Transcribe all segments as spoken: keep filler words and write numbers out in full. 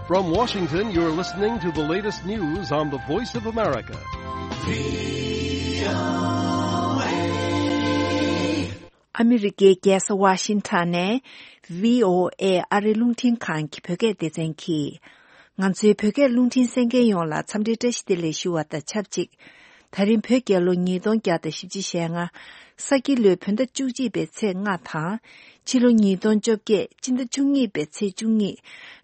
From Washington, you're listening to the latest news on the Voice of America. ཨ་མི་རི་ཀའི་རྒྱལ་ས་ཝ་ཤིང་ཊོན་ནས་བྷི་ཨོ་ཨེ་ཨ་རི་རླུང་འཕྲིན་ཁང་གི་བོད་སྐད་སྡེ་ཚན་གྱིས། ང་ཚོའི་བོད་སྐད་རླུང་འཕྲིན་གསན་མཁན་ཡོངས་ལ་འཚམས་འདྲི་བཀྲ་ཤིས་བདེ་ལེགས་ཞུ་བ་དང་ཆབས་ཅིག་ད་རིང་བོད་རྒྱལ་ལོ་ཉིས་སྟོང་བརྒྱ་དང་བཞི་བཅུ་ཞེ་ལྔ། ས་ཁྱི་ལོའི་བོད་ཟླ་བཅུ་གཅིག་པའི་ཚེས་ལྔ་དང་། ཕྱི་ལོ་ཉིས་སྟོང་བཅོ་བརྒྱད་སྤྱི་ཟླ་བཅུ་གཉིས་པའི་ཚེས་བཅུ་གཉིས།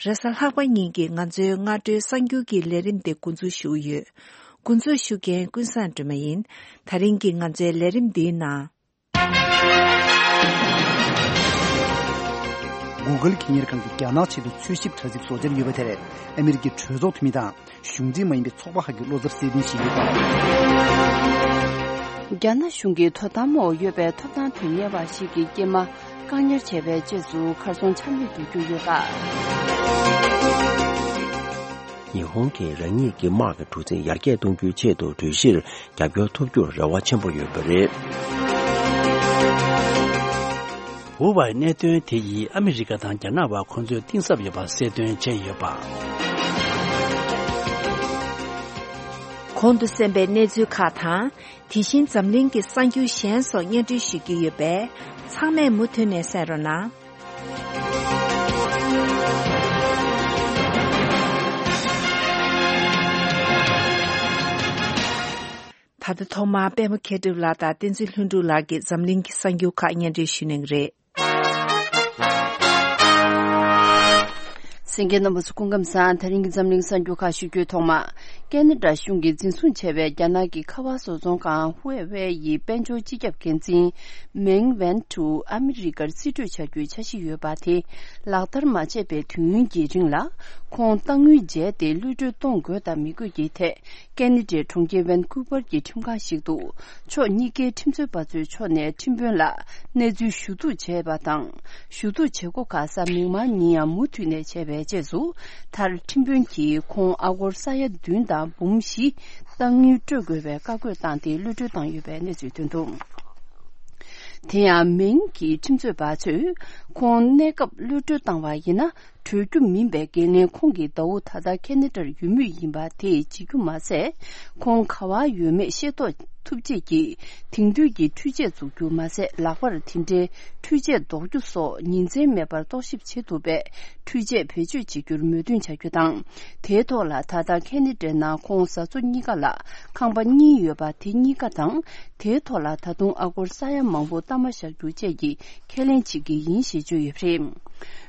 རེས་གཟའ་ལྷག་པ་ཉིན་གྱི་ང་ཚོའི་སྔ་དྲོའི་གསར་འགྱུར་གྱི་ལས་རིམ་དེ་འགོ་འཛུགས་ཞུ་གི་ཡོད། འགོ་འཛུགས་ཞུ་མཁན་ཀུན་བཟང་སྒྲོལ་མ་ཡིན། ད་རིང་གི་ང་ཚོའི་ལས་རིམ་འདིའི་ནང་། Google་གི་གཉེར་ཁང་གིས་རྒྱ་ནག་ཆེད་དུ་འཚོལ་ཞིབ་དྲ་ཚིགས་བཟོ་འཆར་ཡོད་པ་དེར་ཨ་མི་རི་ཀའི་གྲོས་ཚོགས་འཐུས་མི་དང་གཞུང་འབྲེལ་མ་ཡིན་པའི་ཚོགས་པ་ཁག་གིས་བློ་འཚབ་སེལ་འདུན་ཞུས་ཡོད་པ། རྒྱ་ནག་གཞུང་གི་དོ་དམ་འོག་ཡོད་པའི་ཐོབ་ཐང་དོན་གཉེར་བ་ཞིག་གི་སྐྱེས་མ་བཀག་ཉར་བྱས་པའི་རྗེས་སུ་གར་སོང་ཆ་མེད་དུ་གྱུར་ཡོད་པ། ཉི་ཧོང་གིས་རང་ཉིད་ཀྱི་དམག་གི་གྲུ་གཟིངས་ཡར་རྒྱས་གཏོང་རྒྱུའི་ཆེད་དུ་གྲོས་གཞིར་རྒྱབ་སྐྱོར་ཐོབ་རྒྱུར་རེ་བ་ཆེན་པོ་ཡོད་པ་རེད། ཧུ་ཝའི་གནད་དོན་དེ་ཡིས་ཨ་མི་རི་ཀ་དང་རྒྱ་ནག་བར་འཁོན་འཛིན་གཏིང་ཟབ་ཡོད་པ་གསལ་སྟོན་བྱས་ཡོད་པ། གོང་དུ་གསན་པའི་གནས་ཚུལ་ཁག་དང་། དེ་བཞིན་འཛམ་གླིང་གི་གསར་འགྱུར་གཞན་སོགས་སྙན་སྒྲོན་ཞུ་རྒྱུ་ཡོད་པས། ཚང་མས་མུ་མཐུད་ནས་གསན་རོགས་གནང་། ད་ལྟ་ཐོག་མར་པད་མ་མཁས་གྲུབ་ལགས་དང་བསྟན་འཛིན་ལྷུན་གྲུབ་ལགས་ཀྱིས་འཛམ་གླིང་གི་གསར་འགྱུར་ཁག་སྙན་སྒྲོན་ཞུ་གནང་གི་རེད། གསན་མཁན་རྣམ་པ་ཚོ་སྐུ་ཁམས་བཟང་། ད་རིང་གི་འཛམ་གླིང་གསར་འགྱུར་ཁག་ཞུ་རྒྱུའི་ཐོག་མ། ཁེ་ན་ཌ་གཞུང་གིས་འཛིན་བཟུང་བྱས་པའི་རྒྱ་ནག་གི་ཁ་པར་བཟོ་ཚོང་ཁང་ཧུའེ་ཝེ་ཡི་དཔལ་འབྱོར་སྤྱི་ཁྱབ་འགན་འཛིན་མེང་ཝན་ཀྲུའུ་ཨ་མི་རི་ཀར་རྩིས་སྤྲོད་བྱ་རྒྱུའི་འཆར་གཞི་ཡོད་པ་དེ་ལག་བསྟར་མ་བྱས་པའི་དུས་ཡུན་གྱི་རིང་ལ། ཁོང་གཏང་དངུལ་འཇལ་ཏེ་གློད་གྲོལ་གཏོང་དགོས་དང་མི་དགོས་ཀྱི་ཐད། ཁེ་ན་ཌའི་གྲོང་ཁྱེར་ཝན་ཀུ་ཝར་གྱི་ཁྲིམས་ཁང་ཞིག་ཏུ། ཕྱོགས་གཉིས་ཀའི་ཁྲིམས་རྩོད་པ་ཚོའི་ཕྱོགས་ནས་ཁྲིམས་དཔོན་ལ་གནས་ཚུལ་ཞུ་གཏུག་བྱས་པ་དང་། ཞུ་གཏུག་བྱེད་སྒོ་ཁག་གཟའ་མིག་དམར་ཉིན་ཡང་མུ་མཐུད་ནས་བྱས་པའི་རྗེས་སུ། མཐར་ཁྲིམས་དཔོན་གྱིས་ཁོང་ཨ་སྒོར་ས་ཡ་བདུན་དང་འབུམ་བཞི་གཏང་དངུལ་སྤྲོད་དགོས་པའི་བཀའ་བཀོད་བཏང་སྟེ་གློད་གྲོལ་བཏང་ཡོད་པའི་གནས་ཚུལ་ཐོན་འདུག་དེ་ཡང་མེང་གི་ཁྲིམས་རྩོད་པ་ཚོས་ཁོང་གནས་སྐབས་གློད་གྲོལ་བཏང་བ་ཡིན་ན། གྲོལ་རྒྱུ་མིན་པའི་འགན་ལེན་ཁོང་གི་ཟླ་བོ་ད་ལྟ་ཁེ་ན་ཌར་ཡོད་མུས་ཡིན་པ་དེས་བྱེད་རྒྱུ་མ་ཟད། ཁོང་ག་བར་ཡོད་མེད་ཤེས་རྟོགས་ཐུབ་ཆེད་ཀྱི་དེང་དུས་ཀྱི་འཕྲུལ་ཆས་འཛུགས་རྒྱུ་མ་ཟད། ལག་པར་དེ་འདྲའི་འཕྲུལ་ཆས་འདོགས་རྒྱུ་སོགས་ཉིན་མཚན་མེད་པར་རྟོག་ཞིབ་བྱེད་ཐུབ་པའི་འཕྲུལ་ཆས་བེད་སྤྱོད་བྱེད་རྒྱུར་མོས་མཐུན་བྱ་རྒྱུ་དང་། དེའི་ཐོག་ལ་ད་ལྟ་ཁེ་ན་ཌའི་ནང་ཁོང་བཟའ་ཚོ་གཉིས་ཀ་ལ་ཁང་པ་གཉིས་ཡོད་པ་དེ་གཉིས་ཀ་དང་། དེའི་ཐོག་ལ་ད་དུང་ཨ་སྒོར་ས་ཡ་མང་པོ་གཏའ་མ་བཞག་རྒྱུ་བཅས་ཀྱི་ཁས་ལེན་བྱེད་ཀྱི་ཡིན་ཞེས་བརྗོད་ཡོད་པ་རེད།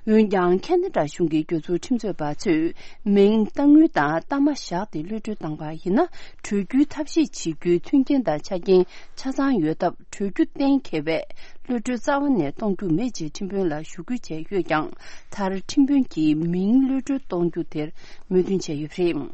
འོན་ཀྱང་ཁེ་ན་ཌ་གཞུང་གི་གྱོད་ཚུལ་ཁྲིམས་རྩོད་པ་ཚོས་མིང་གཏའ་དངུལ་དང་གཏའ་མ་བཞག་སྟེ་གློད་གྲོལ་བཏང་བ་ཡིན་ན། གྲོལ་རྒྱུའི་ཐབས་ཤེས་བྱེད་རྒྱུའི་མཐུན་རྐྱེན་དང་ཆ་རྐྱེན་ཆ་ཚང་ཡོད་སྟབས། གྲོལ་རྒྱུ་གཏན་འཁེལ་བས་གློད་གྲོལ་རྩ་བ་ནས་གཏོང་རྒྱུ་མེད་ཅེས་ཁྲིམས་དཔོན་ལ་ཞུ་སྐུལ་བྱས་ཡོད་ཀྱང་། མཐར་ཁྲིམས་དཔོན་གྱིས་མིང་གློད་གྲོལ་གཏོང་རྒྱུ་དེར་མོས་མཐུན་བྱས་ཡོད་པ་རེད།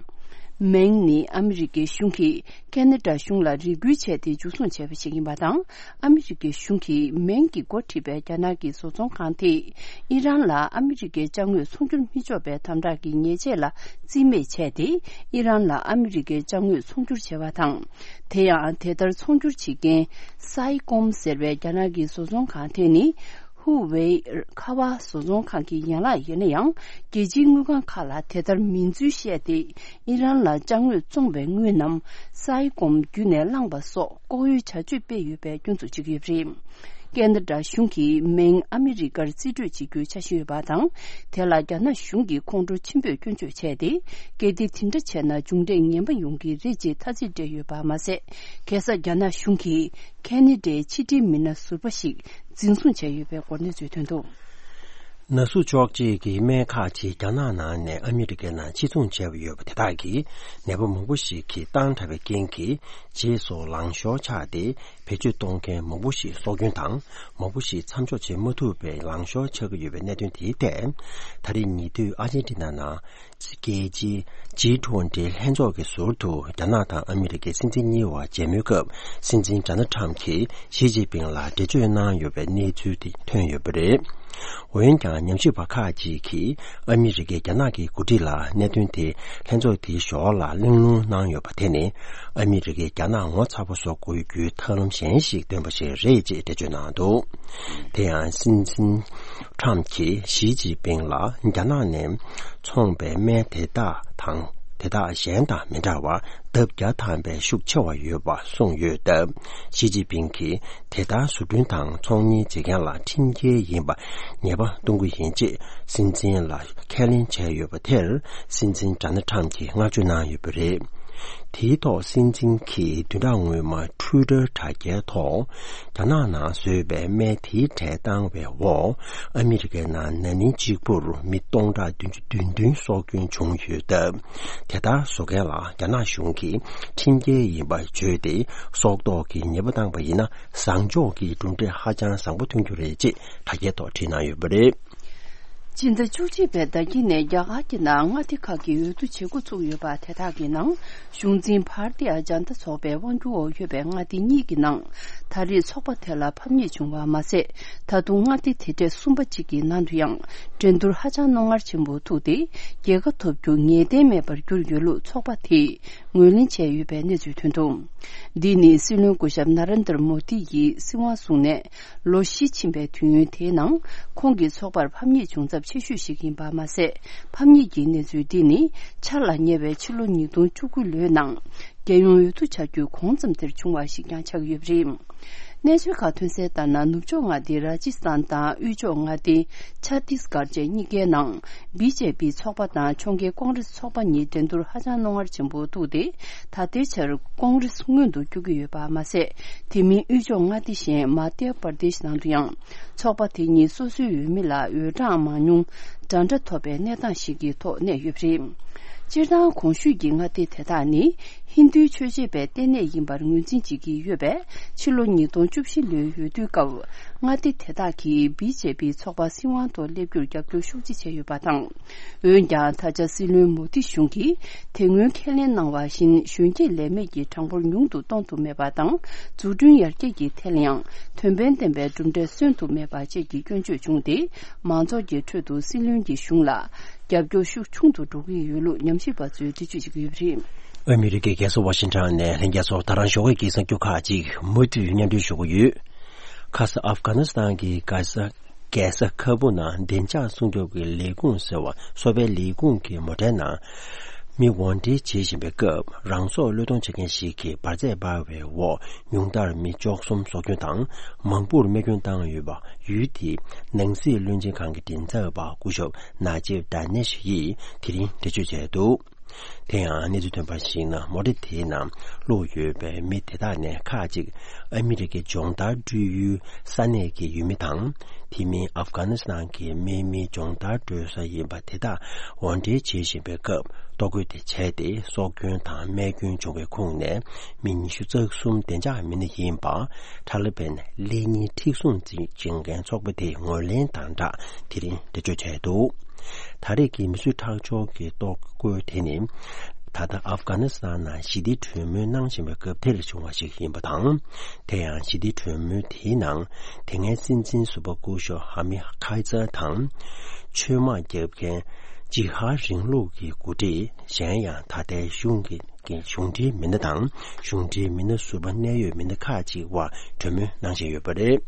མེང་ནི་ཨ་མི་རི་ཀའི་གཞུང་གིས་ཁེ་ན་ཌ་གཞུང་ལ་རེ་སྐུལ་བྱས་ཏེ་འཇུ་བཟུང་བྱས་པ་ཞིག་ཡིན་པ་དང་། ཨ་མི་རི་ཀའི་གཞུང་གིས་མེང་གིས་འགོ་ཁྲིད་པའི་རྒྱ་ནག་གི་བཟོ་ཚོང་ཁང་དེས་ཨི་རན་ལ་ཨ་མི་རི་ཀའི་ཅ་དངོས་ཚོང་སྒྱུར་མི་ཆོག་པའི་དམ་དྲག་གི་ཉེས་ཆད་ལ་རྩིས་མེད་བྱས་ཏེ། ཨི་རན་ལ་ཨ་མི་རི་ཀའི་ཅ་དངོས་ཚོང་སྒྱུར་བྱས་པ་དང་། དེ་ཡང་དེ་ལྟར་ཚོང་སྒྱུར་བྱེད་མཁན་སའི་ཀོམ་ཟེར་བའི་རྒྱ་ནག་གི་བཟོ་ཚོང་ཁང་དེ་ནི། ཧུ་ཝེ་ཁ་པར་བཟོ་ཚོང་ཁང་གི་ཡན་ལག་ཡིན་ན་ཡང་། རྒྱལ་སྤྱིའི་དངུལ་ཁང་ཁག་ལ་དེ་ལྟར་མིང་འཛུལ་བཤད་དེ། ཨི་རན་ལ་ཅ་དངོས་བཙོང་བའི་དངུལ་རྣམས་སའི་ཀོམ་བརྒྱུད་ནས་བླངས་པ་སོགས་ལྐོག་གཡོའི་བྱ་སྤྱོད་སྤེལ་ཡོད་པའི་སྐྱོན་འཛུགས་བྱེད་ཀྱི་ཡོད་པ་རེད། ཁེ་ན་ཌ་གཞུང་གིས་མིང་ཨ་མི་རི་ཀར་རྩིས་སྤྲོད་བྱེད་རྒྱུའི་འཆར་གཞི་ཡོད་པ་དང་། དེ་ལ་རྒྱ་ནག་གཞུང་གིས་ཁོང་ཁྲོ་ཆེན་པོས་སྐྱོན་བརྗོད་བྱས་ཏེ། གལ་ཏེ་དེ་འདྲ་བྱས་ན་མཇུག་འབྲས་ངན་པ་ཡོང་གི་རེད་ཅེས་ཐ་ཚིག་སྤྲད་ཡོད་པ་མ་ཟད། ཁ་སང་རྒྱ་ནག་གཞུང་གིས་ཁེ་ན་ཌའི་ཕྱི་འབྲེལ་མི་སྣ་ཟུར་པ་ཞིག་འཛིན་བཟུང་བྱས་ཡོད་པའི་སྐོར་གནས་ཚུལ་ཐོན་འདུག་ན་ཟུག་གཅོག་བྱེད་ཀྱི་སྨན་ཁག་ཅིག་རྒྱ་ནག་ནང་ནས་ཨ་མི་རི་ཀའི་ནང་ཕྱིར་ཚོང་བྱས་པ་ཡོད་པ་དེ་དག་གིས་ནད་པ་མང་པོ་ཞིག་གི་བཏང་དྲགས་པའི་རྐྱེན་གྱིས། རྗེས་སུ་ལང་ཤོར་ཆགས་ཏེ། བེད་སྤྱོད་གཏོང་མཁན་མང་པོ་ཞིག་སྲོག་སྐྱོན་དང་། མང་པོ་ཞིག་མཚམས་འཇོག་བྱེད་མ་ཐུབ་པའི་ལང་ཤོར་ཆགས་ཀྱི་ཡོད་པའི་གནད་དོན་དེའི་ཐད། ད་རེས་ཉེ་དུས་ཨར་ཇེན་ཊི་ན་ནང་རྒྱལ་སྤྱིའི་ཇི་ཊུ་ཝན་ཊི་ལྷན་ཚོགས་ཀྱི་ཟུར་དུ་རྒྱ་ནག་དང་ཨ་མི་རི་ཀའི་སྲིད་འཛིན་གཉིས་བར་མཇལ་མོལ་སྐབས། སྲིད་འཛིན་ཌོ་ནལ་ཊམ་གྱིས་ཞི་ཅིན་ཕིང་ལ་འགྲེལ་བརྗོད་གནང་ཡོད་པའི་གནས་ཚུལ་དེ་ཐོན་ཡོད་པ་རེད། འོན་ཀྱང་ཉམས་ཞིབ་པ་ཁག་ཅིག་གིས་ཨ་མི་རི་ཀས་རྒྱ་ནག་གི་འགོ་ཁྲིད་ལ་གནད་དོན་དེ་ལྷན་ཚོགས་དེའི་ཞོར་ལ་གླེང་སློང་གནང་ཡོད་པ་དེ་ནི། ཨ་མི་རི་ཀས་རྒྱ་ནག་ངོ་ཚ་པོ་བཟོ་དགོས་རྒྱུའི་ཐབས་ལམ་གཞན་ཞིག་བཏོན་པ་ཞིག་རེད་ཅེས་འགྲེལ་བརྗོད་གནང་འདུག་དེ་ཡང་སྲིད་འཛིན་ཁྲམ་གྱིས་ཞི་ཅིན་ཕིང་ལ་རྒྱ་ནག་ནས་འཚོང་པའི་སྨན་དེ་དག་དང་དེ་དག་གཞན་དང་མི་འདྲ་བར་ལྡབ་བརྒྱ་ཐམ་པའི་ཤུགས་ཆེ་བ་ཡོད་པ་གསུངས་ཡོད་སྟབས། ཞི་ཅིན་ཕིང་གིས་དེ་ལྟར་བཟོ་སྐྲུན་དང་ཚོང་གཉེར་བྱེད་མཁན་ལ་ཁྲིམས་འགལ་ཡིན་པ་ངེས་པ་གཏོང་གི་ཡིན་ཅེས་སྲིད་འཛིན་ལ་ཁས་ལེན་བྱས་ཡོད་པ་དེར། སྲིད་འཛིན་ཌོ་ནལ་ཁྲམ་གྱིས་བསྔགས་བརྗོད་གནང་ཡོད་པ་རེད། དེའི་ཐོག་སྲིད་འཛིན་གྱིས་བདུན་ཕྲག་སྔོན་མ་ཊུའི་ཊར་དྲ་རྒྱའི་ཐོག་རྒྱ་ནག་ནང་བཟོས་པའི་སྨན་དེའི་གྲས་བཏང་བའི་འོག་ཨ་མི་རི་ཀའི་ནང་ན་ནིང་གཅིག་པུར་མི་སྟོང་ཕྲག་བདུན་ཅུ་དོན་བདུན་སྲོག་སྐྱོན་བྱུང་ཡོད་སྟབས། དེ་ལྟར་བཟོ་མཁན་ལ་རྒྱ་ནག་གཞུང་གིས་ཁྲིམས་འགལ་ཡིན་པ་བརྗོད་དེ། སྲོག་ཐོག་གི་ཉེས་པ་བཏང་པ་ཡིན་ན། བཟང་ཕྱོགས་ཀྱི་གྲུབ་འབྲས་ཧ་ཅང་བཟང་པོ་ཐོན་རྒྱུ་རེད་ཅེས་དྲ་རྒྱའི་ཐོག་བྲིས་གནང་ཡོད་པ་རེད། སྤྱི་ཟླ་བཅུ་གཅིག་པའི་ཟླ་དཀྱིལ་ནས་རྒྱ་གར་གྱི་ནང་མངའ་སྡེ་ཁག་གི་འོས་བསྡུ་བྱེད་འགོ་ཚུགས་ཡོད་པ་དེ་དག་གི་ནང་། གཞུང་འཛིན་བྷར་ཏི་ཡ་ཇན་ཏ་ཚོགས་པའི་དབང་སྒྱུར་འོག་ཡོད་པའི་མངའ་སྡེ་གཉིས་ཀྱི་ནང་། ད་རེས་ཚོགས་པ་དེ་ལ་ཕམ་ཉེས་བྱུང་བ་མ་ཟད། ད་དུང་མངའ་སྡེ་དེ་གྲས་གསུམ་པ་གཅིག་གི་ནང་དུ་ཡང་འགྲན་བསྡུར་ཧ་ཅང་རྣོ་ངར་ཆེན་པོ་ཐུག་སྟེ། རྒྱལ་ཁ་ཐོབ་རྒྱུ་ངེས་གཏན་མེད་པར་གྱུར་ཡོད་ལུགས་ཚོགས་པ་དེས་ངོས་ལེན་བྱས་ཡོད་པའི་གནས་ཚུལ་ཐོན་འདུག་འདི་ནི་སྲིད་བློན་སྐུ་ཞབས་ན་རེན་དར་མོ་དི་ཡིས་སྲིད་དབང་བཟུང་ནས། ལོ་བཞི་ཕྱིན་པའི་དུས་ཡུན་དེའི་ནང་། ཁོང་གི་ཚོགས་པར་ཕམ་ཉེས་བྱུང་ཚབས་ཆེ་ཤོས་ཤིག་ཡིན་པ་མ་ཟད། ཕམ་ཉེས་ཀྱི་གནས་ཚུལ་འདི་ནི་འཆར་ལ་ཉེ་བའི་ཕྱི་ལོ་ཉིས་སྟོང་བཅུ་དགུ་ལོའི་ནང་། རྒྱལ་ཡོངས་འོས་བསྡུ་བྱ་རྒྱུའི་གོང་ཙམ་དེར་བྱུང་བ་ཞིག་ཀྱང་ཆགས་ཡོད་པ་རེད། གནས་ཚུལ་ཁག་ཐོན་གསལ་ལྟར་ན། ནུབ་ཕྱོགས་མངའ་སྡེ་ར་ཇི་སི་ཐན་དང་དབུས་ཕྱོགས་མངའ་སྡེ་ཆ་ཏིས་གྷར་བཅས་གཉིས་ཀའི་ནང་། བི་ཇེ་པི་ཚོགས་པ་དང་ཕྱོགས་འགལ་ཀོང་རེ་སི་ཚོགས་པ་གཉིས་འགྲན་བསྡུར་ཧ་ཅང་རྣོ་ངར་ཆེན་པོ་ཐུག་སྟེ། ད་ལྟའི་ཆར་ཀོང་རེ་སི་སྔོན་དུ་བསྐྱོད་ཀྱི་ཡོད་པ་མ་ཟད། དེ་མིན་དབུས་ཕྱོགས་མངའ་སྡེ་གཞན་མ་དྷྱ་པར་དེཤ་ནང་དུ་ཡང་། ཚོགས་པ་དེ་གཉིས་སོ་སོའི་འོས་མི་ལ་འོས་གྲངས་མང་ཉུང་འདྲ་འདྲ་ཐོབ་པའི་གནས་སྟངས་ཤིག་གི་ཐོག་གནས་ཡོད་པ་རེད། སྤྱིར་བཏང་གོང་ཞུས་ཀྱི་མངའ་སྡེ་དེ་དག་ནི་ཧིན་རྡུའི་ཆོས་བྱེད་པའི་ལྟེ་གནས་ཡིན་པར་ངོས་འཛིན་བྱེད་ཀྱི་ཡོད་པས། ཕྱི་ལོ་ཉིས་སྟོང་བཅུ་བཞི་ལོའི་འོས་བསྡུའི་སྐབས། མངའ་སྡེ་དེ་དག་གིས་བི་ཇེ་པི་ཚོགས་པ་སྲིད་དབང་ཐོག་སླེབས་རྒྱུར་རྒྱབ་སྐྱོར་ཤུགས་ཆེ་བྱས་ཡོད་པ་དང་། འོན་ཀྱང་། ད་ཆ་སྲིད་བློན་མོ་དྷི་གཞུང་གིས་དེ་སྔོན་ཁས་ལེན་གནང་བ་བཞིན། གཞོན་སྐྱེས་ལས་མེད་ཀྱི་གྲངས་འབོར་ཉུང་དུ་གཏོང་ཐུབ་མེད་པ་དང་། འཛུགས་སྐྲུན་ཡར་རྒྱས་ཀྱི་ཐད་ལ་ཡང་། དོན་ཕན་ལྡན་པའི་གྲུབ་འབྲས་སོན་ཐུབ་མེད་པ་བཅས་ཀྱི་སྐྱོན་བརྗོད་བྱུང་སྟེ། མང་ཚོགས་ཀྱི་ཁྲོད་དུ་སྲིད་བློན་གྱི་གཞུང་ལ་རྒྱབ་སྐྱོར་ཤུགས་ཆུང་དུ་འགྲོ་གི་ཡོད་ལུགས་ཉམས་ཞིབ་པ་ཚོས་འགྲེལ་བརྗོད་བྱེད་ཀྱི་ཡོད་པ་རེད། ཨ་མི་རི་ཀའི་རྒྱལ་ས་ཝ་ཤིང་ཊོན་ནས་ལྷན་རྒྱས་ཚོར་ད་རང་ཞོགས་ཀྱི་གསར་འགྱུར་ཁག་ཅིག་མུ་མཐུད་སྙན་སྒྲོན་ཞུ་གི་ཡོད། ཁ་ས་ཨབ་གྷ་ནི་སི་ཐན་གྱི་ག་ས། རྒྱལ་ས་ཁ་བུ་ནང་བདེ་འཇགས་སྲུང་སྐྱོབ་ཀྱི་ལས་ཁུངས་ཟེར་བ་གསོ་སྤེལ་ལས་ཁུངས་ཀྱི་མོ་ཊའི་ནང་མི་ཝོན་ཊི་བྱེད་བཞིན་པའི་སྐབས། རང་སྲོག་བློས་གཏོང་བྱེད་མཁན་ཞིག་གིས་འབར་རྫས་སྤར་བའི་འོག་ཉུང་མཐར་མི་བཅུ་གསུམ་སྲོག་སྐྱོན་དང་མང་པོར་རྨས་སྐྱོན་བཏང་ཡོད་པ། ཡུལ་དེའི་ནང་སྲིད་བློན་ཆེན་ཁང་གི་མགྲིན་ཚབ་པ་སྐུ་ཞབས་ན་ཇིབ་ཌ་ནེཤ་ཡིས་དེ་རིང་འགྲེལ་བརྗོད་བྱས་འདུག་དེ་ཡང་གནས་ཚུལ་ཐོན་པར་གཞིགས་ན། མོ་ཊ་དེའི་ནང་བླུགས་ཡོད་པའི་མི་དེ་དག་ནས་ཁག་ཅིག་ཨ་མི་རི་ཀའི་སྦྱོང་བརྡར་སྤྲོད་ཡུལ་ས་གནས་ཀྱི་ཡུལ་མི་དང་། དེ་མིན་ཨབ་གྷ་ནི་སི་ཐན་གྱི་དམག་མིའི་སྦྱོང་བརྡར་སྤྲོད་ས་ཡིན་པ་དེ་དག་ཝོན་ཊི་བྱེད་བཞིན་པའི་སྐབས། ལྟོ་གོས་དེ་བྱས་ཏེ་སྲོག་སྐྱོན་དང་རྨས་སྐྱོན་བྱུང་བའི་ཁོངས་ནས་མི་ཉི་ཤུ་རྩ་གསུམ་བདེ་འཇགས་མི་སྣ་ཡིན་པ། ཐ་ལི་བན་ལེགས་ཉེས་མཁྲེགས་བཟུང་བྱེད་མཁན་ཚོགས་པ་དེས་ངོས་ལེན་དང་སྦྲགས་དེ་རིང་འགྲེལ་བརྗོད་བྱས་འདུག་ད་རེས་ཀྱི་མི་གསོད་ཁྲག་སྦྱོར་གྱི་ལྟོ་གོས་དེ་ནི། ད་ལྟ་ཨབ་གྷ་ནི་སི་ཐན་ནང་ཞི་བདེའི་གྲོས་མོལ་གནང་བཞིན་པའི་སྐབས་དེར་བྱུང་བ་ཞིག་ཡིན་པ་དང་། དེ་ཡང་ཞི་བདེའི་གྲོས་མོལ་དེའི་ནང་། དེ་སྔའི་སྲིད་འཛིན་ཟུར་པ་སྐུ་ཞབས་ཧ་མི་ཁའི་ཙར་དང་། ཆོས་དམག་རྒྱབ་མཁན་ཇི་ཧར་རིང་ལུགས་ཀྱི་འགོ་ཁྲིད་གཞན་ཡང་། ད་ལྟའི་གཞུང་གི་གི་གཞུང་འབྲེལ་མི་སྣ་དང་། གཞུང་འབྲེལ་མི་སྣ་ཟུར་པ་གནད་ཡོད་མི་སྣ་ཁག་ཅིག་དབར་གྲོས་མོལ་གནང་བཞིན་ཡོད་པ་རེད།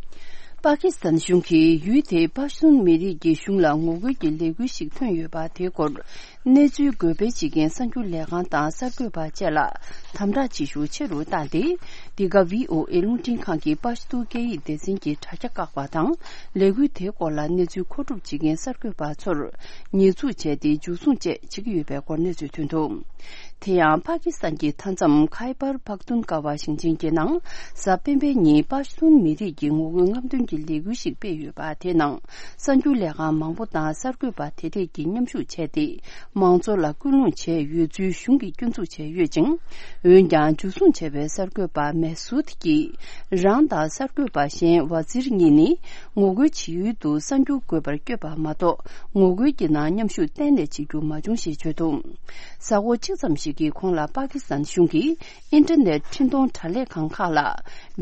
པ་ཀི་སི་ཐན་གཞུང་གིས་ཡུལ་དེའི་པ་ཤུན་མི་རིགས་ཀྱི་གཞུང་ལ་ངོ་རྒོལ་གྱི་ལས་འགུལ་ཞིག་ཐོན་ཡོད་པ་དེའི་སྐོར། གནས་ཚུལ་འགོད་སྤེལ་བྱེད་མཁན་གསར་འགྱུར་ལས་ཁང་དང་གསར་འགོད་པ་བཅས་ལ་དམ་དྲག་བྱེད་ཤུགས་ཆེ་རུ་བཏང་སྟེ། འདི་ག་བྷི་ཨོ་ཨེ་རླུང་འཕྲིན་ཁང་གིས་པ་ཤུན་སྐད་ཡིག་སྡེ་ཚན་གྱི་དྲ་རྒྱ་བཀག་པ་དང་། ལས་འགུལ་དེའི་སྐོར་ལ་གནས་ཚུལ་མཁོ་སྒྲུབ་བྱེད་མཁན་གསར་འགོད་པ་ཚོར་ཉེས་འཛུགས་བྱས་ཏེ་འཇུ་བཟུང་བཅས་བྱེད་ཀྱི་ཡོད་པའི་སྐོར་གནས་ཚུལ་ཐོན་འདུག་དེ་ཡང་། པ་ཀི་སི་ཐན་གྱི་མཐའ་མཚམས་ཁའི་པར་པག་ཏུན་ཀ་བ་ཞིང་ཆེན་གྱི་ནང་། གཟའ་སྤེན་པའི་ཉིན་པ་ཤུན་མི་རིགས་ཀྱི་ངོ་རྒོལ་རྔམ་སྟོན་གྱི་ལས་འགུལ་ཞིག་སྤེལ་ཡོད་པ་དེའི་ནང་། གསར་འགྱུར་ལས་ཁང་མང་པོ་དང་གསར་འགོད་པ་དེ་རིགས་ཀྱིས་མཉམ་ཞུགས་བྱས་ཏེ། མང་ཚོགས་ལ་སྐུལ་སློང་བྱས་ཡོད་ཚུལ་གཞུང་གིས་སྐྱོན་འཛུགས་བྱས་ཡོད་ཅིང་། འོན་ཀྱང་འཇུ་བཟུང་བྱས་པའི་གསར་འགོད་པ་མེ་སུད་ཀྱིས་རང་དང་གསར་འགོད་པ་གཞན་ཝ་ཛིར་གཉིས་ནི་ངོ་རྒོལ་བྱེད་ཡུལ་དུ་གསར་འགྱུར་འགོད་པར་བསྐྱོད་པ་མ་གཏོགས། ངོ་རྒོལ་གྱི་ནང་མཉམ་ཞུགས་གཏན་ནས་བྱེད་རྒྱུ་མ་བྱུང་ཞེས་བརྗོད་འདུག་གཟའ་འཁོར་གཅིག་ཙམ་ཞིག་གི་གོང་ལ་པ་ཀི་སི་ཐན་གཞུང་གིས་ཨིན་ཊར་ནེཊ་འཕྲིན་གཏོང་དྲ་ལས་ཁང་ཁག་ལ་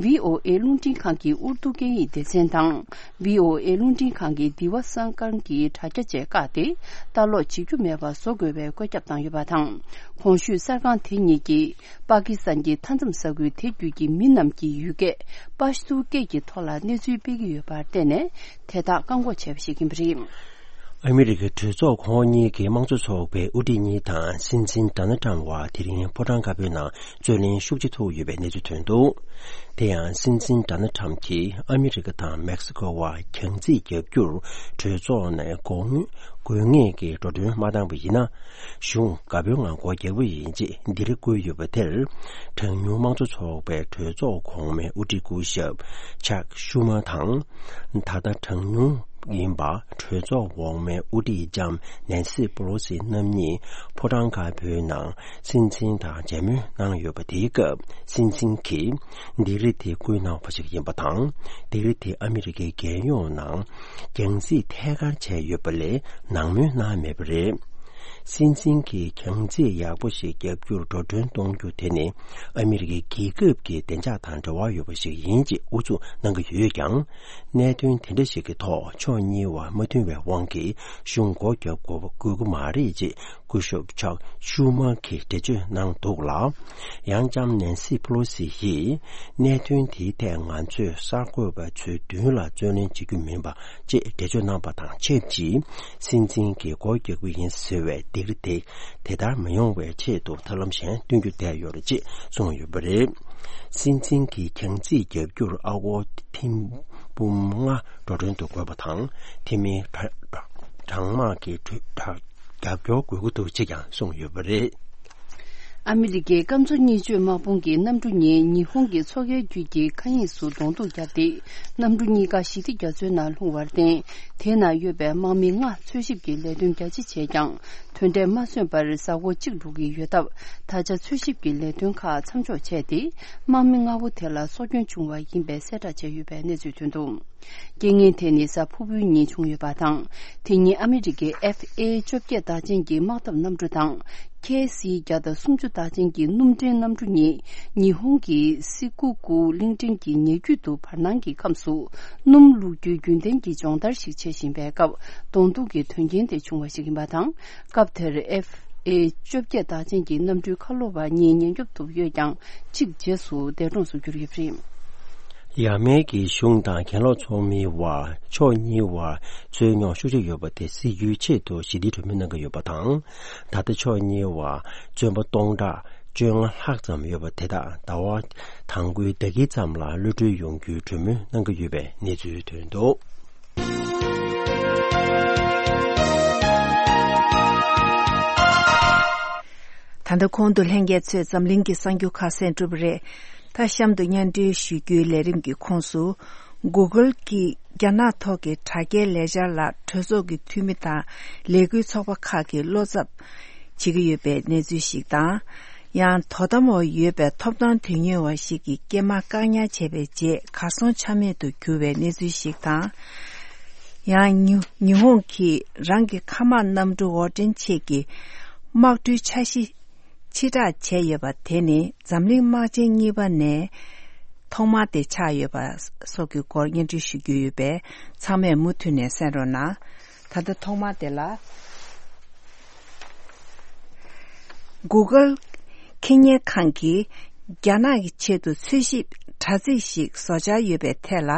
བྷི་ཨོ་ཨེ་རླུང་འཕྲིན་ཁང་གི་ཨུར་དུ་སྐད་ཡིག་སྡེ་ཚན་དང་། བྷི་ཨོ་ཨེ་རླུང་འཕྲིན་ཁང་གི་དི་བ་སང་ཀར་གྱི་དྲ་རྒྱ་བཅས་བཀག་སྟེ། ལྟ་ཀློག་བྱེད་རྒྱུ་མེད་པར་བཟོ་དགོས་པའི་བཀོད་ཁྱབ་བཏང་ཡོད་པ་དང་། གོང་ཞུས་གསར་ཁང་དེ་གཉིས་ཀྱིས་པ་ཀི་སི་ཐན་གྱི་མཐའ་མཚམས་ས་ཁུལ་དེ་བརྒྱུད་ཀྱི་མི་རྣམས་ཀྱི་ཡུལ་སྐད་པ་ཤ་ཏུ་སྐད་ཀྱི་ཐོག་ལ་གནས་ཚུལ་སྤེལ་གྱི་ཡོད་པར་བརྟེན་ནས། དེ་དག་བཀག་འགོག་བྱས་པ་ཞིག་ཡིན་པ་རེད། ཨ་མི་རི་ཀའི་གྲོས་ཚོགས་ཁོངས་གཉིས་ཀྱི་དམངས་གཙོ་ཚོགས་པའི་དབུ་ཁྲིད་གཉིས་དང་སྲིད་འཛིན་ཌོ་ནལ་ཊམ་བར་དེ་རིང་ཕོ་བྲང་དཀར་པོའི་ནང་རྩོད་གླེང་ཤུགས་ཆེ་ཐུག་ཡོད་པའི་གནས་ཚུལ་ཐོན་འདུག་དེ་ཡང་སྲིད་འཛིན་ཌོ་ནལ་ཊམ་གྱིས་ཨ་མི་རི་ཀ་དང་མེག་སི་ཀོ་བར་གྱང་རྩིས་བརྒྱབ་རྒྱུར་གྲོས་ཚོགས་ནས་དགོས་དགོས་ངེས་ཀྱི་འགྲོ་གྲོན་མ་བཏང་བ་ཡིན་ན། གཞུང་དགའ་པོའི་ངང་སྒོ་རྒྱག་པ་ཡིན་ཅེས་འདིར་བཀོད་ཡོད་པ་དེར། གྲངས་ཉུང་དམངས་གཙོ་ཚོགས་པའི་གྲོས་ཚོགས་གོང་མའི་དབུ་ཁྲིད་སྐུ་ཞབས་ཅག་ཤུ་མ་དང་། ད་ལྟ་གྲངས་ཉུང་ཡིན་པ་གྲོས་ཚོགས་འོག་མའི་དབུ་ཁྲིད་ལྕམ་ནན་སི་པོ་ལོ་སི་རྣམ་གཉིས་ཕོ་བྲང་དཀར་པོའི་ནང་སྲིད་འཛིན་དང་མཇལ་མོལ་གནང་ཡོད་པ། དེའི་སྐབས་སྲིད་འཛིན་གྱིས་ལྡིག་རིས་དེ་བསྐུལ་གནང་བ་ཞིག་ཡིན་པ་དང་། ལྡིག་རིས་དེ་ཨ་མི་རི་ཀའི་རྒྱལ་ཡོངས་ནང་གྱང་རྩིས་ཐད་ཀར་བྱས་ཡོད་པ་ལས་ནང་མོལ་གནང་མེད་པ་རེད། སྲིད་འཛིན་གྱིས་གྱང་རྩིས་ཡག་པོ་ཞིག་བརྒྱབ་རྒྱུར་འགྲོ་གྲོན་གཏོང་རྒྱུ་དེ་ནི་ཨ་མི་རི་ཀའི་རྒྱལ་ཁབ་ཀྱི་བདེ་འཇགས་དང་འབྲེལ་བ་ཡོད་པ་ཞིག་ཡིན་ཅེས་ཨུ་ཚུགས་གནང་གི་ཡོད་ཀྱང་། གནད་དོན་དེ་འདྲ་ཞིག་གི་ཐོག་ཕྱོགས་གཉིས་བར་མ་མཐུན་པའི་དབང་གིས་གཞུང་སྒོ་རྒྱག་དགོས་པ་དགོས་ཀྱི་མ་རེད་ཅེས་སྐུ་ཞབས་ཅག་ཤུ་མ་གིས་འགྲེལ་བརྗོད་གནང་འདུག་ལ། ཡང་ལྕམ་ནན་སི་པེ་ལོ་སི་ཡིས་གནད་དོན་དེའི་ཐད་ང་ཚོས་གསར་འགོད་པ་ཚོའི་མདུན་ལ་རྩོད་གླེང་བྱེད་རྒྱུ་མིན་པ་ཅེས་འགྲེལ་བརྗོད་གནང་པ་དང་ཆབས་ཅིག་སྲིད་འཛིན་གྱིས་སྒོ་རྒྱག་གི་ཡིན་ཟེར་བའི་ལྡིག་རིས་དེ་དེ་ལྟར་མི་ཡོང་བའི་ཆེད་དུ་ཐབས་ལམ་གཞན་སྟོན་རྒྱུ་བསྡད་ཡོད་རེད་ཅེས་གསུངས་ཡོད་པ་རེད། སྲིད་འཛིན་གྱིས་གྱང་རྩིས་བརྒྱབ་རྒྱུར་ཨ་སྒོར་ཐེར་འབུམ་ལྔ་འགྲོ་གྲོན་དུ་དགོས་པ་དང་། དེ་མིན་གྲ་གྲ་གྲང་དམག་གི་གྲོས་གྲ་རྒྱབ་སྐྱོར་དགོས་ཀྱི་འདུག་ཅེས་ཀྱང་གསུངས་ཡོད་པ་རེད། ཨ་མི་རི་ཀའི་སྐམ་མཚོ་གཉིས་སྤྱོད་དམག་དཔུང་གི་གནམ་གྲུ་གཉིས་ཉི་ཧོང་གི་མཚོ་ཁའི་རྒྱུད་ཀྱི་མཁའ་དབྱིངས་སུ་གདོང་ཐུག་བརྒྱབ་སྟེ། གནམ་གྲུ་གཉིས་ཀ་ཞི་བདེ་རྒྱ་མཚོའི་ནང་ལྷུང་བར་བརྟེན། དེའི་ནང་ཡོད་པའི་དམག་མི་ལྔ་འཚོལ་ཞིབ་ཀྱི་ལས་དོན་རྒྱ་ཆེ་བྱས་ཀྱང་། དོན་འབྲས་མ་སོན་པར་གཟའ་འཁོར་གཅིག་འགྲོ་གི་ཡོད་སྟབས། ད་ཆ་འཚོལ་ཞིབ་ཀྱི་ལས་དོན་ཁག་མཚམས་འཇོག་བྱས་ཏེ། དམག་མི་ལྔ་བོ་དེ་ལ་སྲོག་སྐྱོན་བྱུང་བ་ཡིན་པའི་གསལ་བསྒྲགས་བྱས་ཡོད་པའི་གནས་ཚུལ་ཐོན་འདུག་རྐྱེན་ངན་དེ་ནི་གཟའ་ཕུར་བུའི་ཉིན་བྱུང་ཡོད་པ་དང་། དེ་ཉིན་ཨ་མི་རི་ཀའི་ཨེཕ་ཨེ་བཅོ་བརྒྱད་རྟགས་ཅན་གྱི་དམག་འཐབ་གནམ་གྲུ་དང་། ཁེ་སི་བརྒྱ་དང་སུམ་ཅུ་རྟགས་ཅན་གྱི་སྣུམ་འདྲེན་གནམ་གྲུ་གཉིས་ཉི་ཧོང་གི་སི་ཀུ་ཀུ་གླིང་ཕྲན་གྱི་ཉེ་བརྒྱུད་དུ་བར་སྣང་གི་ཁམས་སུ་སྣུམ་བླུག་རྒྱུའི་རྒྱུན་ལྡན་གྱི་སྦྱོང་བརྡར་ཞིག་བྱེད་བཞིན་པའི་སྐབས། གདོང་ཐུག་གི་དོན་རྐྱེན་དེ་བྱུང་བ་ཞིག་ཡིན་པ་དང་། སྐབས་དེར་ཨེཕ་ཨེ་བཅོ་བརྒྱད་རྟགས་ཅན་གྱི་གནམ་གྲུའི་ཁ་ལོ་བ་གཉིས་ཉེན་སྐྱོབ་ཐུབ་ཡོད་ཀྱང་། གཅིག་རྗེས་སུ་འདས་གྲོངས་སུ་གྱུར་ཡོད་པ་རེད། ཡ་མེན་གྱི་གཞུང་དང་གྱེན་ལོག་ཚོགས་མིའི་དབར་ཕྱོགས་གཉིས་བར་རྩོད་རྙོག་ཤུགས་ཆེ་ཡོད་པ་དེ་སེལ་རྒྱུའི་ཆེད་དུ་ཞི་བདེའི་གྲོས་མོལ་གནང་གི་ཡོད་པ་དང་། ད་ལྟ་ཕྱོགས་གཉིས་བར་བཙོན་པ་སྟོང་ཕྲག་བཅོ་ལྔ་ལྷག་ཙམ་ཡོད་པ་དེ་དག་ཟླ་བ་དང་པོའི་ཟླ་དཀྱིལ་ཙམ་ལ་གློད་གྲོལ་ཡོང་རྒྱུའི་གྲོས་མོལ་གནང་གི་ཡོད་པའི་གནས་ཚུལ་ཐོན་འདུག་ད་ལྟ་གོང་དུ་ལྷན་རྒྱས་ཚོས་འཛམ་གླིང་གི་གསར་འགྱུར་ཁག་གསན་གྲུབ་པ་རེད། ད་གཤམ་དུ་སྙན་སྒྲོན་ཞུ་རྒྱུའི་ལས་རིམ་གྱི་ཁོངས་སུ། Google གྱིས་རྒྱ་ནག་ཐོག་གི་དྲ་རྒྱའི་ལས་འཆར་ལ་གྲོས་ཚོགས་ཀྱི་འཐུས་མི་དང་ལས་འགུལ་ཚོགས་པ་ཁག་གིས་བློ་འཚབ་བྱེད་ཀྱི་ཡོད་པའི་གནས་ཚུལ་ཞིག་དང་། ཡང་དོ་དམ་འོག་ཡོད་པའི་ཐོབ་ཐང་དོན་གཉེར་བ་ཞིག་གི་སྐྱེས་མ་བཀག་ཉར་བྱས་པའི་རྗེས་གར་སོང་ཆ་མེད་དུ་གྱུར་བའི་གནས་ཚུལ་ཞིག་དང་། ཡང་ཉི་ཉི་ཧོང་གིས་རང་གི་མཁའ་དམག་གནམ་གྲུ་འོར་འདྲེན་ཆེད་ཀྱི་དམག་གྲུའི་འཆར་གཞི་ཕྱིར་བསྒྲགས་བྱས་ཡོད་པ་དེ་ནི་འཛམ་གླིང་དམག་ཆེན་གཉིས་པ་ནས་ཐོག་མ་དེ་ཆགས་ཡོད་པ་སོགས་ཀྱི་སྐོར་སྙན་སྒྲོན་ཞུ་རྒྱུ་ཡོད་པས། ཚང་མས་མུ་མཐུད་ནས་གསན་རོགས་གནང་། ད་ལྟ་ཐོག་མ་དེ་ལ། Google ཁེ་གཉེར་ཁང་གིས་རྒྱ་ནག་གི་ཆེད་དུ་འཚོལ་ཞིབ་དྲ་ཚིགས་ཤིག་བཟོ་འཆར་ཡོད་པའི་ཐད་ལ།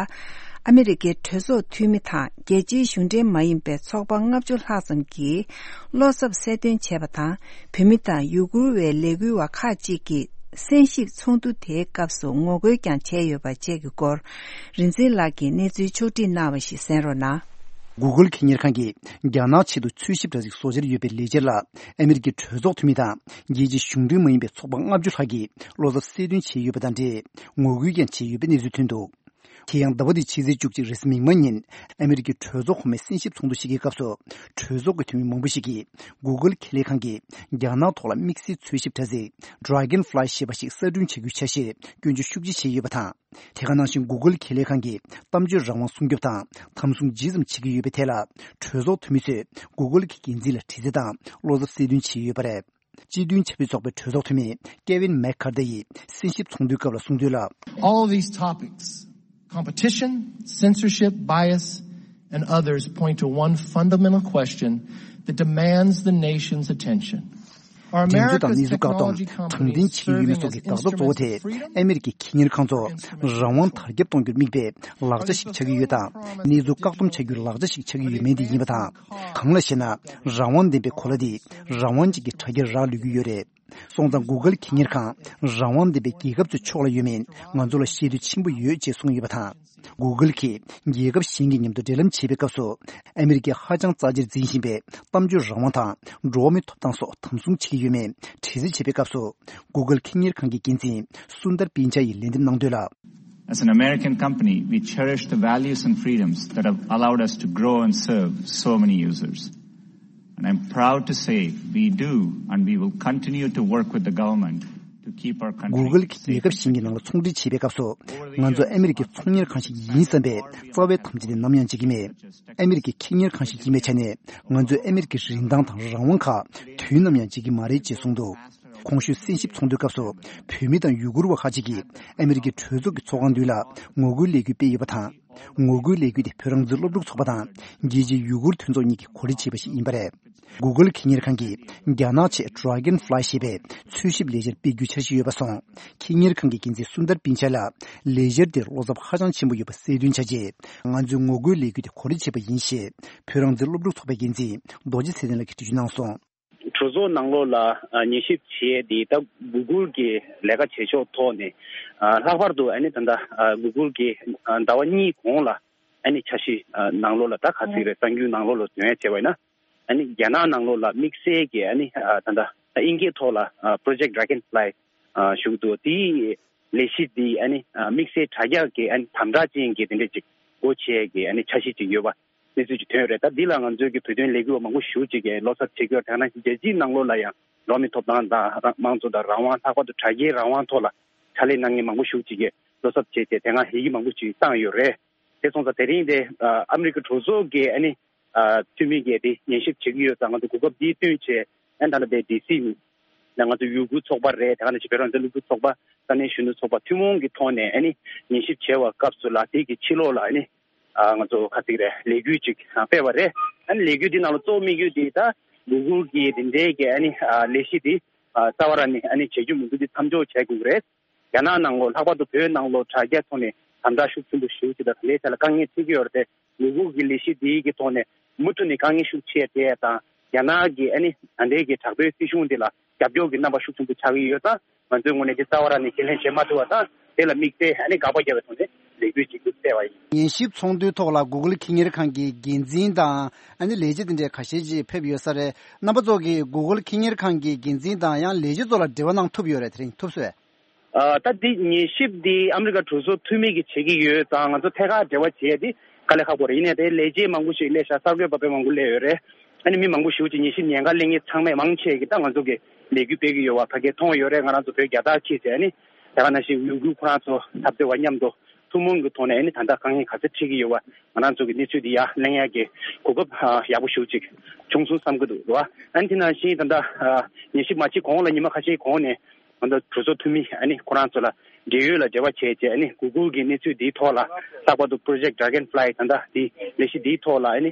ཨ་མི་རི་ཀའི་གྲོས་ཚོགས་འཐུས་མི་དང་རྒྱལ་སྤྱིའི་གཞུང་འབྲེལ་མ་ཡིན་པའི་ཚོགས་པ་ལྔ་བཅུ་ལྷག་ཙམ་གྱིས་བློ་འཚབ་གསལ་སྟོན་བྱས་པ་དང་། བོད་མི་དང་ཡུ་གུར་བའི་ལས་འགུལ་བ་ཁག་ཅིག་གིས་གསན་ཞིབ་ཚོགས་འདུ་དེའི་སྐབས་སུ་ངོ་རྒོལ་ཀྱང་བྱས་ཡོད་པ་བཅས་ཀྱི་སྐོར། རིག་འཛིན་ལགས་ཀྱིས་གནས་ཚུལ་ཕྱོགས་སྒྲིག་གནང་བ་ཞིག་གསན་རོགས་གནང་། Google ཁེ་གཉེར་ཁང་གིས་རྒྱ་ནག་ཆེད་དུ་འཚོལ་ཞིབ་དྲ་ཚིགས་བཟོ་འཆར་ཡོད་པའི་ལས་འཆར་ལ། ཨ་མི་རི་ཀའི་གྲོས་ཚོགས་འཐུས་མི་དང་རྒྱལ་སྤྱིའི་གཞུང་འབྲེལ་མ་ཡིན་པའི་ཚོགས་པ་ལྔ་བཅུ་ལྷག་གིས་བློ་འཚབ་གསལ་སྟོན་བྱས་ཡོད་པ་དང་འབྲེལ། ངོ་རྒོལ་ཀྱང་བྱས་ཡོད་པའི་གནས་ཚུལ་ཐོན་འདུག་དེ་ཡང་ཟླ་བ་འདིའི་ཕྱི་ཚེས་བཅུ་གཅིག་རེས་གཟའ་མིག་དམར་ཉིན་ཨ་མི་རི་ཀའི་གྲོས་ཚོགས་གོང་མའི་གསན་ཞིབ་ཚོགས་འདུ་ཞིག་གི་སྐབས་སུ། གྲོས་ཚོགས་ཀྱི་འཐུས་མི་མང་པོ་ཞིག་གིས་Google་ཁེ་ལས་ཁང་གིས་རྒྱ་ནག་ཐོག་ལ་དམིགས་བསལ་འཚོལ་ཞིབ་དྲ་ཚིགས་Dragonfly་ཞེས་པ་ཞིག་གསར་སྐྲུན་བྱ་རྒྱུའི་འཆར་གཞིར་སྐྱོན་བརྗོད་ཤུགས་ཆེ་བྱས་ཡོད་པ་དང་། དེ་ག་ནང་བཞིན་Google་ཁེ་ལས་ཁང་གིས་གཏམ་བརྗོད་རང་དབང་སྲུང་སྐྱོབ་དང་དམ་སྲུང་ཇི་ཙམ་བྱེད་ཀྱི་ཡོད་པའི་ཐད་ལ། གྲོས་ཚོགས་འཐུས་མི་ཚོས་Google་གྱི་འགན་འཛིན་ལ་དྲི་རྩད་དང་བློ་འཚབ་གསལ་སྟོན་བྱས་ཡོད་པ་རེད། སྤྱི་མཐུན་ཆབ་སྲིད་ཚོགས་པའི་གྲོས་ཚོགས་འཐུས་མི་Kevin McCarthy་ཡིས་གསན་ཞིབ་ཚོགས་འདུའི་སྐབས་ལ་གསུངས་དོན་ལ། All these topics, competition, censorship, bias, and others point to one fundamental question that demands the nation's attention. Are འགྲན་རྩོད་དང་གནས་ཚུལ་བཀག་སྡོམ། དྲང་བདེན་ཆད་ཡོད་མེད་སོགས་ཀྱི་འགག་རྩ་གཙོ་བོ་དེ་ཨ་མི་རི་ཀའི་ཁེ་གཉེར་ཁང་ཚོ་རང་དབང་དར་ཁྱབ་གཏོང་རྒྱུར་དམིགས་པའི་ལག་ཆ་ཞིག་ཆགས་ཀྱི་ཡོད་དང་། གནས་ཚུལ་བཀག་སྡོམ་བྱ་རྒྱུའི་ལག་ཆ་ཞིག་ཆགས་ཀྱི་ཡོད་མེད་དེ་ཡིན་པ་དང་། གང་ལགས་ཤེ་ན། རང་དབང་ལྡན་པའི་གོ་ལ་འདི་རང་དབང་ཅན་གྱི་དྲ་རྒྱར་རག་ལུས་ཀྱི་ཡོད་རེད། སོང་ཙང་Google་ཁེ་གཉེར་ཁང་རང་དབང་ལྡན་པའི་རྒྱལ་ཁབ་ཚོའི་ཕྱོགས་ལ་ཡོད་མིན་ང་ཚོ་ལ་ཤེས་འདོད་ཆེན་པོ་ཡོད་ཅེས་གསུངས་ཡོད་པ་དང་། Google་གིས་རྒྱལ་ཁབ་གཞན་གྱི་མཉམ་དུ་འབྲེལ་ལམ་བྱེད་པའི་སྐབས་སུ། ཨ་མི་རི་ཀས་ཧ་ཅང་རྩ་ཆེར་འཛིན་བཞིན་པའི་གཏམ་བརྗོད་རང་དབང་དང་འགྲོ་བ་མིའི་ཐོབ་ཐང་སོགས་དམ་སྲུང་བྱེད་ཀྱི་ཡོད་མེད་དྲི་རྩད་བྱེད་པའི་སྐབས་སུ། Google་ཁེ་གཉེར་ཁང་གི་འགན་འཛིན་Sundar Pichai་ཡིས་ལན་འདེབས་གནང་དོན་ལ། As an American company, we cherish the values and freedoms that have allowed us to grow and serve so many users. And I'm proud to say we do, and we will continue to work with the government to keep our country Google་གྱིས་རྒྱལ་ཁབ་གཞན་གྱི་ནང་ལ་ཚོང་འབྲེལ་བྱེད་པའི་སྐབས་སུ། ང་ཚོ་ཨ་མི་རི་ཀའི་ཚོང་གཉེར་ཁང་ཞིག་ཡིན་བསམ་པའི་རྩ་བའི་དམ་བཅའ་དེ་ནམ་ཡང་བརྗེད་ཀྱི་མེད། ཨ་མི་རི་ཀའི་ཁེ་གཉེར་ཁང་ཞིག་ཡིན་པའི་ཆ་ནས། ང་ཚོས་ཨ་མི་རི་ཀའི་རིན་ཐང་དང་རང་དབང་ཁག་དུས་ནམ་ཡང་བརྗེད་ཀྱི་མ་རེད་ཅེས་གསུངས་འདུག་གོང་ཞུས་གསན་ཞིབ་ཚོགས་འདུའི་སྐབས་སུ། བོད་མི་དང་ཡུ་གུར་བ་ཁག་ཅིག་གིས་ཨ་མི་རི་ཀའི་གྲོས་ཚོགས་ཀྱི་ཚོགས་ཁང་མདུན་ལ་ངོ་རྒོལ་ལས་འགུལ་སྤེལ་ཡོད་པ་དང་། ངོ་རྒོལ་ལས་འགུལ་དེ་བོད་རང་བཙན་སློབ་ཕྲུག་ཚོགས་པ་དང་རྒྱལ་སྤྱིའི་ཡུ་གུར་མཐུན་ཚོགས་གཉིས་ཀྱིས་གོ་སྒྲིག་བྱས་པ་ཞིག་ཡིན་པ་རེད། Google་ཁེ་གཉེར་ཁང་གིས་རྒྱ་ནག་ཆེད་Dragonfly་ཞེས་པའི་འཚོལ་ཞིབ་ལས་འཆར་སྤེལ་རྒྱུའི་འཆར་གཞི་ཡོད་པ་སོང་། ཁེ་གཉེར་ཁང་གི་འགན་འཛིན་Sundar Pichai་ལ་ལས་འཆར་དེར་བློ་འཚབ་ཧ་ཅང་ཆེན་པོ་ཡོད་པ་གསལ་སྟོན་བྱ་རྗེས། ང་ཚོས་ངོ་རྒོལ་ལས་འགུལ་དེ་གོ་སྒྲིག་བྱས་པ་ཡིན་ཞེས་བོད་རང་བཙན་སློབ་ཕྲུག་ཚོགས་པའི་འགན་འཛིན་རྡོ་རྗེ་ཚེ་བརྟན་ལགས་ཀྱིས་འགྲེལ་བརྗོད་གནང་སོང་། གྲོས་ཚོགས་ནང་ལོགས་ལ་ཉན་ཞིབ་བྱས་ཏེ། ད་Google་གི་ལས་ཀ་བྱེད་ཕྱོགས་ཐོག་ནས་ལྷག་པར་དུ་ཨ་ནི་ད་ལྟ་Google་གི་ཟླ་བ་གཉིས་གོང་ལ་ཨ་ནི་འཆར་གཞི་ནང་ལོགས་ལ། ད་ག་ཚོད་རེད། གསར་འགྱུར་ནང་ལོགས་ལ་འདོན་ཡ་བྱས་པ་ཡིན་ན། ཨ་ནི་རྒྱ་ནག་ནང་ལོགས་ལ་དམིགས་བསལ་གྱི་ཨ་ནི་ད་ལྟ་དབྱིན་སྐད་ཐོག་ལ་Project Dragonfly་ཞུ་གི་འདུག་དེའི་ལས་གཞི་འདི་ཨ་ནི་དམིགས་བསལ་དྲ་རྒྱ་གི་ཨ་ནི་དམ་དྲག་ཅན་གྱི་དེ་འདྲ་ཅིག་སྒོ་ཕྱེ་གི་ཨ་ནི་འཆར་གཞི་ཅིག་ཡོད་པ་གནས་ཚུལ་ཅིག་ཐོན་ཡོད་རེད། ད་འདི་ལ་ང་ཚོའི་གི་བོད་དོན་ལས་འགུལ་བ་མང་པོ་ཞེ་པོ་ཅིག་གིས་བློ་འཚབ་བྱེད་ཀྱི་ཡོད། དེ་ནང་བཞིན་རྒྱལ་སྤྱིའི་ནང་ལོགས་ལ་ཡང་འགྲོ་བ་མིའི་ཐོབ་ཐང་དང་རང་དམངས་གཙོ་དང་རང་དབང་། ལྷག་པར་དུ་དྲ་རྒྱའི་རང་དབང་ཐོག་ལ་ཕྱག་ལས་གནང་མཁན་མང་པོ་ཞེ་པོ་ཅིག་གིས་བློ་འཚབ་བྱས་ཏེ་དེ་སྔ་ཡི་གེ་མང་པོ་ཅིག་བཏང་ཡོད་རེད། དེ་སོང་ཙང་དེ་རིང་དེ་ཨ་མི་རི་ཀ་གྲོས་ཚོགས་ཀྱི་ཨ་ནི་འཐུས་མི་གིས་དེ་ཉན་ཞིབ་བྱེད་ཀྱི་ཡོད་ཙང་། ང་ཚོ་གོ་སྐབས་འདི་བཏོན་བྱས་ཨ་ནི་ད་ལྟ་དེ་ཌི་སི་ནས་ང་ཚོ་ཡུ་གུར་ཚོགས་པ་རེད། དེ་ག་ནང་བཞིན་བོད་རང་བཙན་སློབ་ཕྲུག་ཚོགས་པ། ས་གནས་གཞོན་ནུ་ཚོགས་པ་ཐུན་མོང་གི་ཐོག་ནས་ཨ་ནི་ཉན་ཞིབ་བྱས་པའི་སྐབས་སུ་ལ་དེ་གི་ཕྱི་ལོགས་ལ་ཨ་ནི་ཨ་ང་ཚོ་ག་ཚོད་རེད། ལས་འགུལ་ཅིག་སྤེལ་བ་རེད། ཨ་ནི་ལས་འགུལ་འདི་ནང་ལ་གཙོ་བོ་དམིགས་ཡུལ་འདི་ད་གུ་གུལ་གྱི་དེ་འདྲའི་གི་ཨ་ནི་ལས་གཞི་འདི་རྩ་བ་རང་ནས་ཨ་ནི་བྱེད་རྒྱུ་མི་འདུག་འདི་མཚམས་འཇོག་བྱེད་དགོས་ཀྱི་རེད། རྒྱ་ནག་ནང་ལོགས། ལྷག་པར་དུ་བོད་ནང་ལོགས་དྲ་རྒྱ་ཐོག་ནས་དམ་དྲག་ཤུགས་ཆེན་པོ་ཞེ་པོ་ཅིག་དང་དེ་འདྲའི་ཐད་ལ་དཀའ་ངལ་འཕྲད་ཀྱི་ཡོད་རེད་དེ། གུ་གུལ་གྱི་ལས་གཞི་འདིའི་གི་ཐོག་ནས་མུ་མཐུད་ནས་དཀའ་ངལ་ཤུགས་ཆེ་དེ་དང་། རྒྱ་ནག་གི་ཨ་ནི་ད་ལྟའི་གི་དྲག་པོའི་སྲིད་གཞུང་འདི་ལ་རྒྱབ་སྐྱོར་གྱི་རྣམ་པ་ཤུགས་ཆེན་པོ་ཆགས་ཀྱི་ཡོད་ཙང་། ང་ཚོའི་ངོས་ནས་འདི་རྩ་བ་རང་ནས་ཁས་ལེན་བྱེད་མ་ཐུབ་པ་དང་། དེ་ལ་དམིགས་བསལ་ཨ་ནི་དགག་པ་བརྒྱབ་པའི་ཐོག་ནས་ལས་འགུལ་ཅིག་སྤེལ་བ་ཡིན། ཉན་ཞིབ་ཚོགས་འདུའི་ཐོག་ལ་གུ་གུལ་ཁེ་གཉེར་ཁང་གི་འགན་འཛིན་དང་། ཨ་ནི་ལས་བྱེད་དེ་འདྲའི་ཁ་ཤས་ཅིག་ཕེབས་ཡོད་ས་རེད། རྣམ་པ་ཚོ་གིས་གུ་གུལ་ཁེ་གཉེར་ཁང་གི་འགན་འཛིན་དང་ཡང་ལས་བྱེད་ཚོ་ལ་འབྲེལ་བ་གནང་ཐུབ་ཡོད་རེད། དེ་རིང་ཐུབ་སོང་། ཨ། ད་འདི་ཉན་ཞིབ་འདི་ཨ་མི་རི་ཀ་གྲོས་ཚོགས་འཐུས་མི་གིས་བྱེད་ཀྱི་ཡོད་ཙང་། ང་ཚོ་ཐད་ཀར་འབྲེལ་བ་བྱེད་ཡ་འདི་དཀའ་ལས་ཁག་པོ་རེད། ཡིན་ནའི་དེ་ལས་བྱེད་མང་པོ་ཞིག་སླེབས་ཤག་གསར་འགོད་པ་དཔེ་མང་པོ་སླེབས་ཡོད་རེད། ཨ་ནི་མི་མང་པོ་ཞེ་པོ་ཅིག་ཉན་ཞིབ་ཉན་ག་སླེབས་མཁན་ཚང་མས་མང་ཆེ་གིས་ད་ང་ཚོ་གི་ལས་འགུལ་སྤེལ་གྱི་ཡོད་པ་ཕ་གིར་མཐོང་ཡོད་རེད། ང་རང་ཚོ་བོད་རྒྱལ་དར་འཁྱེར་བྱས། ཨ་ནི་དེ་ག་ནང་བཞིན་ཡུ་གུར་ཁོ་རང་ཚོ་འཐབ་རྩོད་པ་མཉམ་དུ་ཐུན་མོང་གི་ཐོག་ནས་ཨ་ནི་ད་ལྟ་དཀའ་ངལ་ག་ཚོད་འཕྲད་ཀྱི་ཡོད་པ་ང་རང་ཚོ་གི་གནས་ཚུལ་འདི་ཡར་གླེང་ཡ་གི་གོ་སྐབས་ཡག་པོ་ཞེ་པོ་ཅིག་བྱུང་སོང་བསམ་གྱི་འདུག་རེད་བ། ཨ་ནི་དེ་ནང་བཞིན་ད་ལྟ་ཉན་ཞིབ་མ་བྱེད་གོང་ལ་ཉི་མ་ཁ་ཤས་གོང་ནས་ང་ཚོ་གྲོས་ཚོགས་འཐུས་མི་ཨ་ནི་ཁོ་རང་ཚོ་ལ་འབྲེལ་ཡོད་ལ་འབྲེལ་བ་བྱས་བྱས། ཨ་ནི་གུ་གུལ་གྱི་གནས་ཚུལ་འདིའི་ཐོག་ལ། ལྷག་པར་དུ་Project Dragonfly་ད་ལྟ་འདི་ལས་གཞི་འདིའི་ཐོག་ལ་ཨ་ནི་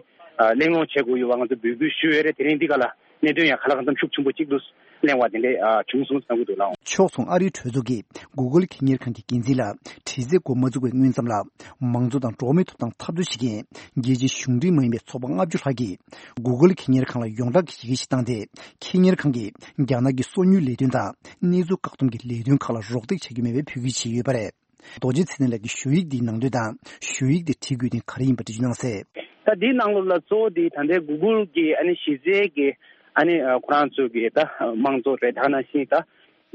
གླེང་སློང་བྱེད་དགོས་ཡོད་པ་ང་ཚོ་འབོད་སྐུལ་ཞུས་ཡོད་རེད། དེ་རིང་འདི་ག་ལ་གནད་དོན་ཡང་ག་ལ་གང་འཚམ་ཤུགས་ཆེན་པོ་གཅིག་ཏུ་གླེང་བ་དེ་འདྲ་བྱུང་སོང་བསམ་གྱི་འདུག་ལགས། ཕྱོགས་མཚུངས་ཨ་རིའི་གྲོས་ཚོགས་ཀྱིས་གུ་གུལ་ཁེ་གཉེར་ཁང་གི་འགན་འཛིན་ལ་དྲི་རྩད་འགོ་མ་བཙུགས་པའི་སྔོན་ཙམ་ལ། མང་གཙོ་དང་འགྲོ་བ་མིའི་ཐོབ་ཐང་འཐབ་རྩོད་བྱེད་མཁན་རྒྱལ་སྤྱིའི་གཞུང་འབྲེལ་མ་ཡིན་པའི་ཚོགས་པ་ལྔ་བཅུ་ལྷག་གིས་གུ་གུལ་ཁེ་གཉེར་ཁང་ལ་ཡོངས་གྲགས་ཀྱི་ཡི་གེ་ཞིག་བཏང་སྟེ། ཁེ་གཉེར་ཁང་གིས་རྒྱ་ནག་གི་སོ་ཉུལ་ལས་དོན་དང་གནས་ཚུལ་བཀག་སྡོམ་གྱི་ལས་དོན་ཁག་ལ་རོགས་འདེགས་བྱ་རྒྱུ་མེད་པའི་འབོད་སྐུལ་བྱས་ཡོད་པ་རེད། རྡོ་རྗེ་ཚེ་བརྟན་ལགས་ཀྱིས་ཞུ་ཡིག་འདིའི་ནང་དོན་དང་ཞུ་ཡིག་འདི་བྲིས་དགོས་དོན་ག་རེ་ཡིན་པ་འགྲེལ་བརྗོད་གནང་གསལ། ད་འདིའི་ནང་ལོགས་ལ་གཙོ་བོ་འདི་ད་ལྟའི་གུ་གུལ་གྱི་ཨ་ནི་གཞི་རྩའི་གི་ཨ་ནི་ཁོ་རང་ཚོའི་གི་ད་དམངས་གཙོ་རེད། ད་ག་ནང་བཞིན་ད་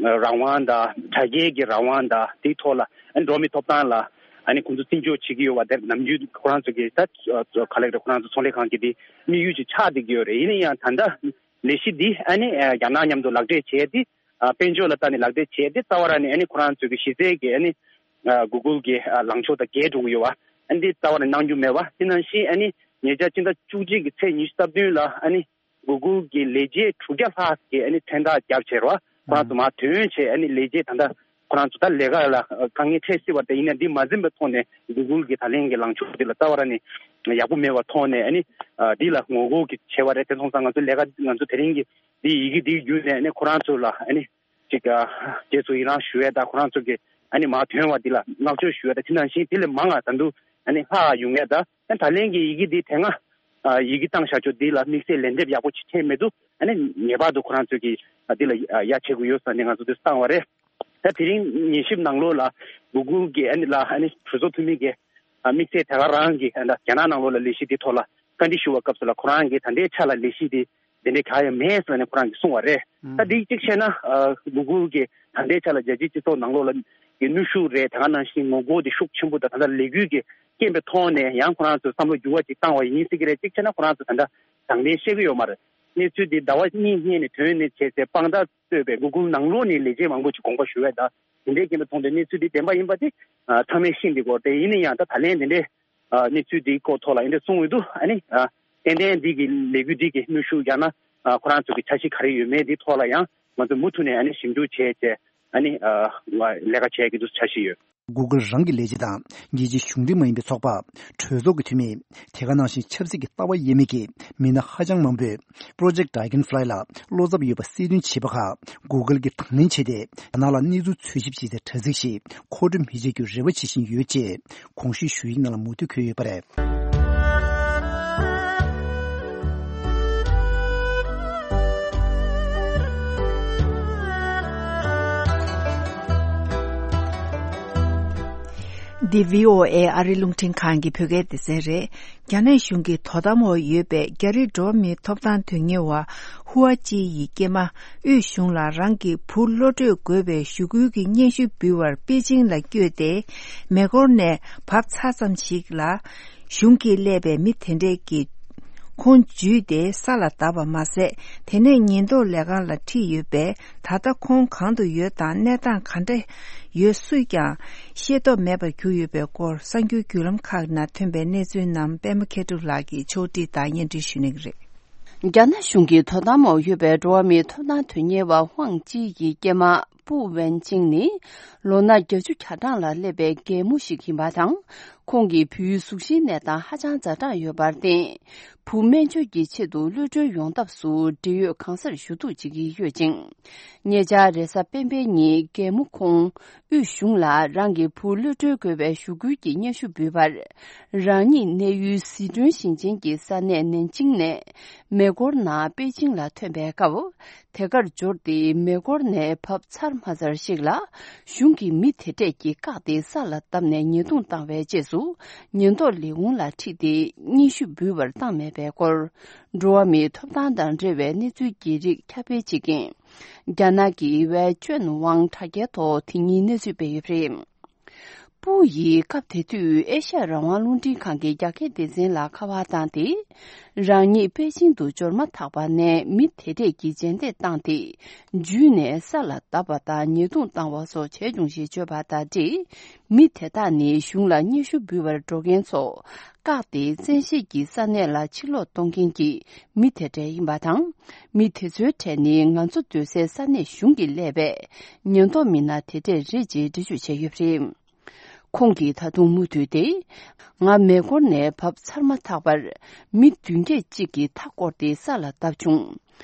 རང་དབང་དང་དྲ་རྒྱའི་གི་རང་དབང་དང་དེའི་ཐོག་ལ་ཨ་ནི་འགྲོ་བ་མིའི་ཐོབ་ཐང་ལ་ ཨ་ནི་ཁོང་ཚོ་བརྩི་འཇོག་བྱེད་ཀྱི་ཡོད་པ་དེ་ནམ་རྒྱུན་ཁོ་རང་ཚོ་གི་ད་ག་ལེགས་རེད། ཁོ་རང་ཚོ་ཚོང་ལས་ཁང་གི་དེ་དམིགས་ཡུལ་ཅིག་ཆགས་བསྡད་ཀྱི་ཡོད་རེད། ཡིན་ན་ཡང་ད་ལྟ་ལས་གཞི་འདི་ཨ་ནི་རྒྱ་ནག་མཉམ་དུ་ལག་འབྲེལ་བྱས་ཏེ། དཔལ་འབྱོར་ལ་བལྟས་ནས་ལག་འབྲེལ་བྱས་ཏེ། རྩ་བ་རང་ནས་ཨ་ནི་ཁོ་རང་ཚོ་གི་གཞི་རྩའི་གི་ཨ་ནི་Google་གི་ལངས་ཕྱོགས་དང་འགལ་འགྲོ་གི་ཡོད་པ་ཨ་ནི་འདི་རྩ་བ་ནས་གནང་རྒྱུ་མེད་པ། དེ་ནང་བཞིན་ཨ་ནི་ཉེ་ཆར་སྤྱི་ཟླ་བཅུ་གཅིག་གི་ཚེས་ཉི་ཤུ་རྩ་བདུན་ལ་ཨ་ནི་Google གི་ལས་བྱེད་དྲུག་བརྒྱ་ལྷག་གིས་ཨ་ནི་མཚན་རྟགས་བརྒྱབ་བྱས་རོགས། ཁོ་རང་ཚོ་མར་ཐོན་བྱས་ཨ་ནི་ལས་བྱེད་ད་ལྟ་ཁོ་རང་ཚོ་ད་ལས་ཀ་ལ་དཀའ་ངལ་འཕྲད་སྲིད་པ་རེད། ཡིན་ན་འདི་མ་འཛེམས་པའི་ཐོག་ནས་Google གི་ད་ལན་གྱི་ལངས་ཕྱོགས་འདི་ལ་རྩ་བ་རང་ནས་ཡག་པོ་མེད་པའི་ཐོག་ནས་ཨ་ནི་འདི་ལ་ངོ་རྒོལ་གྱི་བྱས་པ་རེད། དེ་སོང་ཙང་ང་ཚོ་ལས་ཀ་ང་ཚོ་དེ་རིང་གི་འདི་ཡི་གེ་འདི་བརྒྱུད་ནས་ཨ་ནི་ཁོ་རང་ཚོ་ལ་ཨ་ནི་ཅིག་རྗེས་སུ་ཡི་རང་ཞུ་ཡས་དང་ཁོ་རང་ཚོ་གི་ཨ་ནི་མར་ཐོན་པ་འདི་ལ་བསྔགས་བརྗོད་ཞུ་ཡས་དང་། དེ་ནང་བཞིན་དེ་ལས་མང་ང་ད་དུང་ཨ་ནི་ལྷག་ཡོང་ཡས་དང་། ཨ་ནི་ད་ལན་གྱི་ཡི་གེ་འདི་དེ་སྔ་ཡི་གེ་བཏང་བཞག་ཆོག་འདི་ལ་དམིགས་བསལ་ལན་འདེབས་ཡག་པོ་ཅིག་བྱས་མེད་དུས་ཨ་ནི་ངེས་པར་དུ་ཁོ་རང་ཚོ་གི་འདི་ལ་ཡ་བྱེད་དགོས་ཡོད་ས་ནས་ང་ཚོ་འདི་བཏང་བ་རེད། ད་དེ་རིང་ཉན་ཞིབ་ནང་ལོགས་ལ་Google གི་ཨ་ནི་ལ་ཨ་ནི་གྲོས་ཚོགས་འཐུས་མི་གི་དམིགས་བསལ་དེ་ག་རང་གི་ཨ་ནི་རྒྱ་ནག་ནང་ལོགས་ལ་ལས་གཞི་འདི་ཐོག་ལ་བཀའ་འདྲི་ཞུ་བའི་སྐབས་སུ་ལ་ཁོ་རང་གིས་ད་ལྟའི་ཆ་ལ་ལས་གཞི་འདི་དེ་འདྲའི་གང་ཡང་མེད་ཟེར་ནས་ཁོ་རང་གིས་གསུངས་པ་རེད། ད་འདི་གཅིག་བྱས་ན་Google གི་ད་ལྟའི་ཆ་ལ་རྒྱལ་སྤྱིའི་སྤྱི་ཚོགས་ནང་ལོགས་ལ་གི་གནོན་ཤུགས་རེད། དེ་ག་ནང་བཞིན་ངོ་རྒོལ་དེ་ཤུགས་ཆེན་པོ་དང་ད་ལྟ་ལས་འགུལ་གྱི་རྐྱེན་པའི་ཐོག་ནས་ཡང་ཁོ་རང་ཚོས་བསམ་བློ་འགྱུར་བ་ཅིག་བཏང་བ་ཡིན་སྲིད་ཀྱི་རེད། གཅིག་བྱས་ན་ཁོ་རང་ཚོ་ད་ལྟ་དྲང་བདེན་བཤད་ཀྱི་ཡོད་མ་རེད། གནས་ཚུལ་འདི་ཟླ་བ་གཉིས་སྔོན་ནས་ཐོན་ནས་བྱས་ཚེ་དཔང་རྟགས་གཙོས་པའི་Google ནང་ལོགས་ནས་ལས་བྱེད་མང་པོ་ཅིག་དགོངས་པ་ཞུ་བས་ད་དེ་འདྲའི་རྐྱེན་པས་མཐོང་དུས་གནས་ཚུལ་འདི་བདེན་པ་ཡིན་པ་དེ་ཚང་མས་ཤེས་འདི་གོ། དེ་ཡིན་ན་ཡང་ད་ད་ལན་དེ་འདྲའི་གནས་ཚུལ་འདིའི་སྐོར་ཐོག་ལ་ཡིན་འདྲ་གསུང་འོས་འདུག་ཨ་ནི་ཏན་ཏན་འདི་གི་ལས་འགུལ་འདི་གི་གནོན་ཤུགས་ཡང་ན་ཁོ་རང་ཚོ་གི་འཆར་གཞི་ག་རེ་ཡོད་མེད་འདི་ཐོག་ལ་ཡང་ང་ཚོས་མུ་མཐུད་ནས་ཨ་ནི་ཞིབ་འཇུག་བྱས་བྱས་ཨ་ནི་ལས་ཀ་བྱས་ཀྱི་འདུག་འཆར་གཞི་ཡོད། Google རང་གི་ལས་བྱེད་དང་རྒྱལ་སྤྱིའི་གཞུང་འབྲེལ་མ་ཡིན་པའི་ཚོགས་པ། གྲོས་ཚོགས་ཀྱི་འཐུས་མི། དེ་ག་ནང་བཞིན་ཆབ་སྲིད་ཀྱི་ལྟ་བ་དབྱེ་མེད་ཀྱི་མི་སྣ་ཧ་ཅང་མང་པོས་Project Dragonfly ལ་བློ་འཚབ་ཡོད་པ་གསལ་སྟོན་བྱས་པ་ཁག་Google གྱིས་དང་ལེན་བྱས་ཏེ་རྒྱ་ནག་ལ་གནས་ཚུལ་འཚོལ་ཞིབ་བྱེད་སའི་དྲ་ཚིགས་ཤིག་མཁོ་སྤྲོད་མི་བྱེད་རྒྱུར་རེ་བ་བྱེད་བཞིན་ཡོད་ཅེས་གོང་ཞུས་ཞུ་ཡིག་ནང་ལ་མུ་མཐུད་འཁོད་ཡོད་པ་རེད། འདི་བྷི་ཨོ་ཨེ་ཨ་རི་རླུང་འཕྲིན་ཁང་གི་བོད་སྐད་སྡེ་ཚན་རེད། རྒྱ་ནག་གཞུང་གི་དོ་དམ་འོག་ཡོད་པའི་རྒྱ་རིགས་འགྲོ་བ་མིའི་ཐོབ་ཐང་དོན་གཉེར་བ་ཧུའ་ཅི་ཡི་སྐྱེས་མ་དབུས་གཞུང་ལ་རང་གི་བུ་བློ་གྲོས་རྒོད་པའི་ཞུ་སྐུལ་གྱི་སྙན་ཞུ་འབུལ་བར་པེ་ཅིང་ལ་བསྐྱོད་དེ། མེ་འཁོར་ནས་བབས་ཚར་ཙམ་ཞིག་ལ། གཞུང་གིས་གླས་པའི་མི་དེ་འདྲས་ཀྱིས་ཁོང་འཇུས་ཏེ་ས་ལ་བརྡབས་པ་མ་ཟད། དེ་ནས་ཉེན་རྟོག་ལས་ཁང་ལ་ཁྲིད་ཡོད་པས། ད་ལྟ་ཁོང་གང་དུ་ཡོད་དང་གནས་སྟངས་ག་འདྲ་ཡོད་སུས་ཀྱང་ཤེས་རྟོགས་མེད་པར་གྱུར་ཡོད་པའི་སྐོར་གསར་འགྱུར་བརྒྱུད་ལམ་ཁག་ནང་ཐོན་པའི་གནས་ཚུལ་རྣམས་པད་མ་མཁས་གྲུབ་ལགས་ཀྱིས་ཕྱོགས་སྒྲིག་དང་སྙན་སྒྲོན་ཞུ་གནང་གི་རེད། རྒྱ་ནག་གཞུང་གི་དོ་དམ་འོག་ཡོད་པའི་འགྲོ་བ་མིའི་ཐོབ་ཐང་དོན་གཉེར་བ་ཧུའང་ཅི་ཡི་སྐྱེས་མ་པུའུ་ཝན་ཅིང་ནི་ལོ་ན་བརྒྱད་ཅུ་གྱ་གྲངས་ལ་སླེབས་པའི་རྒན་མོ་ཞིག་ཡིན་པ་དང་། ཁོང་གི་བུའི་གཟུགས་གཞིའི་གནས་སྟངས་ཧ་ཅང་ཛ་དྲག་ཡོད་པར་བརྟེན། བུ་སྨན་བཅོས་ཀྱི་ཆེད་དུ་གློད་གྲོལ་ཡོང་ཐབས་སུ་འབྲེལ་ཡོད་གང་སར་ཞུ་གཏུག་བྱེད་ཀྱི་ཡོད་ཅིང་། ཉེ་ཆར་རེས་གཟའ་སྤེན་པའི་ཉིན་རྒན་མོ་ཁོང་དབུས་གཞུང་ལ་རང་གི་བུ་གློད་གྲོལ་དགོས་པའི་ཞུ་སྐུལ་གྱི་སྙན་ཞུ་འབུལ་བར། རང་ཉིད་གནས་ཡུལ་ཟི་ཁྲོན་ཞིང་ཆེན་གྱི་ས་གནས་ནན་ཅིང་ནས་མེ་འཁོར་ནང་པེ་ཅིང་ལ་ཐོན་པའི་སྐབས། དེ་གར་འབྱོར་ཏེ་མེ་འཁོར་ནས་བབས་ཚར་མ་ཚར་ཞིག་ལ། གཞུང་གི་མི་དེ་འདྲས་ཀྱིས་བཀག་སྟེ་ས་ལ་བརྡབས་ནས་ཉེས་རྡུང་བཏང་བའི་རྗེས་སུ། ཉེན་རྟོག་ལས་ཁུངས་ལ་ཁྲིད་དེ་སྙན་ཞུ་འབུལ་བར་བཏང་མེད་པའི་སྐོར། འགྲོ་བ་མིའི་ཐོབ་ཐང་དང་འབྲེལ་བའི་གནས་ཚུལ་གྱི་རིགས་ཁྱབ་སྤེལ་བྱེད་མཁན། རྒྱ་ནག་གི་ཝེ་ཅོན་ཝང་དྲ་རྒྱའི་ཐོག་དེ་ཉིན་གནས་ཚུལ་སྤེལ་ཡོད་པ་རེད། པུའུ་ཡིས་སྐབས་དེ་དུས་ཨེ་ཤ་ཡ་རང་དབང་རླུང་འཕྲིན་ཁང་གི་རྒྱ་སྐད་སྡེ་ཚན་ལ་ཁ་པར་བཏང་སྟེ། རང་ཉིད་པེ་ཅིང་དུ་འབྱོར་མ་ཐག་པ་ནས་མི་དེ་འདྲས་ཀྱིས་རྗེས་འདེད་བཏང་སྟེ། འཇུས་ནས་ས་ལ་བརྡབས་པ་དང་ཉེས་རྡུང་བཏང་བ་སོགས་བྱས་བྱུང་ཞེས་བརྗོད་པ་དང་འབྲེལ། མི་དེ་དག་ནི་གཞུང་ལ་སྙན་ཞུ་འབུལ་བར་འགྲོ་མཁན་ཚོ། བཀག་སྟེ་བཙན་ཤེད་ཀྱིས་ས་གནས་ལ་ཕྱིར་ལོག་གཏོང་མཁན་གྱི་མི་དེ་འདྲ་ཡིན་པ་དང་། མི་དེ་ཚོའི་གྲས་ནི་ང་ཚོ་སྡོད་སའི་ས་གནས་གཞུང་གིས་གླས་པས། ཉེན་རྟོག་མི་སྣ་དེ་འདྲས་རེད་ཅེས་འགྲེལ་བརྗོད་བྱས་ཡོད་པ་རེད། ཁོང་གིས་ད་དུང་མུ་མཐུད་དེ། ང་མེ་འཁོར་ནས་བབས་ཚར་མ་ཐག་པར། མི་བདུན་བརྒྱད་ཅིག་གིས་མཐའ་བསྐོར་ཏེ་ས་ལ་བརྡབས་བྱུང་།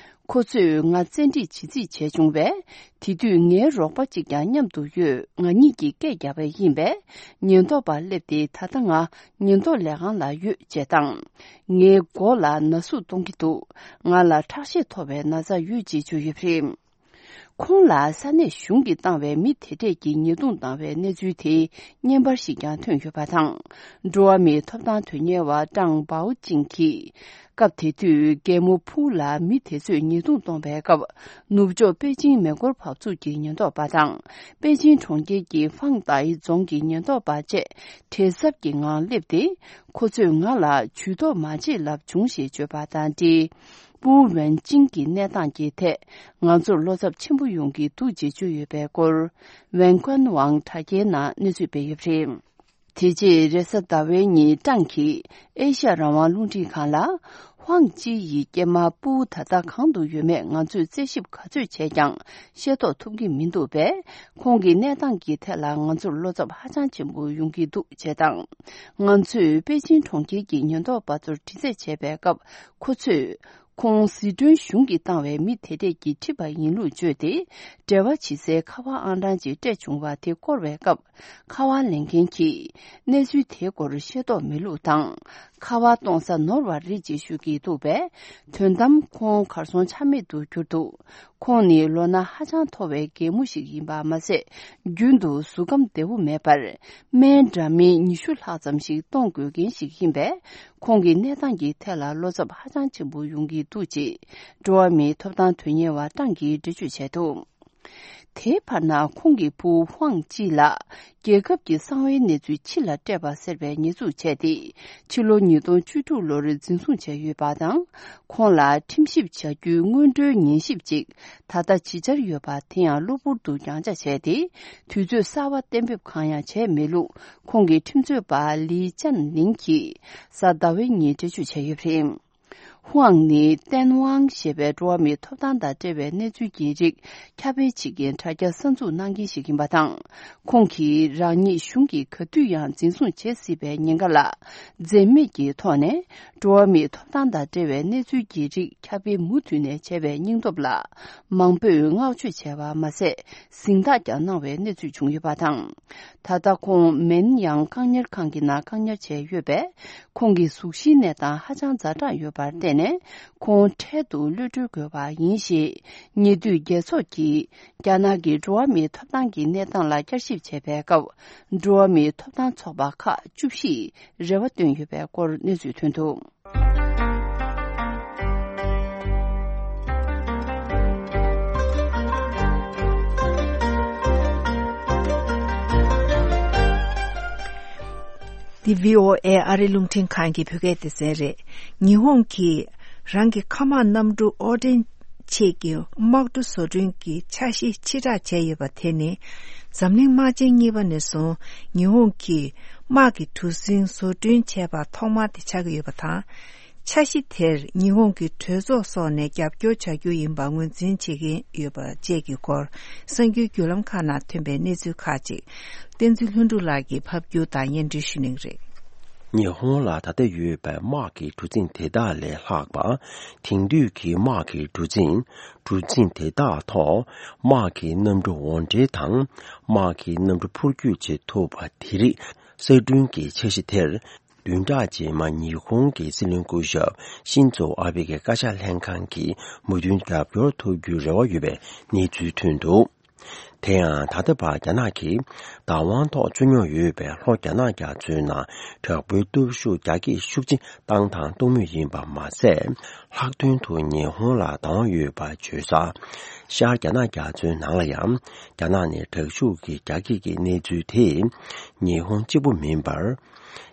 ཁོ་ཚོས་ང་བཙན་ཁྲིད་བྱེད་རྩིས་བྱས་བྱུང་བས། དེ་དུས་ངའི་རོགས་པ་གཅིག་ཀྱང་མཉམ་དུ་ཡོད། ང་གཉིས་ཀྱིས་སྐད་བརྒྱབ་པ་ཡིན་པས། ཉེན་རྟོག་པ་སླེབས་ཏེ་ད་ལྟ་ང་ཉེན་རྟོག་ལས་ཁང་ལ་ཡོད་ཅེས་དང་། ངའི་མགོ་ལ་ན་ཟུག་གཏོང་གི་འདུག་ང་ལ་ཁྲག་ཤེད་མཐོ་བའི་ན་ཚ་ཡོད་ཅེས་བརྗོད་ཡོད་པ་རེད། ཁོང་ལ་ས་གནས་གཞུང་གིས་བཏང་བའི་མི་དེ་གྲས་ཀྱིས་ཉེས་རྡུང་བཏང་བའི་གནས་ཚུལ་དེའི་བརྙན་པར་ཞིག་ཀྱང་ཐོན་ཡོད་པ་དང་། འགྲོ་བ་མིའི་ཐོབ་ཐང་དོན་གཉེར་བ་ཀྲང་པའོ་ཅིང་གིས། སྐབས་དེ་དུས་རྒན་མོ་ཕུའུ་ལ་མི་དེ་ཚོས་ཉེས་རྡུང་གཏོང་བའི་སྐབས། ནུབ་ཕྱོགས་པེ་ཅིང་མེ་འཁོར་བབས་ཚུགས་ཀྱི་ཉེན་རྟོག་པ་དང་། པེ་ཅིང་གྲོང་ཁྱེར་གྱི་ཧྥང་ཏའི་རྫོང་གི་ཉེན་རྟོག་པ་བཅས་བྲེལ་འཚབ་ཀྱི་ངང་སླེབས་ཏེ། ཁོ་ཚོས་ང་ལ་ཇུས་གཏོགས་མ་བྱེད་ལབ་བྱུང་ཞེས་བརྗོད་པ་དང་འབྲེལ། པུའུ་ཝན་ཅིང་གི་གནས་སྟངས་ཀྱི་ཐད། ང་ཚོར་བློ་འཚབ་ཆེན་པོ་ཡོང་གི་འདུག་ཅེས་བརྗོད་ཡོད་པའི་སྐོར། ཝན་ཀོན་ཝང་དྲ་རྒྱའི་ནང་གནས་ཚུལ་སྤེལ་ཡོད་པ་རེད། དེ་རྗེས་རེས་གཟའ་ཟླ་བའི་ཉིན་ཀྲང་གིས་ཨེ་ཤ་ཡ་རང་དབང་རླུང་འཕྲིན་ཁང་ལ། ཧུའང་ཅི་ཡི་སྐྱེས་མ་པུའུ་ད་ལྟ་གང་དུ་ཡོད་མེད་ང་ཚོས་རྩད་ཞིབ་ག་ཚོད་བྱས་ཀྱང་ཤེས་རྟོགས་ཐུབ་ཀྱི་མི་འདུག་པས། ཁོང་གི་གནས་སྟངས་ཀྱི་ཐད་ལ་ང་ཚོར་བློ་འཚབ་ཧ་ཅང་ཆེན་པོ་ཡོང་གི་འདུག་ཅེས་དང་། ང་ཚོས་པེ་ཅིང་གྲོང་ཁྱེར་གྱི་ཉེན་རྟོག་པ་ཚོར་དྲི་རྩད་བྱས་པའི་སྐབས། ཁོ་ཚོས་ཁོང་ཟི་ཁྲོན་གཞུང་གིས་བཏང་བའི་མི་དེ་གྲས་ཀྱིས་ཁྲིད་པ་ཡིན་ལུགས་བརྗོད་དེ། འབྲེལ་བ་བྱེད་སའི་ཁ་པར་ཨང་གྲངས་ཅིག་སྤྲད་བྱུང་བ་དེ་བསྐོར་བའི་སྐབས། ཁ་པར་ལེན་མཁན་གྱིས་གནས་ཚུལ་དེའི་སྐོར་ཤེས་རྟོགས་མེད་ལུགས་དང་། ཁ་པར་གཏོང་ས་ནོར་བ་རེད་ཅེས་ཞུ་གི་འདུག་པས། དོན་དམ་ཁོང་གར་སོང་ཆ་མེད་དུ་གྱུར་འདུག་ཁོང་ནི་ལོ་ན་ཧ་ཅང་མཐོ་བའི་རྒན་མོ་ཞིག་ཡིན་པ་མ་ཟད། རྒྱུན་དུ་གཟུགས་ཁམས་བདེ་བོ་མེད་པར། སྨན་འདྲ་མིན་ཉི་ཤུ་ལྷག་ཙམ་ཞིག་གཏོང་དགོས་མཁན་ཞིག་ཡིན་པས། ཁོང་གི་གནས་སྟངས་ཀྱི་ཐད་ལ་བློ་འཚབ་ཧ་ཅང་ཆེན་པོ་ཡོང་གི་འདུག་ཅེས། འགྲོ་བ་མིའི་ཐོབ་ཐང་དོན་གཉེར་བ་ཀྲང་གིས་འགྲེལ་བརྗོད་བྱས་འདུག་དེའི་བར་ན་ཁོང་གི་བུ་ཧུའང་ཅི་ལགས་རྒྱལ་ཁབ་ཀྱི་གསང་བའི་གནས་ཚུལ་ཕྱི་ལ་སྤྲད་པ་ཟེར་བའི་ཉེས་འཛུགས་བྱས་ཏེ། ཕྱི་ལོ་ཉིས་སྟོང་བཅུ་དྲུག་ལོར་འཛིན་བཟུང་བྱས་ཡོད་པ་དང་། ཁོང་ལ་ཁྲིམས་ཞིབ་བྱ་རྒྱུའི་སྔོན་འགྲོའི་ཉན་ཞིབ་ཅིག་ད་ལྟ་ཇི་ཆགས་ཡོད་པ་དེ་ཡང་གློ་བུར་དུ་ཡང་ཆ་བྱས་ཏེ། དུས་ཚོད་གསར་བ་གཏན་འབེབས་གང་ཡང་བྱས་མེད་ལུགས། ཁོང་གི་ཁྲིམས་རྩོད་པ་ལི་ཅན་ལིང་གིས་གཟའ་ཟླ་བའི་ཉིན་འགྲེལ་བརྗོད་བྱས་ཡོད་པ་རེད། ཧུའང་ནི་ཏན་ཝང་ཞེས་པའི་འགྲོ་བ་མིའི་ཐོབ་ཐང་དང་འབྲེལ་བའི་གནས་ཚུལ་གྱི་རིགས་ཁྱབ་སྤེལ་བྱེད་མཁན་དྲ་རྒྱ་གསར་འཛུགས་གནང་མཁན་ཞིག་ཡིན་པ་དང་། ཁོང་གིས་རང་ཉིད་གཞུང་གིས་ག་དུས་ཡང་འཛིན་བཟུང་བྱེད་སྲིད་པའི་ཉེན་ཁ་ལ་འཛེམ་མེད་ཀྱི་ཐོག་ནས། འགྲོ་བ་མིའི་ཐོབ་ཐང་དང་འབྲེལ་བའི་གནས་ཚུལ་གྱི་རིགས་ཁྱབ་སྤེལ་མུ་མཐུད་ནས་བྱས་པའི་སྙིང་སྟོབས་ལ་མང་པོས་བསྔགས་བརྗོད་བྱས་པ་མ་ཟད། གཟེངས་རྟགས་ཀྱང་གནང་བའི་གནས་ཚུལ་བྱུང་ཡོད་པ་དང་། ད་ལྟ་ཁོང་མེན་ཡང་བཀག་ཉར་ཁང་གི་ནང་བཀག་ཉར་བྱས་ཡོད་པས། ཁོང་གི་གཟུགས་གཞིའི་གནས་སྟངས་ཧ་ཅང་ཛ་དྲག་ཡོད་པར་བརྟེན་ནས། ཁོང་འཕྲལ་དུ་གློད་གྲོལ་དགོས་པ་ཡིན་ཞེས། ཉེ་དུས་རྒྱལ་ཚོགས་ཀྱིས་རྒྱ་ནག་གི་འགྲོ་བ་མིའི་ཐོབ་ཐང་གི་གནས་སྟངས་ལ་བསྐྱར་ཞིབ་བྱས་པའི་སྐབས། འགྲོ་བ་མིའི་ཐོབ་ཐང་ཚོགས་པ་ཁག་བཅུ་བཞིས་རེ་བ་བཏོན་ཡོད་པའི་སྐོར་གནས་ཚུལ་ཐོན་འདུག་འདི་བྷི་ཨོ་ཨེ་ཨ་རི་རླུང་འཕྲིན་ཁང་གི་བོད་སྐད་སྡེ་ཚན་རེད། ཉི་ཧོང་གིས་རང་གི་མཁའ་དམག་གནམ་གྲུ་ཨོ་ཏྲེན་ཆེད་ཀྱི་དམག་གྲུ་བཟོ་སྐྲུན་གྱི་འཆར་གཞི་ཕྱིར་བསྒྲགས་བྱས་ཡོད་པ་དེ་ནི། འཛམ་གླིང་དམག་ཆེན་གཉིས་པ་ནས་བཟུང་ཉི་ཧོང་གིས་དམག་གི་གྲུ་གཟིངས་བཟོ་སྐྲུན་བྱས་པ་ཐོག་མ་དེ་ཆགས་ཀྱི་ཡོད་པ་དང་། འཆར་གཞི་དེར་ཉི་ཧོང་གི་གྲོས་ཚོགས་སོགས་ནས་རྒྱབ་སྐྱོར་བྱ་རྒྱུ་ཡིན་པ་ངོས་འཛིན་བྱེད་ཀྱིན་ཡོད་པ་བཅས་ཀྱི་སྐོར། གསར་འགྱུར་བརྒྱུད་ལམ་ཁག་ནང་ཐོན་པའི་གནས་ཚུལ་ཁག་ཅིག་བསྟན་འཛིན་ལྷུན་གྲུབ་ལགས་ཀྱིས་ཕབ་སྒྱུར་དང་སྙན་སྒྲོན་ཞུ་གནང་གི་རེད། ཉི་ཧོང་ལ་ད་ལྟ་ཡོད་པའི་དམག་གི་གྲུ་གཟིངས་དེ་དག་ལས་ལྷག་པ། དེང་དུས་ཀྱི་དམག་གི་གྲུ་གཟིངས། གྲུ་གཟིངས་དེ་དག་ཐོག་དམག་གི་གནམ་གྲུ་འོར་འདྲེན་དང་། དམག་གི་གནམ་གྲུ་འཕུར་སྐྱོད་བྱེད་ཐུབ་པ་དེ་རིགས་གསར་སྐྲུན་གྱི་འཆར་གཞི་དེར། བདུན་ཕྲག་རྗེས་མ་ཉི་ཧོང་གི་སྲིད་བློན་སྐུ་ཞབས་ཤིན་ཛོ་ཨ་བྷེ་གི་བཀའ་ཤག་ལྷན་ཁང་གིས་མོས་མཐུན་རྒྱབ་སྐྱོར་ཐོབ་རྒྱུའི་རེ་བ་ཡོད་པའི་གནས་ཚུལ་ཐོན་འདུག་དེ་ཡང་ད་ལྟ་བར་རྒྱ་ནག་གིས་བདག་དབང་ཐོག་བཙུགས་མྱོང་ཡོད་པའི་ལྷོ་རྒྱ་ནག་རྒྱ་མཚོའི་ནང་དྲག་པོའི་སྟོབས་ཤུགས་རྒྱ་སྐྱེད་ཤུགས་ཆེ་བཏང་དང་གཏོང་མུས་ཡིན་པ་མ་ཟད། ལྷག་དོན་དུ་ཉི་ཧོང་ལ་བདག་དབང་ཡོད་པ་བརྗོད་སར། ཤར་རྒྱ་ནག་རྒྱ་མཚོའི་ནང་ལ་ཡང་རྒྱ་ནག་ནས་དྲག་ཤུགས་ཀྱི་རྒྱ་སྐྱེད་ཀྱི་གནས་ཚུལ་དེས་ཉི་ཧོང་གཅིག་པུ་མིན་པར།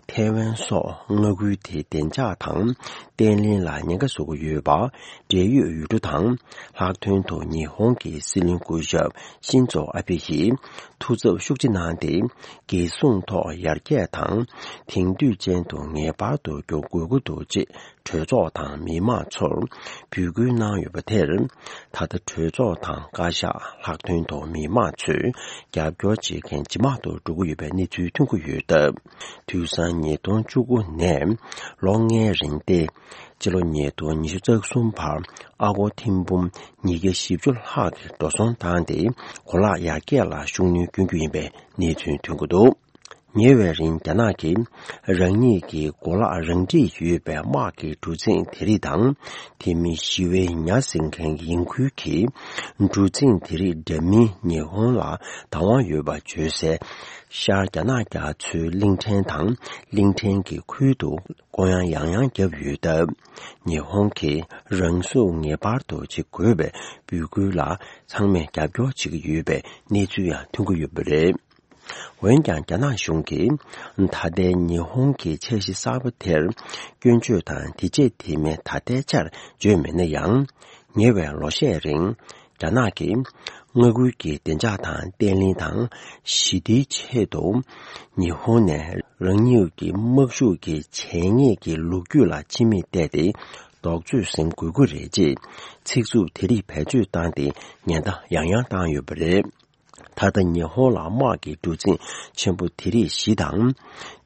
ཐའེ་ཝན་སོགས་མངའ་ཁུལ་དེའི་བདེ་འཇགས་དང་བརྟན་ལྷིང་ལ་ཉེན་ཁ་བཟོ་གི་ཡོད་པ། འབྲེལ་ཡོད་ཡུལ་གྲུ་དང་། ལྷག་དོན་དུ་ཉི་ཧོང་གི་སྲིད་བློན་སྐུ་ཞབས་ཤིན་ཛོ་ཨ་བྷེ་ཡིས་ཐུགས་འཚབ་ཤུགས་ཆེ་གནང་སྟེ། རྒྱལ་སྲུང་ཐོག་ཡར་རྒྱས་དང་། དེང་དུས་ཅན་དུ་ངེས་པར་དུ་འགྱུར་དགོས་ཀྱི་འདུག་ཅེས་གྲོས་ཚོགས་དང་མི་མང་ཚོར་འབོད་སྐུལ་གནང་ཡོད་པ་དེར། ད་ལྟ་གྲོས་ཚོགས་དང་བཀའ་ཤག་ལྷག་དོན་དུ་མི་མང་ཚོས་རྒྱབ་སྐྱོར་བྱེད་མཁན་ཇེ་མང་དུ་འགྲོ་གི་ཡོད་པའི་གནས་ཚུལ་ཐོན་གྱི་ཡོད་སྟབས། དུས་སང་ཉིས་སྟོང་བཅུ་དགུ་ནས་ལོ་ལྔའི་རིང་སྟེ། སྤྱི་ལོ་ཉིས་སྟོང་ཉི་ཤུ་རྩ་གསུམ་བར་ཨ་སྒོར་ཐེར་འབུམ་ཉིས་བརྒྱ་བཞི་བཅུ་ལྷག་གི་འགྲོ་སོང་བཏང་སྟེ། གོ་ལག་ཡར་རྒྱས་ལ་ཤུགས་སྣོན་སྐྱོན་རྒྱུ་ཡིན་པའི་གནས་ཚུལ་ཐོན་གྱི་འདུག་ཉེ་བའི་རིང་རྒྱ་ནག་གིས་རང་ཉིད་ཀྱི་གོ་ལག་རང་འགྲིག་ཡོད་པའི་དམག་གི་གྲུ་གཟིངས་དེ་རིགས་དང་། དེ་མིན་ཞི་བའི་ཉ་ཟིན་མཁན་ཡིན་ཁུལ་གྱིས་གྲུ་གཟིངས་དེ་རིགས་འདྲ་མིན་ཉི་ཧོང་ལ་བདག་དབང་ཡོད་པ་བརྗོད་སའི་ཤར་རྒྱ་ནག་རྒྱ་མཚོའི་གླིང་ཕྲན་དང་གླིང་ཕྲན་གྱི་ཁུལ་དུ་སྐོང་གཡག་ཡང་ཡང་བརྒྱབ་ཡོད་སྟབས། ཉི་ཧོང་གིས་རང་སྲུང་ངེས་པར་དུ་བྱེད་དགོས་པའི་འབོད་སྐུལ་ལ་ཚང་མས་རྒྱབ་སྐྱོར་བྱེད་ཀྱི་ཡོད་པའི་གནས་ཚུལ་ཡང་ཐོན་གྱི་ཡོད་པ་རེད། འོན་ཀྱང་། རྒྱ་ནག་གཞུང་གིས་ད་ལྟའི་ཉི་ཧོང་གི་འཆར་གཞི་གསར་པ་དེར་སྐྱོན་བརྗོད་དང་། དེ་རྗེས་དེ་མིན་ད་ལྟའི་ཆར་བརྗོད་མེད་ན་ཡང་། ཉེ་བའི་ལོ་ཤས་རིང་། རྒྱ་ནག་གིས་མངའ་ཁུལ་གྱི་བདེ་འཇགས་དང་བརྟན་ལྷིང་དང་ཞི་བདེའི་ཆེད་དུ། ཉི་ཧོང་ནས་རང་ཉིད་ཀྱི་དམག་ཤུགས་ཀྱི་བྱས་ཉེས་ཀྱི་ལོ་རྒྱུས་ལ་ཕྱི་མིག་བལྟས་ཏེ། རྡོག་རྫིས་ཟིན་དགོས་ཀྱི་རེད་ཅེས་ཚིག་རྩུབ་དེ་རིགས་བེད་སྤྱོད་བཏང་སྟེ། ཉེན་བརྡ་ཡང་ཡང་བཏང་ཡོད་པ་རེད། ད་ལྟ་ཉི་ཧོང་ལ་དམག་གི་གྲུ་གཟིངས་ཆེན་པོ་དེ་རིགས་བཞི་དང་།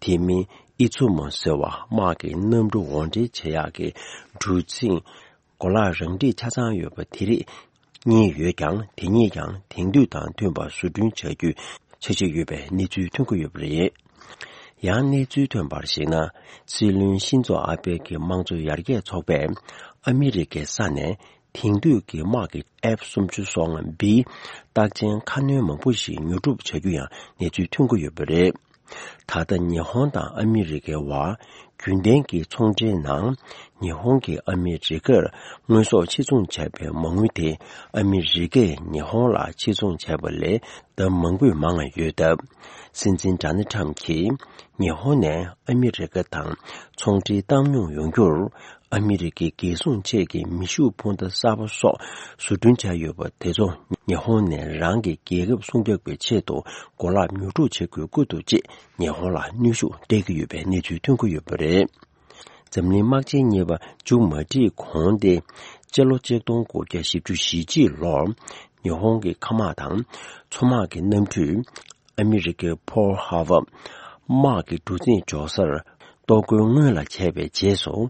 དེ་མིན་ཨི་ཙུ་མོ་ཟེར་བ་དམག་གི་གནམ་གྲུ་འོར་འདྲེན་བྱེད་ཡག་གི་གྲུ་གཟིངས་གོ་ལག་རང་འགྲིག་ཆ་ཚང་ཡོད་པ་དེ་རིགས་གཉིས་ཡོད་ཀྱང་། དེ་གཉིས་ཀྱང་དེང་དུས་དང་མཐུན་པར་བཟོ་སྐྲུན་བྱ་རྒྱུའི་འཆར་གཞི་ཡོད་པའི་གནས་ཚུལ་ཐོན་གྱི་ཡོད་པ་རེད། ཡང་གནས་ཚུལ་ཐོན་པར་གཞིགས་ན། སྲིད་བློན་ཤིན་ཛོ་ཨ་བྷེ་གི་དམངས་གཙོ་ཡར་རྒྱས་ཚོགས་པས་ཨ་མི་རི་ཀའི་ས་ནས། དེང་དུས་ཀྱི་དམག་གི་ཨེཕ་སུམ་ཅུ་སོ་ལྔ་བི་རྟགས་ཅན་ཁ་སྣོན་མང་པོ་ཞིག་ཉོ་སྒྲུབ་བྱ་རྒྱུ་ཡང་གནས་ཚུལ་ཐོན་གྱི་ཡོད་པ་རེད། ད་ལྟ་ཉི་ཧོང་དང་ཨ་མི་རི་ཀའི་བར་རྒྱུན་ལྡན་གྱི་ཚོང་འབྲེལ་ནང་། ཉི་ཧོང་གིས་ཨ་མི་རི་ཀར་དངོས་ཟོག་ཕྱིར་ཚོང་བྱས་པའི་མ་དངུལ་དེ་ཨ་མི་རི་ཀས་ཉི་ཧོང་ལ་ཕྱིར་ཚོང་བྱས་པ་ལས་ལྡབ་མང་པོས་མང་བ་ཡོད་སྟབས། སྲིད་འཛིན་ཌོ་ནལ་ཊམ་གྱིས་ཉི་ཧོང་ནས་ཨ་མི་རི་ཀ་དང་ཚོང་འབྲེལ་བཏང་སྙོམས་ཡོང་རྒྱུར། ཨ་མི་རི་ཀའི་རྒྱལ་སྲུང་ཆེད་ཀྱི་མེ་ཤུགས་འཕུར་མདའ་གསར་པ་སོགས་བཟོ་སྐྲུན་བྱས་ཡོད་པ་དེ་ཚོ་ཉི་ཧོང་ནས་རང་གི་རྒྱལ་ཁབ་སྲུང་སྐྱོབ་ཀྱི་ཆེད་དུ་གོ་ལག་ཉོ་སྒྲུབ་བྱེད་དགོས་ཀྱི་འདུག་ཅེས་ཉི་ཧོང་ལ་གནོན་ཤུགས་སྤྲད་ཀྱི་ཡོད་པའི་གནས་ཚུལ་ཐོན་གྱི་ཡོད་པ་རེད། འཛམ་གླིང་དམག་ཆེན་གཉིས་པ་མཇུག་མ་སྒྲིལ་གོང་སྟེ། སྤྱི་ལོ་ཆིག་སྟོང་དགུ་བརྒྱ་བཞི་བཅུ་ཞེ་གཅིག་ལོར་ཉི་ཧོང་གི་མཁའ་དམག་དང་མཚོ་དམག་གི་གནམ་གྲུས། ཨ་མི་རི་ཀའི་པོལ་ཧར་བར་དམག་གི་གྲུ་གཟིངས་འཇོག་སར་གཏོར་རྒོལ་སྔོན་ལ་བྱས་པའི་རྗེས་སུ།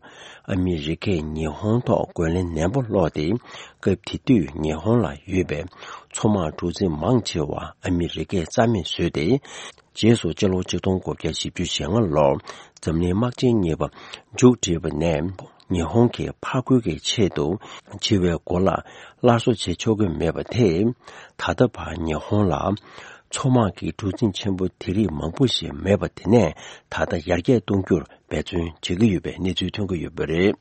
ཨ་མི་རི་ཀས་ཉི་ཧོང་ཐོག་རྒོལ་ལན་ནན་པོ་སློག་སྟེ། སྐབས་དེ་དུས་ཉི་ཧོང་ལ་ཡོད་པའི་མཚོ་དམག་གྲུ་གཟིངས་མང་ཆེ་བ་ཨ་མི་རི་ཀས་རྩ་མེད་བཟོས་ཏེ། རྗེས་སུ་སྤྱི་ལོ་ཆིག་སྟོང་དགུ་བརྒྱ་བཞི་བཅུ་ཞེ་ལྔ་ལོར་འཛམ་གླིང་དམག་ཆེན་གཉིས་པ་མཇུག་བསྒྲིལ་བ་ནས། ཉི་ཧོང་གིས་ཕར་རྒོལ་གྱི་ཆེད་དུ་འཆི་བའི་གོ་ལ་སླར་གསོ་བྱེད་ཆོག་གི་མེད་པ་དེས། ད་ལྟ་བར་ཉི་ཧོང་ལ་མཚོ་དམག་གི་གྲུ་གཟིངས་ཆེན་པོ་དེ་རིགས་མང་པོ་ཞིག་མེད་པ་དེ་ནས་ད་ལྟ་ཡར་རྒྱས་གཏོང་རྒྱུར་འབད་བརྩོན་བྱེད་ཀྱི་ཡོད་པའི་གནས་ཚུལ་ཐོན་གྱི་ཡོད་པ་རེད།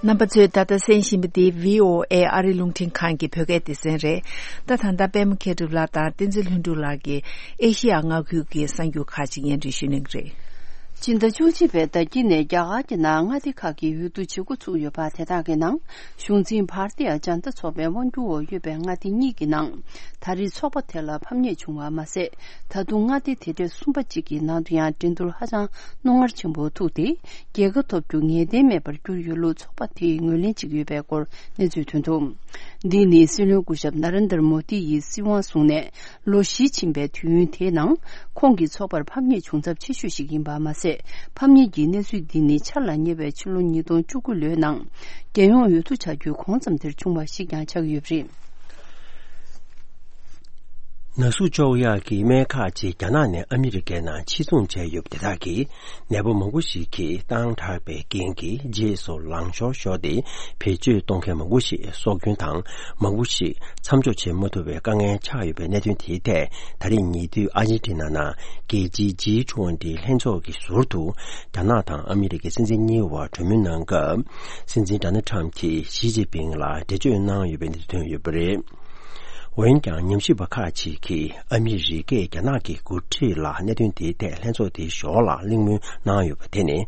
རྣམ་པ་ཚོས་ད་ལྟ་གསན་བཞིན་པ་འདི་བྷི་ཨོ་ཨེ་ཨ་རི་རླུང་འཕྲིན་ཁང་གི་བོད་སྐད་སྡེ་ཚན་རེད། ད་ད་ལྟ་པད་མ་མཁས་གྲུབ་ལགས་དང་བསྟན་འཛིན་ལྷུན་གྲུབ་ལགས་ཀྱིས་ཨེ་ཤི་ཡ་མངའ་ཁུལ་གྱི་གསར་འགྱུར་ཁག་ཅིག་སྙན་སྒྲོན་ཞུ་གནང་གི་རེད། སྤྱི་ཟླ་བཅུ་གཅིག་པའི་ཟླ་དཀྱིལ་ནས་རྒྱ་གར་གྱི་ནང་མངའ་སྡེ་ཁག་གི་འོས་བསྡུ་བྱེད་འགོ་ཚུགས་ཡོད་པ་དེ་དག་གི་ནང་། གཞུང་འཛིན་བྷར་ཏི་ཡ་ཇན་ཏ་ཚོགས་པའི་དབང་སྒྱུར་འོག་ཡོད་པའི་མངའ་སྡེ་གཉིས་ཀྱི་ནང་། ད་རེས་ཚོགས་པ་དེ་ལ་ཕམ་ཉེས་བྱུང་བ་མ་ཟད། ད་དུང་མངའ་སྡེ་དེ་གྲས་གསུམ་པ་གཅིག་གི་ནང་དུ་ཡང་འགྲན་བསྡུར་ཧ་ཅང་རྣོ་ངར་ཆེན་པོ་ཐུག་སྟེ། རྒྱལ་ཁ་ཐོབ་རྒྱུ་ངེས་གཏན་མེད་པར་གྱུར་ཡོད་ལུགས་ཚོགས་པ་དེས་ངོས་ལེན་བྱེད་ཀྱི་ཡོད་པའི་སྐོར་གནས་ཚུལ་ཐོན་འདུག་འདི་ནི་སྲིད་བློན་སྐུ་ཞབས་ན་རེན་དར་མོ་དི་ཡིས་སྲིད་དབང་བཟུང་ནས་ལོ་བཞི་ཕྱིན་པའི་དུས་ཡུན་དེའི་ནང་། ཁོང་གི་ཚོགས་པར་ཕམ་ཉེས་བྱུང་ཚབས་ཆེ་ཤོས་ཤིག་ཡིན་པ་མ་ཟད། ཕམ་ཉེས་ཀྱི་གནས་ཚུལ་འདི་ནི་འཆར་ལ་ཉེ་བའི་ཕྱི་ལོ་ཉིས་སྟོང་བཅུ་དགུ་ལོའི་ནང་། རྒྱལ་ཡོངས་འོས་བསྡུ་བྱ་རྒྱུའི་གོང་ཙམ་དེར་བྱུང་བ་ཞིག་ཀྱང་ཆགས་ཀྱི་ཡོད་པ་རེད། ན་ཟུག་གཅོག་ཡག་གི་སྨན་ཁག་ཅིག་རྒྱ་ནག་ནས་ཨ་མི་རི་ཀའི་ནང་ཕྱིར་ཚོང་བྱས་ཡོད་པ་དེ་དག་གིས། ནད་པ་མང་པོ་ཞིག་གིས་བཏང་དྲགས་པའི་རྐྱེན་གྱིས། རྗེས་སུ་ལངས་ཤོར་ཤོར་ཏེ། བེད་སྤྱོད་གཏོང་མཁན་མང་པོ་ཞིག་སྲོག་སྐྱོན་དང་། མང་པོ་ཞིག་མཚམས་འཇོག་བྱེད་མ་ཐུབ་པའི་དཀའ་ངལ་ཆགས་ཡོད་པའི་གནད་དོན་དེའི་ཐད། ད་རེས་ཉེ་དུས་ཨར་ཇེན་ཊི་ན་ནང་རྒྱལ་སྤྱིའི་ཇི་ཊུ་ཝན་ཊི་ལྷན་ཚོགས་ཀྱི་ཟུར་དུ། རྒྱ་ནག་དང་ཨ་མི་རི་ཀའི་སྲིད་འཛིན་གཉིས་བར་གྲོས་མོལ་གནང་སྐབས། སྲིད་འཛིན་ཌོ་ནལ་ཊམ་གྱིས་ཞི་ཅིན་ཕིང་ལ་འགྲེལ་བརྗོད་གནང་ཡོད་པའི་གནས་ཚུལ་ཐོན་ཡོད་པ་རེད། འོན་ཀྱང་། ཉམས་ཞིབ་པ་ཁག་ཅིག་གིས་ཨ་མི་རི་ཀས་རྒྱ་ནག་གི་འགོ་ཁྲིད་ལ་གནད་དོན་དེའི་ཐད་ལྷན་ཚོགས་དེའི་ཞོར་ལ་གླེང་མོལ་གནང་ཡོད་པ་དེ་ནི།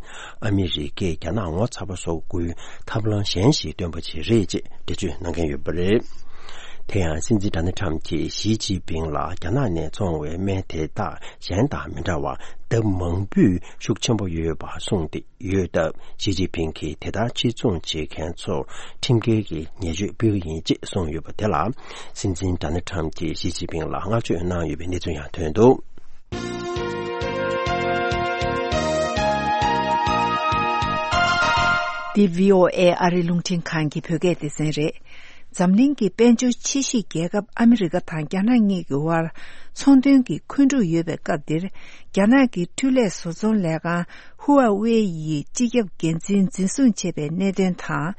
ཨ་མི་རི་ཀས་རྒྱ་ནག་ངོ་ཚ་པོ་བཟོ་དགོས་ཐབས་ལམ་གཞན་ཞིག་བཏོན་པ་ཞིག་རེད་ཅེས་འགྲེལ་བརྗོད་གནང་མཁན་ཡོད་པ་རེད། དེ་ཡང་སྲིད་འཛིན་ཌོ་ནལ་ཊམ་གྱིས་ཞི་ཅིན་ཕིང་ལ་རྒྱ་ནག་ནས་བཙོང་བའི་སྨན་དེ་དག་གཞན་དང་མི་འདྲ་བར་ལྡབ་མང་པོས་ཤུགས་ཆེན་པོ་ཡོད་པ་གསུངས་ཏེ། ཡོད་སྟབས། ཞི་ཅིན་ཕིང་གིས་དེ་ལྟར་ཕྱིར་ཚོང་བྱེད་མཁན་ཚོར་ཁྲིམས་འགལ་གྱི་ཉེས་ཆད་ཕོག་གི་ཡིན་ཅེས་གསུངས་ཡོད་པ་དེ་ལ། སྲིད་འཛིན་ཌོ་ནལ་ཊམ་གྱིས་ཞི་ཅིན་ཕིང་ལ་བསྔགས་བརྗོད་གནང་ཡོད་པའི་གནས་ཚུལ་ཡང་ཐོན་འདུག་འདི་བྷི་ཨོ་ཨེ་ཨ་རིའི་རླུང་འཕྲིན་ཁང་གི་བོད་སྐད་སྡེ་ཚན་རེད། འཛམ་གླིང་གི་དཔལ་འབྱོར་ཆེ་ཤོས་རྒྱལ་ཁབ་ཨ་མི་རི་ཀ་དང་རྒྱ་ནག་གཉིས་ཀྱི་དབར་ཚོང་དོན་གྱི་འཁོན་འཁྲུག་ཡོད་པའི་སྐབས་འདིར། རྒྱ་ནག་གི་འཕྲུལ་ལས་བཟོ་ཚོང་ལས་ཁང་ཧུ་ཝ་ཝེ་ཡི་སྤྱི་ཁྱབ་འགན་འཛིན་འཛིན་བཟུང་བྱས་པའི་གནད་དོན་དང་།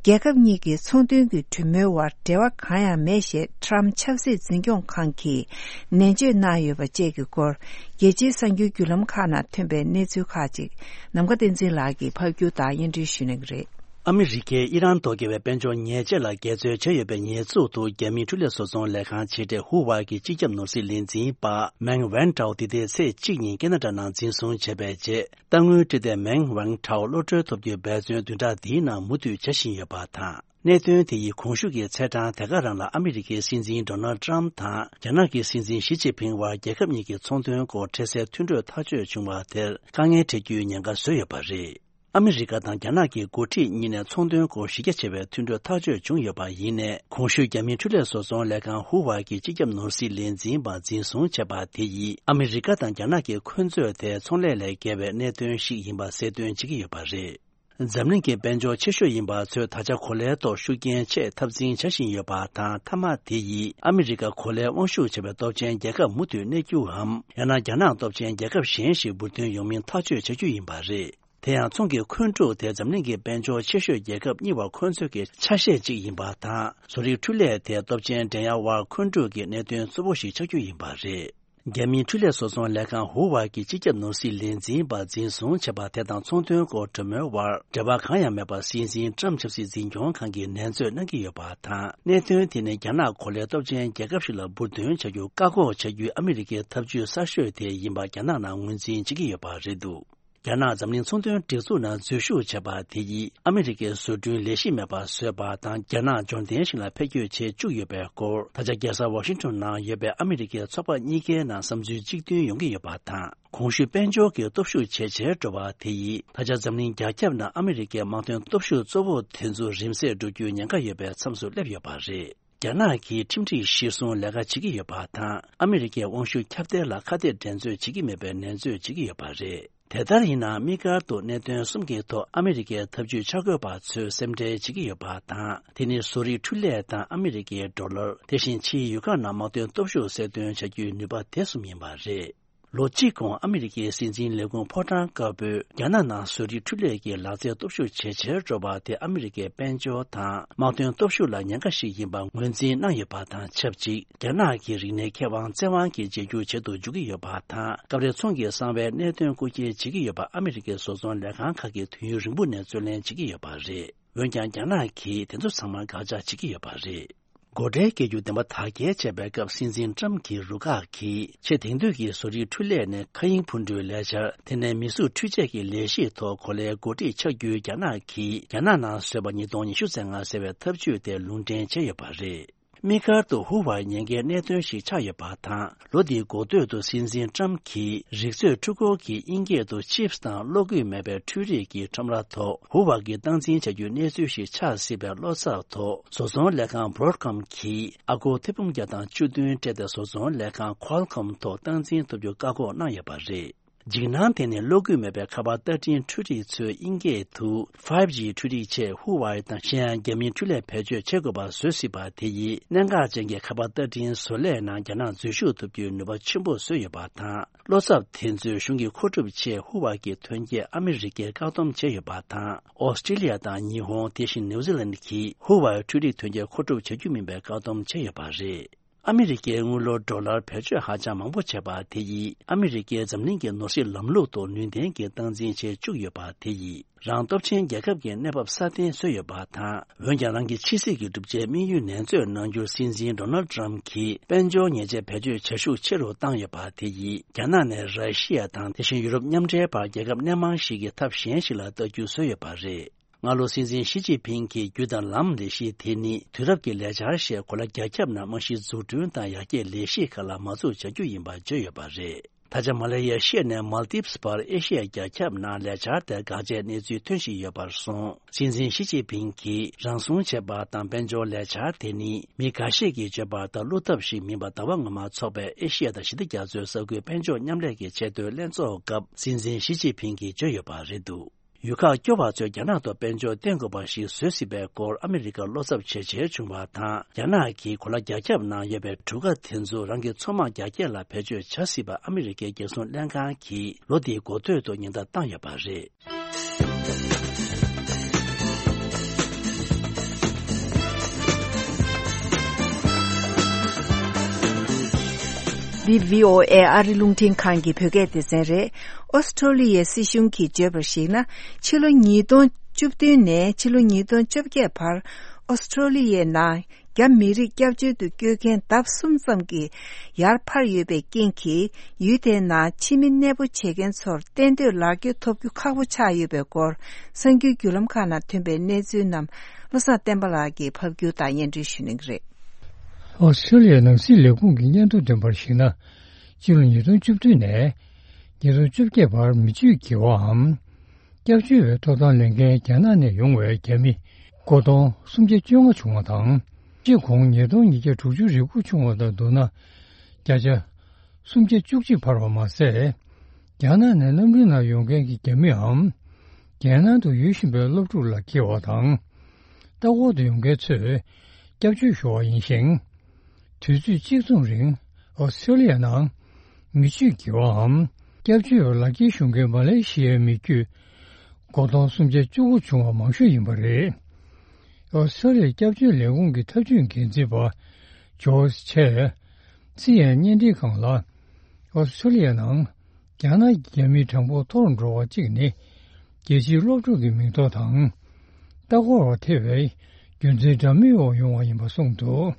རྒྱལ་ཁབ་གཉིས་ཀྱི་ཚོང་དོན་གྱི་གྲོས་མོལ་བར་འབྲེལ་བ་གང་ཡང་མེད་ཞེས་ཊྲམ་ཕྱི་སྲིད་འཛིན་སྐྱོང་ཁང་གིས་ནན་བརྗོད་གནང་ཡོད་པ་བཅས་ཀྱི་སྐོར། རྒྱལ་སྤྱིའི་གསར་འགྱུར་བརྒྱུད་ལམ་ཁག་ནང་ཐོན་པའི་གནས་ཚུལ་ཁག་ཅིག་ནམ་མཁའ་བསྟན་འཛིན་ལགས་ཀྱིས་ཕབ་སྒྱུར་དང་སྙན་སྒྲོན་ཞུ་གནང་གི་རེད། ཨ་མི་རི་ཀས་ཨི་རན་ཐོག་བརྒྱབ་པའི་དཔལ་འབྱོར་ཉེས་ཆད་ལ་འགལ་འཛོལ་བྱས་ཡོད་པའི་ཉེས་འཛུགས་ཐོག་རྒྱ་མིའི་འཕྲུལ་ལས་བཟོ་ཚོང་ལས་ཁང་ཆེ་གྲས་ཧུ་ཝའེ་གི་སྤྱི་ཁྱབ་ནོར་སྲིད་ལས་འཛིན་པ་མེང་ཝན་ཀྲའོ་འདི་ཟླའི་ཚེས་གཅིག་ཉིན་ཁེ་ན་ཌ་ནང་འཛིན་བཟུང་བྱས་པའི་རྗེས། རྟ་དངུལ་སྤྲད་དེ་མེང་ཝན་ཀྲའོ་གློད་གྲོལ་ཐོབ་རྒྱུའི་འབད་བརྩོན་བདུན་ཕྲག་འདིའི་ནང་མུ་མཐུད་བྱ་བཞིན་ཡོད་པ་དང་། གནད་དོན་དེ་ཡིས་གོང་ཞུས་ཀྱི་ཚེས་གྲངས་དེ་ག་རང་ལ་ཨ་མི་རི་ཀའི་སྲིད་འཛིན་ཌོ་ནལ་ཊྲམ་དང་རྒྱ་ནག་གི་སྲིད་འཛིན་ཞི་ཅིན་ཕིང་དབར་རྒྱལ་ཁབ་གཉིས་ཀྱི་ཚོང་དོན་སྐོར་འཕྲལ་སེལ་མཐུན་གྲོས་ཐག་གཅོད་བྱུང་བ་དེར་དཀའ་ངལ་འཕྲད་རྒྱུའི་ཉེན་ཁ་བཟོས་ཡོད་པ་རེད། ཨ་མི་རི་ཀ་དང་རྒྱ་ནག་གི་འགོ་ཁྲིད་གཉིས་ནས་ཚོང་དོན་སྐོར་གཞི་རྒྱ་ཆེ་བའི་མཐུན་གྲོས་ཐག་གཅོད་བྱུང་ཡོད་པ་ཡིན་ནའི། གོང་ཞུས་རྒྱ་མིའི་འཕྲུལ་ལས་བཟོ་ཚོང་ལས་ཁང་ཧུ་ཝའེ་གི་སྤྱི་ཁྱབ་ནོར་སྲིད་ལས་འཛིན་པ་འཛིན་བཟུང་བྱས་པ་དེ་ཡིས་ཨ་མི་རི་ཀ་དང་རྒྱ་ནག་གི་འཁོན་རྩོད་དེ་ཚོང་ལས་ལས་བརྒལ་བའི་གནད་དོན་ཞིག་ཡིན་པ་གསལ་སྟོན་བྱེད་ཀྱི་ཡོད་པ་རེད། འཛམ་གླིང་གི་དཔལ་འབྱོར་ཆེ་ཤོས་ཡིན་པ་ཚོས་ད་ཆ་གོ་ལའི་ཐོག་ཤུགས་རྐྱེན་ཆེས་འཐབ་འཛིང་བྱ་བཞིན་ཡོད་པ་དང་། མཐའ་མ་དེ་ཡིས་ཨ་མི་རི་ཀ་གོ་ལའི་དབང་ཤུགས་ཆེ་བའི་སྟོབས་ཆེན་རྒྱལ་ཁབ་མུ་མཐུད་གནས་རྒྱུའམ། ཡང་ན་རྒྱ་ནག་སྟོབས་ཆེན་རྒྱལ་ཁབ་གཞན་ཞིག་འབུར་ཐོན་ཡོང་མིན་ཐག་གཅོད་བྱ་རྒྱུ་ཡིན་པ་རེད། དེ་ཡང་ཚོང་གི་འཁོན་འཁྲུག་དེ་འཛམ་གླིང་གི་དཔལ་འབྱོར་ཆེ་ཤོས་རྒྱལ་ཁབ་གཉིས་བར་འཁོན་རྩོད་ཀྱི་ཆ་ཤས་གཅིག་ཡིན་པ་དང་། བཟོ་རིག་འཕྲུལ་ལས་དེ་སྟོབས་ཆེན་འགྲན་ཡ་དབར་འཁོན་འཁྲུག་གི་གནད་དོན་གཙོ་བོ་ཞིག་ཆགས་རྒྱུ་ཡིན་པ་རེད། རྒྱ་མིའི་འཕྲུལ་ལས་བཟོ་ཚོང་ལས་ཁང་ཧུ་ཝའེ་གི་སྤྱི་ཁྱབ་ནོར་སྲིད་ལས་འཛིན་པ་འཛིན་བཟུང་བྱས་པ་དེ་དང་ཚོང་དོན་སྐོར་གྲོས་མོལ་བར་འབྲེལ་བ་གང་ཡང་མེད་པ་སྲིད་འཛིན་ཊྲམ་ཆབ་སྲིད་འཛིན་སྐྱོང་ཁང་གིས་ནན་བརྗོད་གནང་གི་ཡོད་པ་དང་། གནད་དོན་དེ་ནི་རྒྱ་ནག་གོ་ལའི་སྟོབས་ཆེན་རྒྱལ་ཁབ་ཞིག་ལ་འབུར་ཐོན་བྱ་རྒྱུ་བཀག་འགོག་བྱ་རྒྱུའི་ཨ་མི་རི་ཀའི་ཐབས་ཇུས་གསར་ཤོས་དེ་ཡིན་པ་རྒྱ་ནག་ནང་ངོས་འཛིན་བྱེད་ཀྱི་ཡོད་པ་རེད་འདུག་རྒྱ་ནག་འཛམ་གླིང་ཚོང་དོན་སྒྲིག་འཛུགས་ནང་འཛུལ་ཞུགས་བྱས་པ་དེ་ཡིས་ཨ་མི་རི་ཀའི་བཟོ་སྐྲུན་ལས་གཞི་མེད་པར་བཟོས་པ་དང་། རྒྱ་ནག་འབྱོར་ལྡན་ཞིག་ལ་འཕེལ་འགྱུར་བྱེད་བཅུག་ཡོད་པའི་སྐོར། ད་ཆ་རྒྱལ་ས་ཝ་ཤིང་ཊོན་ནང་ཡོད་པའི་ཨ་མི་རི་ཀའི་ཚོགས་པ་གཉིས་ཀའི་ནང་བསམ་ཚུལ་གཅིག་མཐུན་ཡོང་གི་ཡོད་པ་དང་། གོང་ཞུས་དཔལ་འབྱོར་གྱི་སྟོབས་ཤུགས་ཇེ་ཆེར་འགྲོ་བ་དེ་ཡིས། ད་ཆ་འཛམ་གླིང་རྒྱ་ཁྱབ་ནང་ཨ་མི་རི་ཀའི་དམག་དོན་སྟོབས་ཤུགས་གཙོ་བོ་དེ་ཚོ་རིམ་ཟད་འགྲོ་རྒྱུའི་ཉེན་ཁ་ཡོད་པའི་མཚམས་སུ་སླེབས་ཡོད་པ་རེད། རྒྱ་ནག་གིས་ཁྲིམས་སྒྲིག་གཞིར་བཟུང་ལས་ཀ་བྱེད་ཀྱི་ཡོད་པ་དང་། ཨ་མི་རི་ཀའི་དབང་ཤུགས་ཁྱབ་གདལ་ལ་ཁ་གཏད་འགྲན་རྩོད་བྱེད་ཀྱི་མེད་པའི་ནན་རྩོད་བྱེད་ཀྱི་ཡོད་པ་རེད། དེ་ལྟར་ཡིན་ན། དམིགས་བཀར་དུ་གནད་དོན་གསུམ་གྱི་ཐོག་ཨ་མི་རི་ཀའི་ཐབས་ཇུས་འཆར་འགོད་པ་ཚོས་སེམས་ཁྲལ་བྱེད་ཀྱི་ཡོད་པ་དང་། དེ་ནི་བཟོ་རིག་འཕྲུལ་ལས་དང་ཨ་མི་རི་ཀའི་ཌོ་ལར། དེ་བཞིན་ཕྱིའི་ཡུལ་ཁག་ནང་དམག་དོན་སྟོབས་ཤུགས་གསལ་སྟོན་བྱ་རྒྱུའི་ནུས་པ་དེ་གསུམ་ཡིན་པ་རེད། ལོ་གཅིག་གོང་ཨ་མི་རི་ཀའི་སྲིད་འཛིན་ལས་ཁུངས་ཕོ་བྲང་དཀར་པོས་རྒྱ་ནག་ནང་བཟོ་རིག་འཕྲུལ་ལས་ཀྱི་ལག་རྩལ་སྟོབས་ཤུགས་ཇེ་ཆེར་འགྲོ་བ་དེ་ཨ་མི་རི་ཀའི་དཔལ་འབྱོར་དང་དམག་དོན་སྟོབས་ཤུགས་ལ་ཉེན་ཁ་ཞིག་ཡིན་པ་ངོས་འཛིན་གནང་ཡོད་པ་དང་ཆབས་ཅིག་རྒྱ་ནག་གི་རིག་གནས་ཁེ་དབང་བཙན་དབང་གིས་བརྗེ་སྒྱུར་བྱེད་དུ་འཇུག་གི་ཡོད་པ་དང་། སྐབས་རེ་ཚོང་གི་གསང་བའི་གནད་དོན་སྐུལ་སྐྱེལ་བྱེད་ཀྱི་ཡོད་པ་ཨ་མི་རི་ཀའི་བཟོ་ཚོང་ལས་ཁང་ཁག་གིས་དུས་ཡུན་རིང་པོ་ནས་རྩོད་ལེན་བྱེད་ཀྱི་ཡོད་པ་རེད། འོན་ཀྱང་རྒྱ་ནག་གིས་དེ་ཚོ་ཚང་མ་དགག་བྱ་བྱེད་ཀྱི་ཡོད་པ་རེད། སྒོ་ཁྲལ་བཀལ་རྒྱུ་བདེན་པ་དག་སྐྱེལ་བྱས་པའི་སྐབས། སྲིད་འཛིན་ཊྲམ་གྱི་རུ་ཁག་གིས་ཆེས་དེང་དུས་ཀྱི་བཟོ་རིག་འཕྲུལ་ལས་ནས་མཁའ་དབྱིངས་འཕུར་འགྲུལ་ལས་འཆར། དེ་ནས་མིས་བཟོས་འཕྲུལ་ཆས་ཀྱི་ལས་གཞིའི་ཐོག་གོ་ལའི་འགོ་ཁྲིད་ཆགས་རྒྱུའི་རྒྱ་ནག་གིས་རྒྱ་ནག་ནང་བཟོས་པ་ཉིས་སྟོང་ཉི་ཤུ་རྩ་ལྔ་ཟེར་བའི་ཐབས་ཇུས་དེ་ལུང་འདྲེན་བྱས་ཡོད་པ་རེད། དམིགས་བཀར་དུ་ཧུ་ཝའེ་ཉེན་ཁའི་གནད་དོན་ཞིག་ཆགས་ཡོད་པ་དང་། ལོ་འདིའི་འགོ་སྟོད་དུ་སྲིད་འཛིན་ཊྲམ་གྱིས་རིག་མཛོད་འཕྲུལ་འཁོར་གྱི་དབྱིན་སྐད་དུ་ཆིབས་དང་གློག་སྐུད་མེད་པའི་འཕྲུལ་རིག་གི་ཁྲོམ་ར་ཐོག་ཧུ་ཝའེ་གིས་སྟངས་འཛིན་བྱ་རྒྱུའི་གནས་ཚུལ་ཞིག་ཆགས་སྲིད་པའི་བློ་འཚབ་ཐོག་བཟོ་ཚོང་ལས་ཁང་བྷོ་རོ་ཌི་ཀོམ་གྱིས་ཨ་སྒོར་ཐེར་འབུམ་བརྒྱ་དང་བཅུ་བདུན་སྤྲད་དེ། བཟོ་ཚོང་ལས་ཁང་ཁོལ་ཀོམ་ཐོག་སྟངས་འཛིན་ཐོབ་རྒྱུ་བཀག་འགོག་གནང་ཡོད་པ་རེད། འཇིགས་སྣང་དེ་ནི་གློག་སྐུད་མེད་པའི་ཁ་པར་ལྟ་འཕྲིན་འཕྲུལ་རིག་ཚོས་དབྱིན་སྐད་དུ་ཕའིབ་ཇི་འཕྲུལ་རིག་ཆེད་ཧུ་ཝའེ་དང་གཞན་ཡང་རྒྱ་མིའི་འཕྲུལ་ལས་བེད་སྤྱོད་བྱེད་དགོས་པ་བཟོ་སྲིད་པ་དེ་ཡིས། གནད་འགག་ཅན་གྱི་ཁ་པར་ལྟ་འཕྲིན་བཟོ་ལས་ནང་རྒྱ་ནག་འཛུལ་ཞུགས་ཐུབ་རྒྱུའི་ནུས་པ་ཆེན་པོ་བཟོས་ཡོད་པ་དང་། བློ་འཚབ་དེ་ཚོས་གཞུང་གི་མཁོ་སྒྲུབ་ཆེད་ཧུ་ཝའེ་གྱི་ཐོན་སྐྱེད་ཨ་མི་རི་ཀས་བཀག་སྡོམ་བྱས་ཡོད་པ་དང་། ཨོ་སི་ཀྲི་ལི་ཡ་དང་ཉི་ཧོང་། དེ་བཞིན་ནིའུ་ཛི་ལན་གྱིས་ཧུ་ཝའེ་འཕྲུལ་རིག་ཐོན་སྐྱེད་མཁོ་སྒྲུབ་བྱ་རྒྱུ་མིན་པའི་བཀག་སྡོམ་བྱས་ཡོད་པ་རེད། ཨ་མི་རི་ཀའི་དངུལ་ལོར་ཌོ་ལར་བེད་སྤྱོད་ཧ་ཅང་མང་པོ་བྱས་པ་དེ་ཡིས། ཨ་མི་རི་ཀས་འཛམ་གླིང་གི་ནོར་སྲིད་ལམ་ལུགས་ཐོག་ནུས་ལྡན་གྱི་སྟངས་འཛིན་བྱེད་བཅུག་ཡོད་པ་དེ་ཡིས། རང་སྟོབས་ཆེན་རྒྱལ་ཁབ་ཀྱི་གནས་བབ་སྲ་བརྟན་བཟོས་ཡོད་པ་དང་། འོན་ཀྱང་། རང་གི་ཕྱི་སྲིད་ཀྱི་གྲུབ་ཆའི་དམིགས་ཡུལ་ནན་རྩོད་གནང་རྒྱུར། སྲིད་འཛིན་ཌོ་ནལ་ཊྲམ་གྱིས་དཔལ་འབྱོར་ཉེས་ཆད་བེད་སྤྱོད་བྱ་ཤུགས་ཆེ་རུ་བཏང་ཡོད་པ་དེ་ཡིས། རྒྱ་ནག་ནས་ར་ཤི་ཡ་དང་། དེ་བཞིན་ཡུ་རོབ་མཉམ་འབྲེལ་བར་རྒྱལ་ཁབ་སྣེ་མང་ཞིག་གིས་ཐབས་གཞན་ཞིག་ལ་ལྟ་རྒྱུ་བཟོས་ཡོད་པ་རེད། སྔ་ལོ་སྲིད་འཛིན་ཞི་ཅིན་ཕིང་གིས་རྒྱུ་དང་ལམ་ལས་གཞི་དེ་ནི་དུས་རབས་ཀྱི་ལས་འཆར་ཞེས་གོ་ལ་རྒྱ་ཁྱབ་ནང་རྨང་གཞི་འཛུགས་སྐྲུན་དང་ཡར་རྒྱས་ལས་གཞི་ཁག་ལ་མ་འཛུགས་བྱ་རྒྱུ་ཡིན་པ་བརྗོད་ཡོད་པ་རེད། ད་ཆ་མ་ལེ་ཡ་ཤི་ཡ་ནས་མལ་དིབ་སི་བར་ཨེ་ཤི་ཡ་རྒྱ་ཁྱབ་ནང་ལས་འཆར་དེར་དགག་བྱའི་གནས་ཚུལ་ཐོན་བཞིན་ཡོད་པར་སོང་། སྲིད་འཛིན་ཞི་ཅིན་ཕིང་གིས་རང་སྲུང་བྱེད་པ་དང་དཔལ་འབྱོར་ལས་འཆར་དེ་ནི་མི་འགའ་ཤས་ཀྱིས་བརྗོད་པ་ལྟར་བློ་འཐབ་ཞིག་མིན་པ། ཟླ་བ་སྔོན་མ་འཚོགས་པའི་ཨེ་ཤི་ཡ་དང་ཞི་བདེ་རྒྱ་མཚོའི་ས་ཁུལ་དཔལ་འབྱོར་མཉམ་ལས་ཀྱི་ཆེས་མཐོའི་ལྷན་ཚོགས་སྐབས་སྲིད་འཛིན་ཞི་ཅིན་ཕིང་གིས་བརྗོད་ཡོད་པ་རེད་འདུག་ཡུལ་ཁག་སྐྱོ་བ་ཚོས་རྒྱ་ནག་ཐོག་དཔལ་འབྱོར་བརྟེན་དགོས་པ་ཞིག་བཟོ་སྲིད་པའི་སྐོར་ཨ་མི་རི་ཀར་བློ་འཚབ་ཇེ་ཆེར་བྱུང་བ་དང་། རྒྱ་ནག་གིས་གོ་ལ་རྒྱ་ཁྱབ་ནང་ཡོད་པའི་གྲུ་ཁ་དེ་ཚོ་རང་གི་མཚོ་དམག་རྒྱ་སྐྱེད་ལ་བེད་སྤྱོད་བྱ་སྲིད་པ་ཨ་མི་རི་ཀའི་རྒྱལ་སྲུང་ལྷན་ཁང་གིས་ལོ་འདིའི་འགོ་སྟོད་དུ་ཉེན་བརྡ་བཏང་ཡོད་པ་རེད། འདི་བྷི་ཨོ་ཨེ་ཨ་རི་རླུང་འཕྲིན་ཁང་གི་བོད་སྐད་སྡེ་ཚན་རེད། ཨོ་སི་ཁྲོ་ལི་ཡའི་སྲིད་གཞུང་གིས་བརྗོད་པར་གཞིགས་ན། ཕྱི་ལོ་ཉིས་སྟོང་བཅུ་བདུན་ནས་ཕྱི་ལོ་ཉིས་སྟོང་བཅོ་བརྒྱད་བར་ཨོ་སི་ཁྲོ་ལི་ཡའི་ནང་རྒྱ་མི་རིགས་སྐྱབས་བཅོལ་དུ་བསྐྱོད་མཁན་ལྡབ་གསུམ་ཙམ་གྱིས་ཡར་འཕར་ཡོད་པའི་རྐྱེན་གྱིས། ཡུལ་དེའི་ནང་ཕྱི་མི་གནས་སྤོ་བྱེད་མཁན་ཚོར་གཏན་སྡོད་ལག་འཁྱེར་ཐོབ་རྒྱུ་ཁག་པོ་ཆགས་ཡོད་པའི་སྐོར། གསར་འགྱུར་བརྒྱུད་ལམ་ཁག་ནང་ཐོན་པའི་གནས་ཚུལ་རྣམས་བློ་བཟང་བསྟན་པ་ལགས་ཀྱིས་ཕབ་སྒྱུར་དང་སྙན་སྒྲོན་ཞུ་གནང་གི་རེད། ཨོ་སི་ཁྲུ་ལི་ཡའི་ནང་སྲིད་ལས་ཁུངས་ཀྱི་སྙན་ཐོ་འདོན་པར་གཞིགས་ན། སྤྱི་ལོ་ཉིས་སྟོང་བཅུ་བདུན་ནས་ཉིས་སྟོང་བཅོ་བརྒྱད་བར་མི་སྤྱོད་འགྱུར་བའམ། སྐྱབས་བཅོལ་བའི་ཐོབ་ཐང་ལེན་མཁན་རྒྱ་ནག་ནས་ཡོང་བའི་རྒྱ་མི་སྒོར་སྟོང་སུམ་བརྒྱ་བཅོ་ལྔ་བྱུང་བ་དང་། སྤྱི་གོང་ཉིས་སྟོང་ཉིས་བརྒྱ་དྲུག་ཅུ་རེ་དགུ་བྱུང་བ་དང་བསྡུར་ན། བརྒྱ་ཆ་སུམ་བརྒྱ་བཅུ་གཅིག་འཕར་བ་མ་ཟད། རྒྱ་ནག་ནས་གནམ་གྲུའི་ནང་ཡོང་མཁན་གྱི་རྒྱ་མིའམ། རྒྱལ་ནང་དུ་ཡོད་བཞིན་པའི་སློབ་ཕྲུག་ལ་འཁེལ་བ་དང་། ལྟ་སྐོར་དུ་ཡོང་མཁན་ཚོས་སྐྱབས་བཅོལ་ཞུ་བ་ཡིན་ཞིང་། དུས་ཚོད་གཅིག་མཚུངས་རིང་ཨོ་སི་ཁྲུ་ལི་ཡ་ནང་མི་སྤྱོད་འགྱུར་བའམ། སྐྱབས་བཅོལ་བའི་ལག་འཁྱེར་ཞུ་མཁན་མ་ལེ་ཤི་ཡའི་མི་རྒྱུད་སྒོར་སྟོང་སུམ་བརྒྱ་བཅུ་དགུ་བྱུང་བ་མང་ཤོས་ཡིན་པ་རེད། ཨོ་སི་ཁྲུ་ལི་ཡའི་སྐྱབས་བཅོལ་ལས་ཁུངས་ཀྱི་ཐབས་ཇུས་འགན་འཛིན་པ་ཇོ་ཆེ་སི་ཡན་བརྙན་འཕྲིན་ཁང་ལ། ཨོ་སི་ཁྲུ་ལི་ཡ་ནང་རྒྱ་ནག་གི་རྒྱ་མིའི་གྲངས་འབོར་མཐོ་རུ་འགྲོ་བ་གཅིག་ནི། རྒྱལ་སྤྱིའི་སློབ་ཕྲུག་གི་མིང་ཐོ་དང་། ལྟ་སྐོར་བ་ཐེ་བའི་རྒྱུ་མཚན་འདྲ་མིན་འོག་ཡོང་བ་ཡིན་པ་གསུངས་འདུག་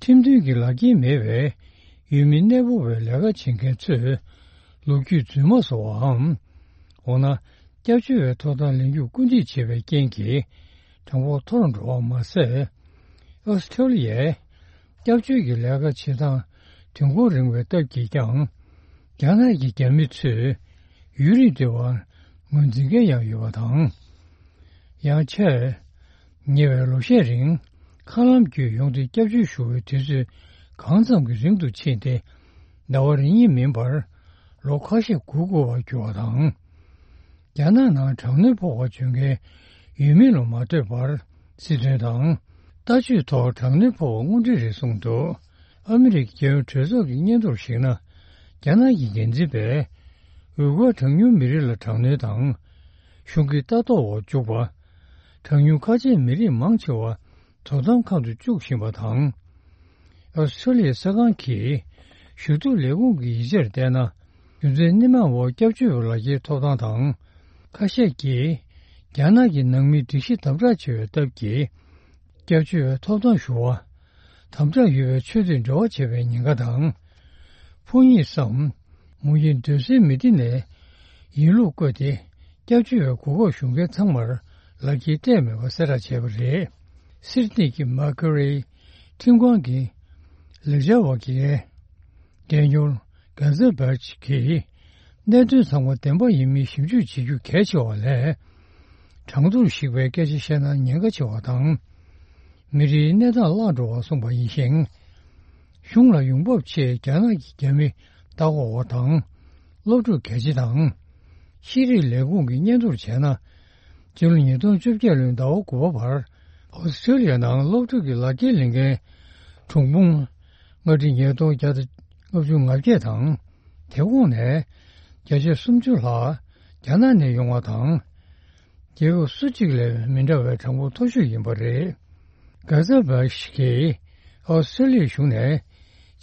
ཁྲིམས་མཐུན་གྱི་ལག་འཁྱེར་མེད་པའི་ཡུལ་མི་གནས་སྤོ་བའི་ལས་ཀ་བྱེད་མཁན་ཚོས་ལོ་རྒྱུས་རྫུན་མ་བཟོ་བའམ། འོ་ན། སྐྱབས་བཅོལ་བའི་ཐོབ་ཐང་ལེན་རྒྱུར་སྐུལ་འདེད་བྱེད་པའི་རྐྱེན་གྱིས་གྲངས་འབོར་མཐོ་རུ་འགྲོ་བ་མ་ཟད། ཨོ་སི་ཁྲུ་ལི་ཡའི་སྐྱབས་བཅོལ་གྱི་ལས་ཀ་བྱེད་སྟངས་དུས་འཁོར་རིང་བའི་སྟབས་ཀྱིས་ཀྱང་། རྒྱ་ནག་གི་རྒྱ་མི་ཚོས་ཡུན་རིང་སྡོད་པར་ངོས་འཛིན་མཁན་ཡང་ཡོད་པ་དང་། ཡང་ཆེས་ཉེ་བའི་ལོ་ཤས་རིང་མཁའ་ལམ་བརྒྱུད་ཡོང་སྟེ་སྐྱབས་བཅོལ་ཞུ་བའི་དུས་ཚོད་གང་ཙམ་གྱི་རིང་དུ་ཕྱིན་ཏེ། ཟླ་བ་རེ་གཉིས་མིན་པར་ལོ་ཁ་ཤས་འགོར་དགོས་པར་གྱུར་བ་དང་། རྒྱ་ནག་ནང་དྲག་གནོན་ཕོག་པར་བྱོན་མཁན་ཡུལ་མི་ལ་མ་ལྟོས་པར་སྲིད་དོན་དང་ལྟ་སྤྱོད་ཐོག་དྲག་གནོན་ཕོག་པ་དངོས་འབྲེལ་རེད་གསུངས་འདུག་ཨ་མི་རི་ཀའི་རྒྱལ་ཡོངས་གྲོས་ཚོགས་ཀྱི་སྙན་ཐོར་གཞིགས་ན། རྒྱ་ནག་གི་འགན་འཛིན་པས་ཝུ་གུར་གྲངས་ཉུང་མི་རིགས་ལ་དྲག་གནོན་དང་གཞུང་གི་ལྟ་རྟོག་འོག་འཇུག་པ། གྲངས་ཉུང་ཁ་ཆེའི་མི་རིགས་མང་ཆེ་བ་དོ་དམ་ཁང་དུ་བཅུག་བཞིན་པ་དང་། ཨོ་སི་ཁྲུ་ལི་ཡའི་གསར་ཁང་གིས་ཞུ་གཏུག་ལས་ཁུངས་ཀྱི་ཡིག་ཆར་བལྟས་ན། རྒྱུ་མཚན་སྣེ་མང་བོ་སྐྱབས་བཅོལ་བའི་ལག་འཁྱེར་ཐོབ་ཐང་དང་། ཁ་ཤས་ཀྱིས་རྒྱ་ནག་གི་ནང་མིའི་སྒྲིག་གཞི་དམ་དྲག་ཆེ་བའི་སྟབས་ཀྱིས། སྐྱབས་བཅོལ་བའི་ཐོབ་ཐང་ཞུ་བ། དམ་དྲག་ཡོད་པའི་ཆོས་དད་འབྲེལ་བ་བྱེད་པའི་ཉེན་ཁ་དང་། ཕོ་ཉ་སམ། མོ་ཉའི་འདོད་སྲེད་མི་བདེ་ནས་ཡིན་ལུགས་བཀོད་དེ། སྐྱབས་བཅོལ་བའི་གོ་སྐབས་ཞུ་མཁན་ཚང་མར་ལག་འཁྱེར་སྤྲད་མེད་པ་གསལ་བསྒྲགས་བྱས་པ་རེད། སིད་ནི་གི་མར་ཁུ་རི་ཁྲིམས་ཁང་གི་ལས་བྱ་བ་གི་འགན་འཁྱོར་གྷ་ཛ་བྷར་ཇི་གིས། གནད་དོན་ཚང་མ་བདེན་པ་ཡིན་མིན་ཞིབ་འཇུག་བྱེད་རྒྱུ་གལ་ཆེ་བ་ལས། གྲངས་ཐོར་ཞིག་པའི་སྐད་ཆ་བཤད་ན་ཉེན་ཁ་ཆེ་བ་དང་། མི་རིགས་གནས་སྟངས་བརླག་འགྲོ་བར་གསུངས་པ་ཡིན་ཞིང་། གཞུང་ལ་ཡོང་འབབ་ཆེད་རྒྱ་ནག་གི་རྒྱ་མི་ལྟ་སྐོར་བ་དང་། སློབ་ཕྲུག་གལ་ཆེ་དང་། ཤེས་རིག་ལས་ཁུངས་ཀྱི་སྙན་ཐོར་བྱས་ན། སྤྱི་ལོ་ཉིས་སྟོང་བཅོ་བརྒྱད་ལོའི་ཟླ་བ་དགུ་པ་བར། ཨོ་སི་ཁྲུ་ལི་ཡ་ནང་སློབ་ཕྲུག་གི་ལག་འཁྱེར་ལེན་མཁན་གྲངས་འབོར་ལྔ་ཁྲི་ཉིས་སྟོང་བརྒྱ་དང་ལྔ་བཅུ་ང་བརྒྱད་དང་། དེ་འོག་ནས་བརྒྱ་ཆ་སུམ་ཅུ་ལྷག་རྒྱ་ནག་ནས་ཡོང་བ་དང་། རྒྱལ་ཁབ་སུ་གཅིག་ལས་མི་འདྲ་བའི་གྲངས་འབོར་མཐོ་ཤོས་ཡིན་པ་རེད། གྷ་ཛ་བྷ་ཤི་གིས་ཨོ་སི་ཁྲུ་ལི་ཡའི་གཞུང་ནས་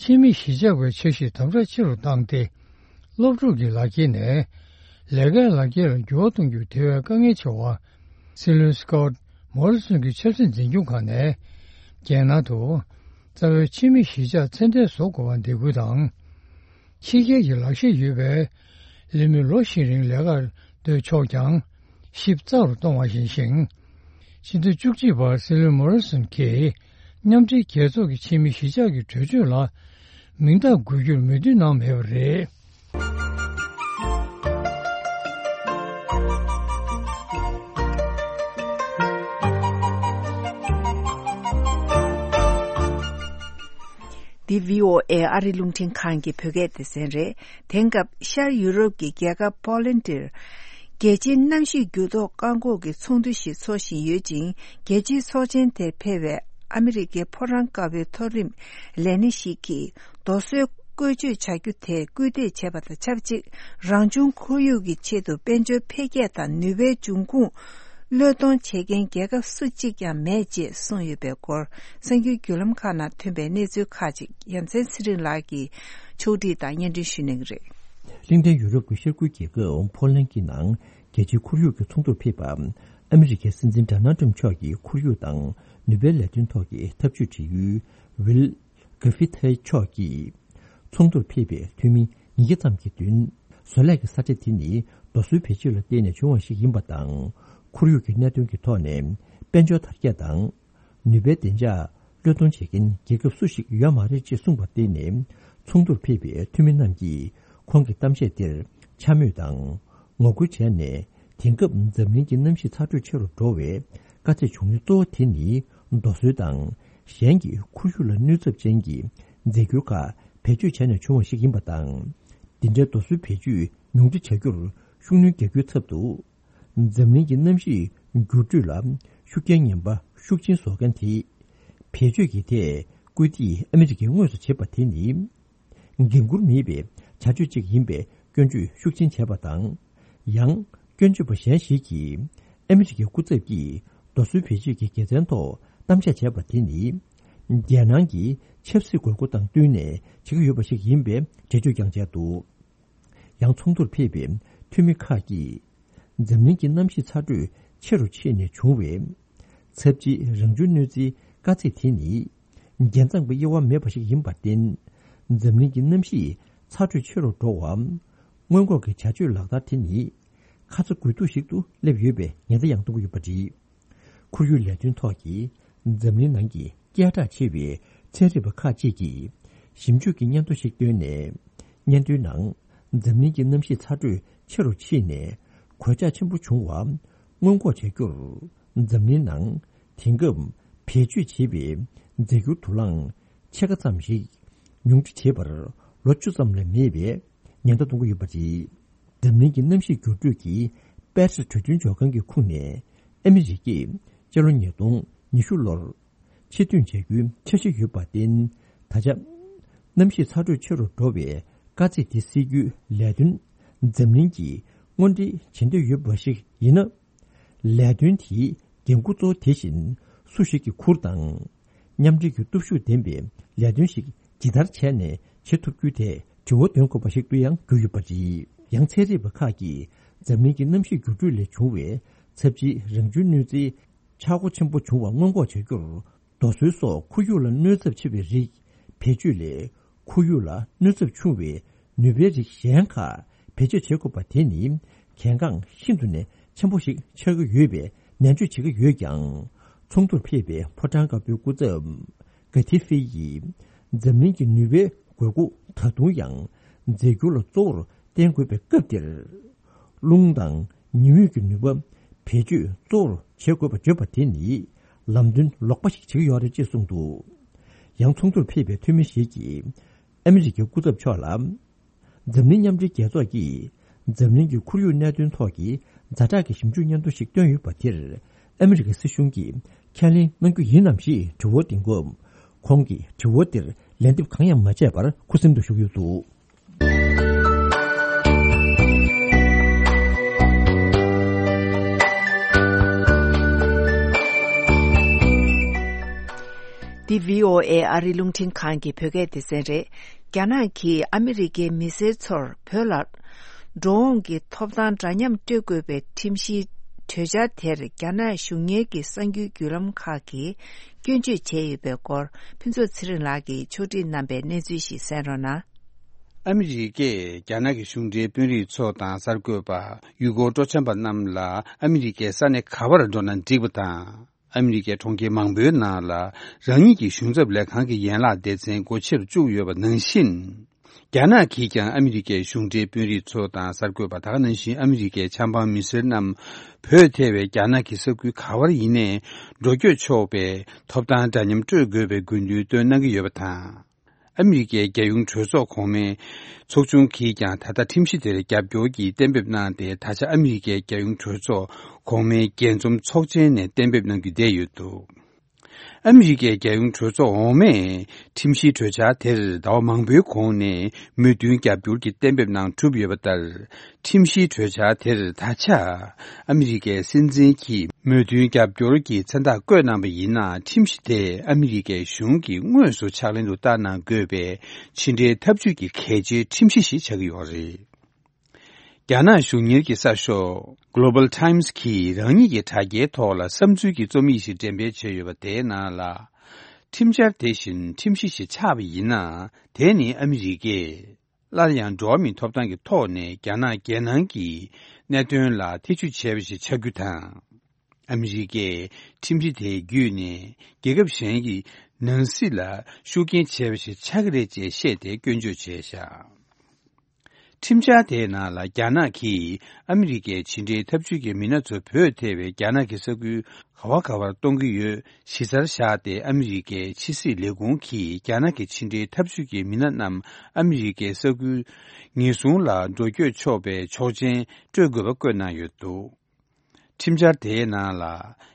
ཕྱི་མི་གཞིས་ཆགས་པའི་འཆར་གཞི་དམ་དྲག་ཆེ་རུ་བཏང་སྟེ། སློབ་ཕྲུག་གི་ལག་འཁྱེར་ནས་ལས་ཀའི་ལག་འཁྱེར་ལ་འགྱུར་བ་གཏོང་རྒྱུ་དེ་བས་དཀའ་ངལ་ཆེ་བ། སྲིད་བློན་སི་ཀོཊ་མོ་རི་སོན་གྱི་ཆབ་སྲིད་འཛིན་སྐྱོང་ཁག་ནས་རྒྱལ་ནང་དུ་རྩ་བའི་ཕྱི་མི་གཞིས་ཆགས་ཚད་ལྡན་བཟོ་དགོས་པར་འདེད་སྐུལ་དང་། ཕྱི་རྒྱལ་གྱི་ལག་ཤེས་ཡོད་པའི་ལས་མི་ལོ་ཤས་རིང་ལས་ཀར་སྡོད་ཆོག་ཀྱང་། གཤིབ་ཚགས་རུ་གཏོང་བ་ཡིན་ཞིང་། ཕྱི་ཟླ་བཅུ་གཅིག་པར་སྲིད་བློན་མོ་རི་སོན་གྱིས་མཉམ་འབྲེལ་རྒྱལ་ཚོགས་ཀྱི་ཕྱི་མི་གཞིས་ཆགས་ཀྱི་གྲོས་ཆོད་ལ་མིང་རྟགས་འགོད་རྒྱུར་མོས་མཐུན་གནང་མེད་པ་རེད། འདི་བྷི་ཨོ་ཨེ་ཨ་རི་རླུང་འཕྲིན་ཁང་གི་བོད་སྐད་སྡེ་ཚན་རེད། དེང་སྐབས་ཤར་ཡུ་རོབ་ཀྱི་རྒྱལ་ཁབ་པོ་ལན་ཌིར། རྒྱལ་སྤྱིའི་གནམ་གཤིས་འགྱུར་ལྡོག་བཀག་འགོག་གི་ཚོགས་འདུ་ཞིག་འཚོགས་བཞིན་ཡོད་ཅིང་། རྒྱལ་སྤྱིའི་ཚོགས་ཆེན་དེར་ཕེབས་པའི་ཨ་མི་རི་ཀའི་ཕོ་བྲང་དཀར་པོའི་མཐོ་རིམ་ལས་སྣེ་ཞིག་གིས། རྡོ་སོལ་བཀོལ་སྤྱོད་བྱ་རྒྱུ་དེ་སྐུལ་འདེད་བྱས་པ་དང་ཆབས་ཅིག་རང་བྱུང་ཁོར་ཡུག་གི་ཆེད་དུ་དཔལ་འབྱོར་འཕེལ་རྒྱས་དང་ནུས་པའི་འབྱུང་ཁུངས་བློས་གཏོང་བྱེད་མཁན་རྒྱལ་ཁབ་སུ་གཅིག་ཀྱང་མེད་ཅེས་གསུངས་ཡོད་པའི་སྐོར། གསར་འགྱུར་བརྒྱུད་ལམ་ཁག་ནང་ཐོན་པའི་གནས་ཚུལ་ཁག་ཅིག་ཡ་མཚན་ཚེ་རིང་ལགས་ཀྱིས་ཕྱོགས་སྒྲིག་དང་སྙན་སྒྲོན་ཞུ་གནང་གི་རེད། གླིང་ཕྲན་ཡུ་རོབ་ཀྱི་ཤར་ཁུལ་རྒྱལ་ཁབ་ཕོ་ལན་གྱི་ནང་རྒྱལ་སྤྱིའི་ཁོར་ཡུག་གི་ཚོགས་འདུར་ཕེབས་པ། ཨ་མི་རི་ཀའི་སྲིད་འཛིན་ཌོ་ནལ་ཊམ་མཆོག་གི་ཁོར་ཡུག་དང་ནུས་པའི་ལས་དོན་ཐོག་གི་འཐབ་ཇུས་དྲི་ཡུལ་ཝིལ་གྷ་ཧྥི་ཐེ་མཆོག་གིས། ཚོགས་འདུར་ཕེབས་པའི་འཐུས་མི་ཉིས་བརྒྱ་ཙམ་གྱི་མདུན། བཟོ་ལས་ཀྱི་ས་ཆ་དེ་ནི་རྡོ་སོལ་བེད་སྤྱོད་ལ་བརྟེན་ནས་བྱུང་བ་ཞིག་ཡིན་པ་དང་། ཁོར་ཡུག་གི་གནད་དོན་གྱི་ཐོག་ནས་དཔལ་འབྱོར་དར་རྒྱས་དང་། ནུས་པའི་བདེ་འཇགས་བློས་གཏོང་བྱེད་མཁན་རྒྱལ་ཁབ་སུ་ཞིག་ཡོད་མ་རེད་ཅེས་གསུངས་པར་བརྟེན་ནས། ཚོགས་འདུར་ཕེབས་པའི་འཐུས་མི་རྣམས་ཀྱིས་ཁོང་གི་གཏམ་བཤད་དེར་འཕྱ་སྨོད་དང་ངོ་རྒོལ་བྱས་ནས། དེང་སྐབས་འཛམ་གླིང་གི་གནམ་གཤིས་ཚ་དྲོད་ཆེ་རུ་འགྲོ་བའི་དཀའ་ཚེགས་བྱུང་ཡུལ་གཙོ་བོ་དེ་ནི། རྡོ་སོལ་དང་གཞན་གྱི་ཁོར་ཡུག་ལ་གནོད་ཚབས་ཅན་གྱི་རྫས་འགྱུར་ཁག་བེད་སྤྱོད་བྱས་ནས་བྱུང་བ་ཞིག་ཡིན་པ་དང་། འདི་འདྲའི་རྡོ་སོལ་བེད་སྤྱོད་ཉུང་འཕྲི་བྱ་རྒྱུར་ཤུགས་སྣོན་རྒྱག་རྒྱུའི་ཚབ་ཏུ། འཛམ་གླིང་གི་གནམ་གཤིས་འགྱུར་འགྲོས་ལ་ཤུགས་རྐྱེན་ངན་པ་ཤུགས་ཆེན་བཟོ་མཁན་དེས། བེད་སྤྱོད་ཀྱི་ཐད་སྐུལ་འདེད་ཨ་མི་རི་ཀས་དངོས་སུ་བྱེད་པ་དེ་ནི། འགན་འཁུར་མེད་པའི་བྱ་སྤྱོད་ཅིག་ཡིན་པའི་སྐྱོན་བརྗོད་ཤུགས་ཆེན་བྱས་པ་དང་། ཡང་སྐྱོན་བརྗོད་པ་གཞན་ཞིག་གིས། ཨ་མི་རི་ཀའི་སྐུ་ཚབ་ཀྱིས་རྡོ་སོལ་བེད་སྤྱོད་ཀྱི་དགེ་མཚན་ཐོག་གཏམ་བཤད་བྱས་པ་དེ་ནི། རྒྱལ་ནང་གི་ཆབ་སྲིད་དགོས་མཁོ་དང་བསྟུན་ནས་བྱེད་ཀྱི་ཡོད་པ་ཞིག་ཡིན་པའི་འགྲེལ་བརྗོད་ཀྱང་བྱས་འདུག་ཡང་ཚོགས་འདུར་ཕེབས་པའི་འཐུས་མི་ཁག་གིས། འཛམ་གླིང་གི་གནམ་གཤིས་ཚ་དྲོད་ཆེ་རུ་ཕྱིན་ནས་བྱུང་བའི་ཚབས་ཆེའི་རང་བྱུང་གནོད་འཚེའི་དཀའ་ཚེགས་དེ་ནི། རྒྱལ་མཚམས་ཀྱི་དབྱེ་བ་མེད་པ་ཞིག་ཡིན་པར་བརྟེན། འཛམ་གླིང་གི་གནམ་གཤིས་ཚ་དྲོད་ཆེ་རུ་འགྲོ་བའམ། སྔོན་འགོག་གི་བྱ་སྤྱོད་ལག་བསྟར་དེ་ནི། ཁ་ཚ་དགོས་གཏུགས་ཤིག་ཏུ་སླེབས་ཡོད་པའི་ཉེན་བརྡ་ཡང་གཏོང་གི་ཡོད་པ་རེད། ཁོར་ཡུག་ལས་དོན་ཐོག་གི་འཛམ་གླིང་ནང་གི་སྐད་གྲགས་ཆེ་བའི་ཚན་རིག་པ་ཁག་ཅིག་གིས་ཞིབ་འཇུག་གི་སྙན་ཐོ་ཞིག་བཏོན་ནས། སྙན་ཐོའི་ནང་འཛམ་གླིང་གི་གནམ་གཤིས་ཚ་དྲོད་ཆེ་རུ་ཕྱིན་ནས་གོད་ཆག་ཆེན་པོ་བྱུང་བ་སྔོན་འགོག་བྱ་རྒྱུར། འཛམ་གླིང་ནང་དེང་སྐབས་བེད་སྤྱོད་བྱེད་པའི་རྫས་འགྱུར་དུག་རླངས་ཕྱེད་ཀ་ཙམ་ཞིག་ཉུང་འཕྲི་བྱེད་པར་ལོ་བཅུ་ཙམ་ལས་མེད་པའི་ཉེན་བརྡ་གཏོང་གི་ཡོད་པ་རེད། འཛམ་གླིང་གི་གནམ་གཤིས་འགྱུར་འགྲོས་ཀྱི་པེ་རིས་གྲོས་མཐུན་འཇོག་མཁན་གྱི་ཁོངས་ནས་ཨ་མི་རི་ཀས་སྤྱི་ལོ་ཉིས་སྟོང་ཉི་ཤུ་ལོར་ཕྱིར་ཐོན་བྱ་རྒྱུའི་འཆར་གཞི་ཡོད་པར་བརྟེན། ད་ཆ་གནམ་གཤིས་ཚ་དྲོད་ཆེ་རུ་འགྲོ་བའི་དཀའ་ཚེགས་དེ་སེལ་རྒྱུའི་ལས་དོན་འཛམ་གླིང་གིས་དངོས་འབྲེལ་བྱེད་འདོད་ཡོད་པ་ཞིག་ཡིན་ན། ལས་དོན་དེའི་འགན་འཁུར་གཙོ་བོ་དེ་བཞིན་སུ་ཞིག་གིས་འཁུར་དང་། མཉམ་འབྲེལ་གྱི་སྟོབས་ཤུགས་ལྡན་པའི་ལས་དོན་ཞིག་ཇི་ལྟར་བྱས་ནས་བྱེད་ཐུབ་རྒྱུ་དེ་དྲི་བ་འདོན་དགོས་པ་ཞིག་ཏུ་ཡང་གྱུར་ཡོད་པ་རེད། ཡང་ཚན་རིག་པ་ཁག་གིས་འཛམ་གླིང་གི་གནམ་གཤིས་འགྱུར་འགྲོས་ལས་བྱུང་བའི་ཚབས་ཆེའི་རང་བྱུང་གནོད་འཚེའི་ཆག་སྒོ་ཆེན་པོ་བྱུང་བ་སྔོན་འགོག་བྱ་རྒྱུར། རྡོ་སོལ་སོགས་ཁོར་ཡུག་ལ་གནོད་ཚབས་ཆེ་བའི་རིགས་བེད་སྤྱོད་ལས། ཁོར་ཡུག་ལ་གནོད་ཚབས་ཆུང་བའི་ནུས་པའི་རིགས་གཞན་ཁག་བེད་སྤྱོད་བྱེད་དགོས་པ་དེ་ནི་གལ་འགངས་ཤིན་ཏུ་ནས་ཆེན་པོ་ཞིག་ཆགས་ཀྱི་ཡོད་པའི་ནན་བརྗོད་བྱེད་ཀྱི་ཡོད་ཀྱང་། ཚོགས་འདུར་ཕེབས་པའི་ཕོ་བྲང་དཀར་པོའི་སྐུ་ཚབ་གྷ་ཐི་ཧྥེ་ཡིས། འཛམ་གླིང་གི་ནུས་པའི་དགོས་མཁོ་ད་དུང་ཡང་རྫས་འགྱུར་ལ་གཙོ་བོར་བརྟེན་དགོས་པའི་སྐབས་འདིར། རླུང་དང་ཉི་འོད་ཀྱི་ནུས་པ་བེད་སྤྱོད་གཙོ་བོར་བྱེད་དགོས་པ་བརྗོད་པ་དེ་ནི་ལམ་སྟོན་ལོག་པ་ཞིག་བྱེད་ཀྱི་ཡོད་རེད་ཅེས་གསུངས་འདུག་ཡང་ཚོགས་འདུར་ཕེབས་པའི་འཐུས་མི་ཞིག་གིས་ཨ་མི་རི་ཀའི་སྐུ་ཚབ་མཆོག་ལ། འཛམ་གླིང་མཉམ་འབྲེལ་རྒྱལ་ཚོགས་ཀྱིས་འཛམ་གླིང་གི་ཁོར་ཡུག་གནད་དོན་ཐོག་གི་ཛ་དྲག་གི་ཞིབ་འཇུག་སྙན་ཐོ་ཞིག་བཏོན་ཡོད་པ་དེར་ཨ་མི་རི་ཀའི་སྲིད་གཞུང་གིས་ཁས་ལེན་གནང་རྒྱུ་ཡིན་ནམ་ཞེས་དྲི་བ་འདིང་སྐབས། ཁོང་གིས་དྲི་བ་དེར་ལན་འདེབས་གང་ཡང་མ་བྱས་པར་ཁུ་སིམ་དུ་བཞུགས་ཡོད་འདུག་འདི་བྷི་ཨོ་ཨེ་ཨ་རིའི་རླུང་འཕྲིན་ཁང་གི་བོད་སྐད་སྡེ་ཚན་རེད། རྒྱ་ནག་གིས་ཨ་མི་རི་ཀའི་མི་སེར་ཚོར་བོད་ལ་འགྲོ་འོང་གི་ཐོབ་ཐང་འདྲ་མཉམ་སྤྲོད་དགོས་པའི་ཁྲིམས་གཞིའི་གྲོས་འཆར་དེར་རྒྱ་ནག་གཞུང་གཉེར་གྱི་གསར་འགྱུར་བརྒྱུད་ལམ་ཁག་གིས་སྐྱོན་བརྗོད་བྱས་ཡོད་པའི་སྐོར། ཕུན་ཚོགས་ཚེ་རིང་ལགས་ཀྱིས་ཕྱོགས་སྒྲིག་གནང་པའི་གནས་ཚུལ་ཞིག་གསན་རོགས་གནང་། ཨ་མི་རི་ཀས་རྒྱ་ནག་གི་གཞུང་འབྲེལ་དཔོན་རིགས་ཚོ་དང་གསར་འགོད་པ། ཡུལ་སྐོར་སྤྲོ་འཆམ་པ་རྣམས་ལ་ཨ་མི་རི་ཀའི་ས་གནས་ག་པར་འགྲོ་ན་འགྲིག་པ་དང་། ཨ་མི་རི་ཀའི་གྲོང་ཁྱེར་མང་པོའི་ནང་ལ་རང་ཉིད་ཀྱི་གཞུང་ཚབ་ལས་ཁང་གི་ཡན་ལག་སྡེ་ཚན་སྒོ་ཕྱེར་བཅུག་ཡོད་པ་ནང་བཞིན། རྒྱ་ནག་གིས་ཀྱང་ཨ་མི་རི་ཀའི་གཞུང་འབྲེལ་དཔོན་རིགས་ཚོ་དང་གསར་འགོད་པ་དག་ནང་བཞིན་ཨ་མི་རི་ཀའི་ཆབ་འབངས་མི་སེར་རྣམས་བོད་ཐེ་བའི་རྒྱ་ནག་གི་ས་ཁུལ་ག་བར་ཡིན་ནའི་འགྲོ་སྐྱོད་ཆོག་པའི་ཐོབ་ཐང་འདྲ་མཉམ་སྤྲོད་དགོས་པའི་དགོས་འདུན་བཏོན་གནང་གི་ཡོད་པ་དང་། ཨ་མི་རི་ཀའི་རྒྱལ་ཡོངས་གྲོས་ཚོགས་གོང་མའི་ཚོགས་ཆུང་གིས་ཀྱང་ད་ལྟ་ཁྲིམས་གཞི་དེར་རྒྱབ་སྐྱོར་གྱིས་གཏན་འབེབས་གནང་སྟེ། ད་ཆ་ཨ་མི་རི་ཀའི་རྒྱལ་ཡོངས་གྲོས་ཚོགས་གོང་མའི་རྒྱས་འཛོམས་ཚོགས་ཆེན་ནས་གཏན་འབེབས་གནང་རྒྱུ་བསྡད་ཡོད་འདུག་ཨ་མི་རི་ཀའི་རྒྱལ་ཡོངས་གྲོས་ཚོགས་འོག་མས་ཁྲིམས་གཞིའི་གྲོས་འཆར་དེར་ཟླ་བ་མང་པོའི་གོང་ནས་མོས་མཐུན་རྒྱབ་སྐྱོར་གྱི་གཏན་འབེབས་གནང་གྲུབ་ཡོད་པ་ལྟར། ཁྲིམས་གཞིའི་གྲོས་འཆར་དེར་ད་ཆ་ཨ་མི་རི་ཀའི་སྲིད་འཛིན་གྱིས་མོས་མཐུན་རྒྱབ་སྐྱོར་གྱི་མཚན་རྟགས་བཀོད་གནང་པ་ཡིན་ན། ཁྲིམས་གཞི་དེ་ཨ་མི་རི་ཀའི་གཞུང་གིས་དངོས་སུ་ཕྱག་ལེན་དུ་བསྟར་གནང་དགོས་པའི་ཕྱི་འབྲེལ་འཐབ་ཇུས་ཀྱི་གལ་ཆེའི་ཁྲིམས་གཞི་ཞིག་ཆགས་ཀྱི་ཡོད་རེད། རྒྱ་ནག་གཞུང་གཉེར་གྱི་གསར་ཤོག་Global Times གིས་རང་ཉིད་ཀྱི་དྲ་རྒྱའི་ཐོག་ལ་བསམ་ཚུལ་གྱི་རྩོམ་ཡིག་ཞིག་འགྲེམས་སྤེལ་བྱས་ཡོད་པ། དེའི་ནང་ལ། ཁྲིམས་འཆར་དེ་བཞིན་ཁྲིམས་གཞི་ཞིག་ཆགས་པ་ཡིན་ན། དེ་ནི་ཨ་མི་རི་ཀས་སླར་ཡང་འགྲོ་བ་མིའི་ཐོབ་ཐང་གི་ཐོག་ནས་རྒྱ་ནག་རྒྱལ་ནང་གི་གནད་དོན་ལ་ཐེ་ཇུས་བྱས་པ་ཞིག་ཆགས་རྒྱུ་དང་། ཨ་མི་རི་ཀས་ཁྲིམས་གཞི་དེ་བརྒྱུད་ནས་རྒྱལ་ཁབ་གཞན་གྱི་ནང་སྲིད་ལ་ཤུགས་རྐྱེན་བྱས་པ་ཞིག་ཆགས་ཀྱི་རེད་ཅེས་བཤད་དེ་སྐྱོན་བརྗོད་བྱས་བཞག་ཁྲིམས་འཆར་དེའི་ནང་ལ། རྒྱ་ནག་གིས་ཨ་མི་རི་ཀའི་ཕྱི་འབྲེལ་འཐབ་ཇུས་ཀྱི་མི་སྣ་ཚོ་བོད་ཐེ་བའི་རྒྱ་ནག་གི་ས་ཁུལ་ག་བ་ག་བར་གཏོང་གི་ཡོད། གཞི་རྩར་བཞག་སྟེ། ཨ་མི་རི་ཀའི་ཕྱི་སྲིད་ལས་ཁུངས་ཀྱིས་རྒྱ་ནག་གི་ཕྱི་འབྲེལ་འཐབ་ཇུས་ཀྱི་མི་སྣ་རྣམས་ཨ་མི་རི་ཀའི་ས་ཁུལ་ཉེན་སྲུང་ལ་འགྲོ་སྐྱོད་ཆོག་པའི་ཆོག་མཆན་སྤྲོད་དགོས་པ་བཀོད་གནང་ཡོད་འདུག་ཁྲིམས་འཆར་དེའི་ནང་ལ།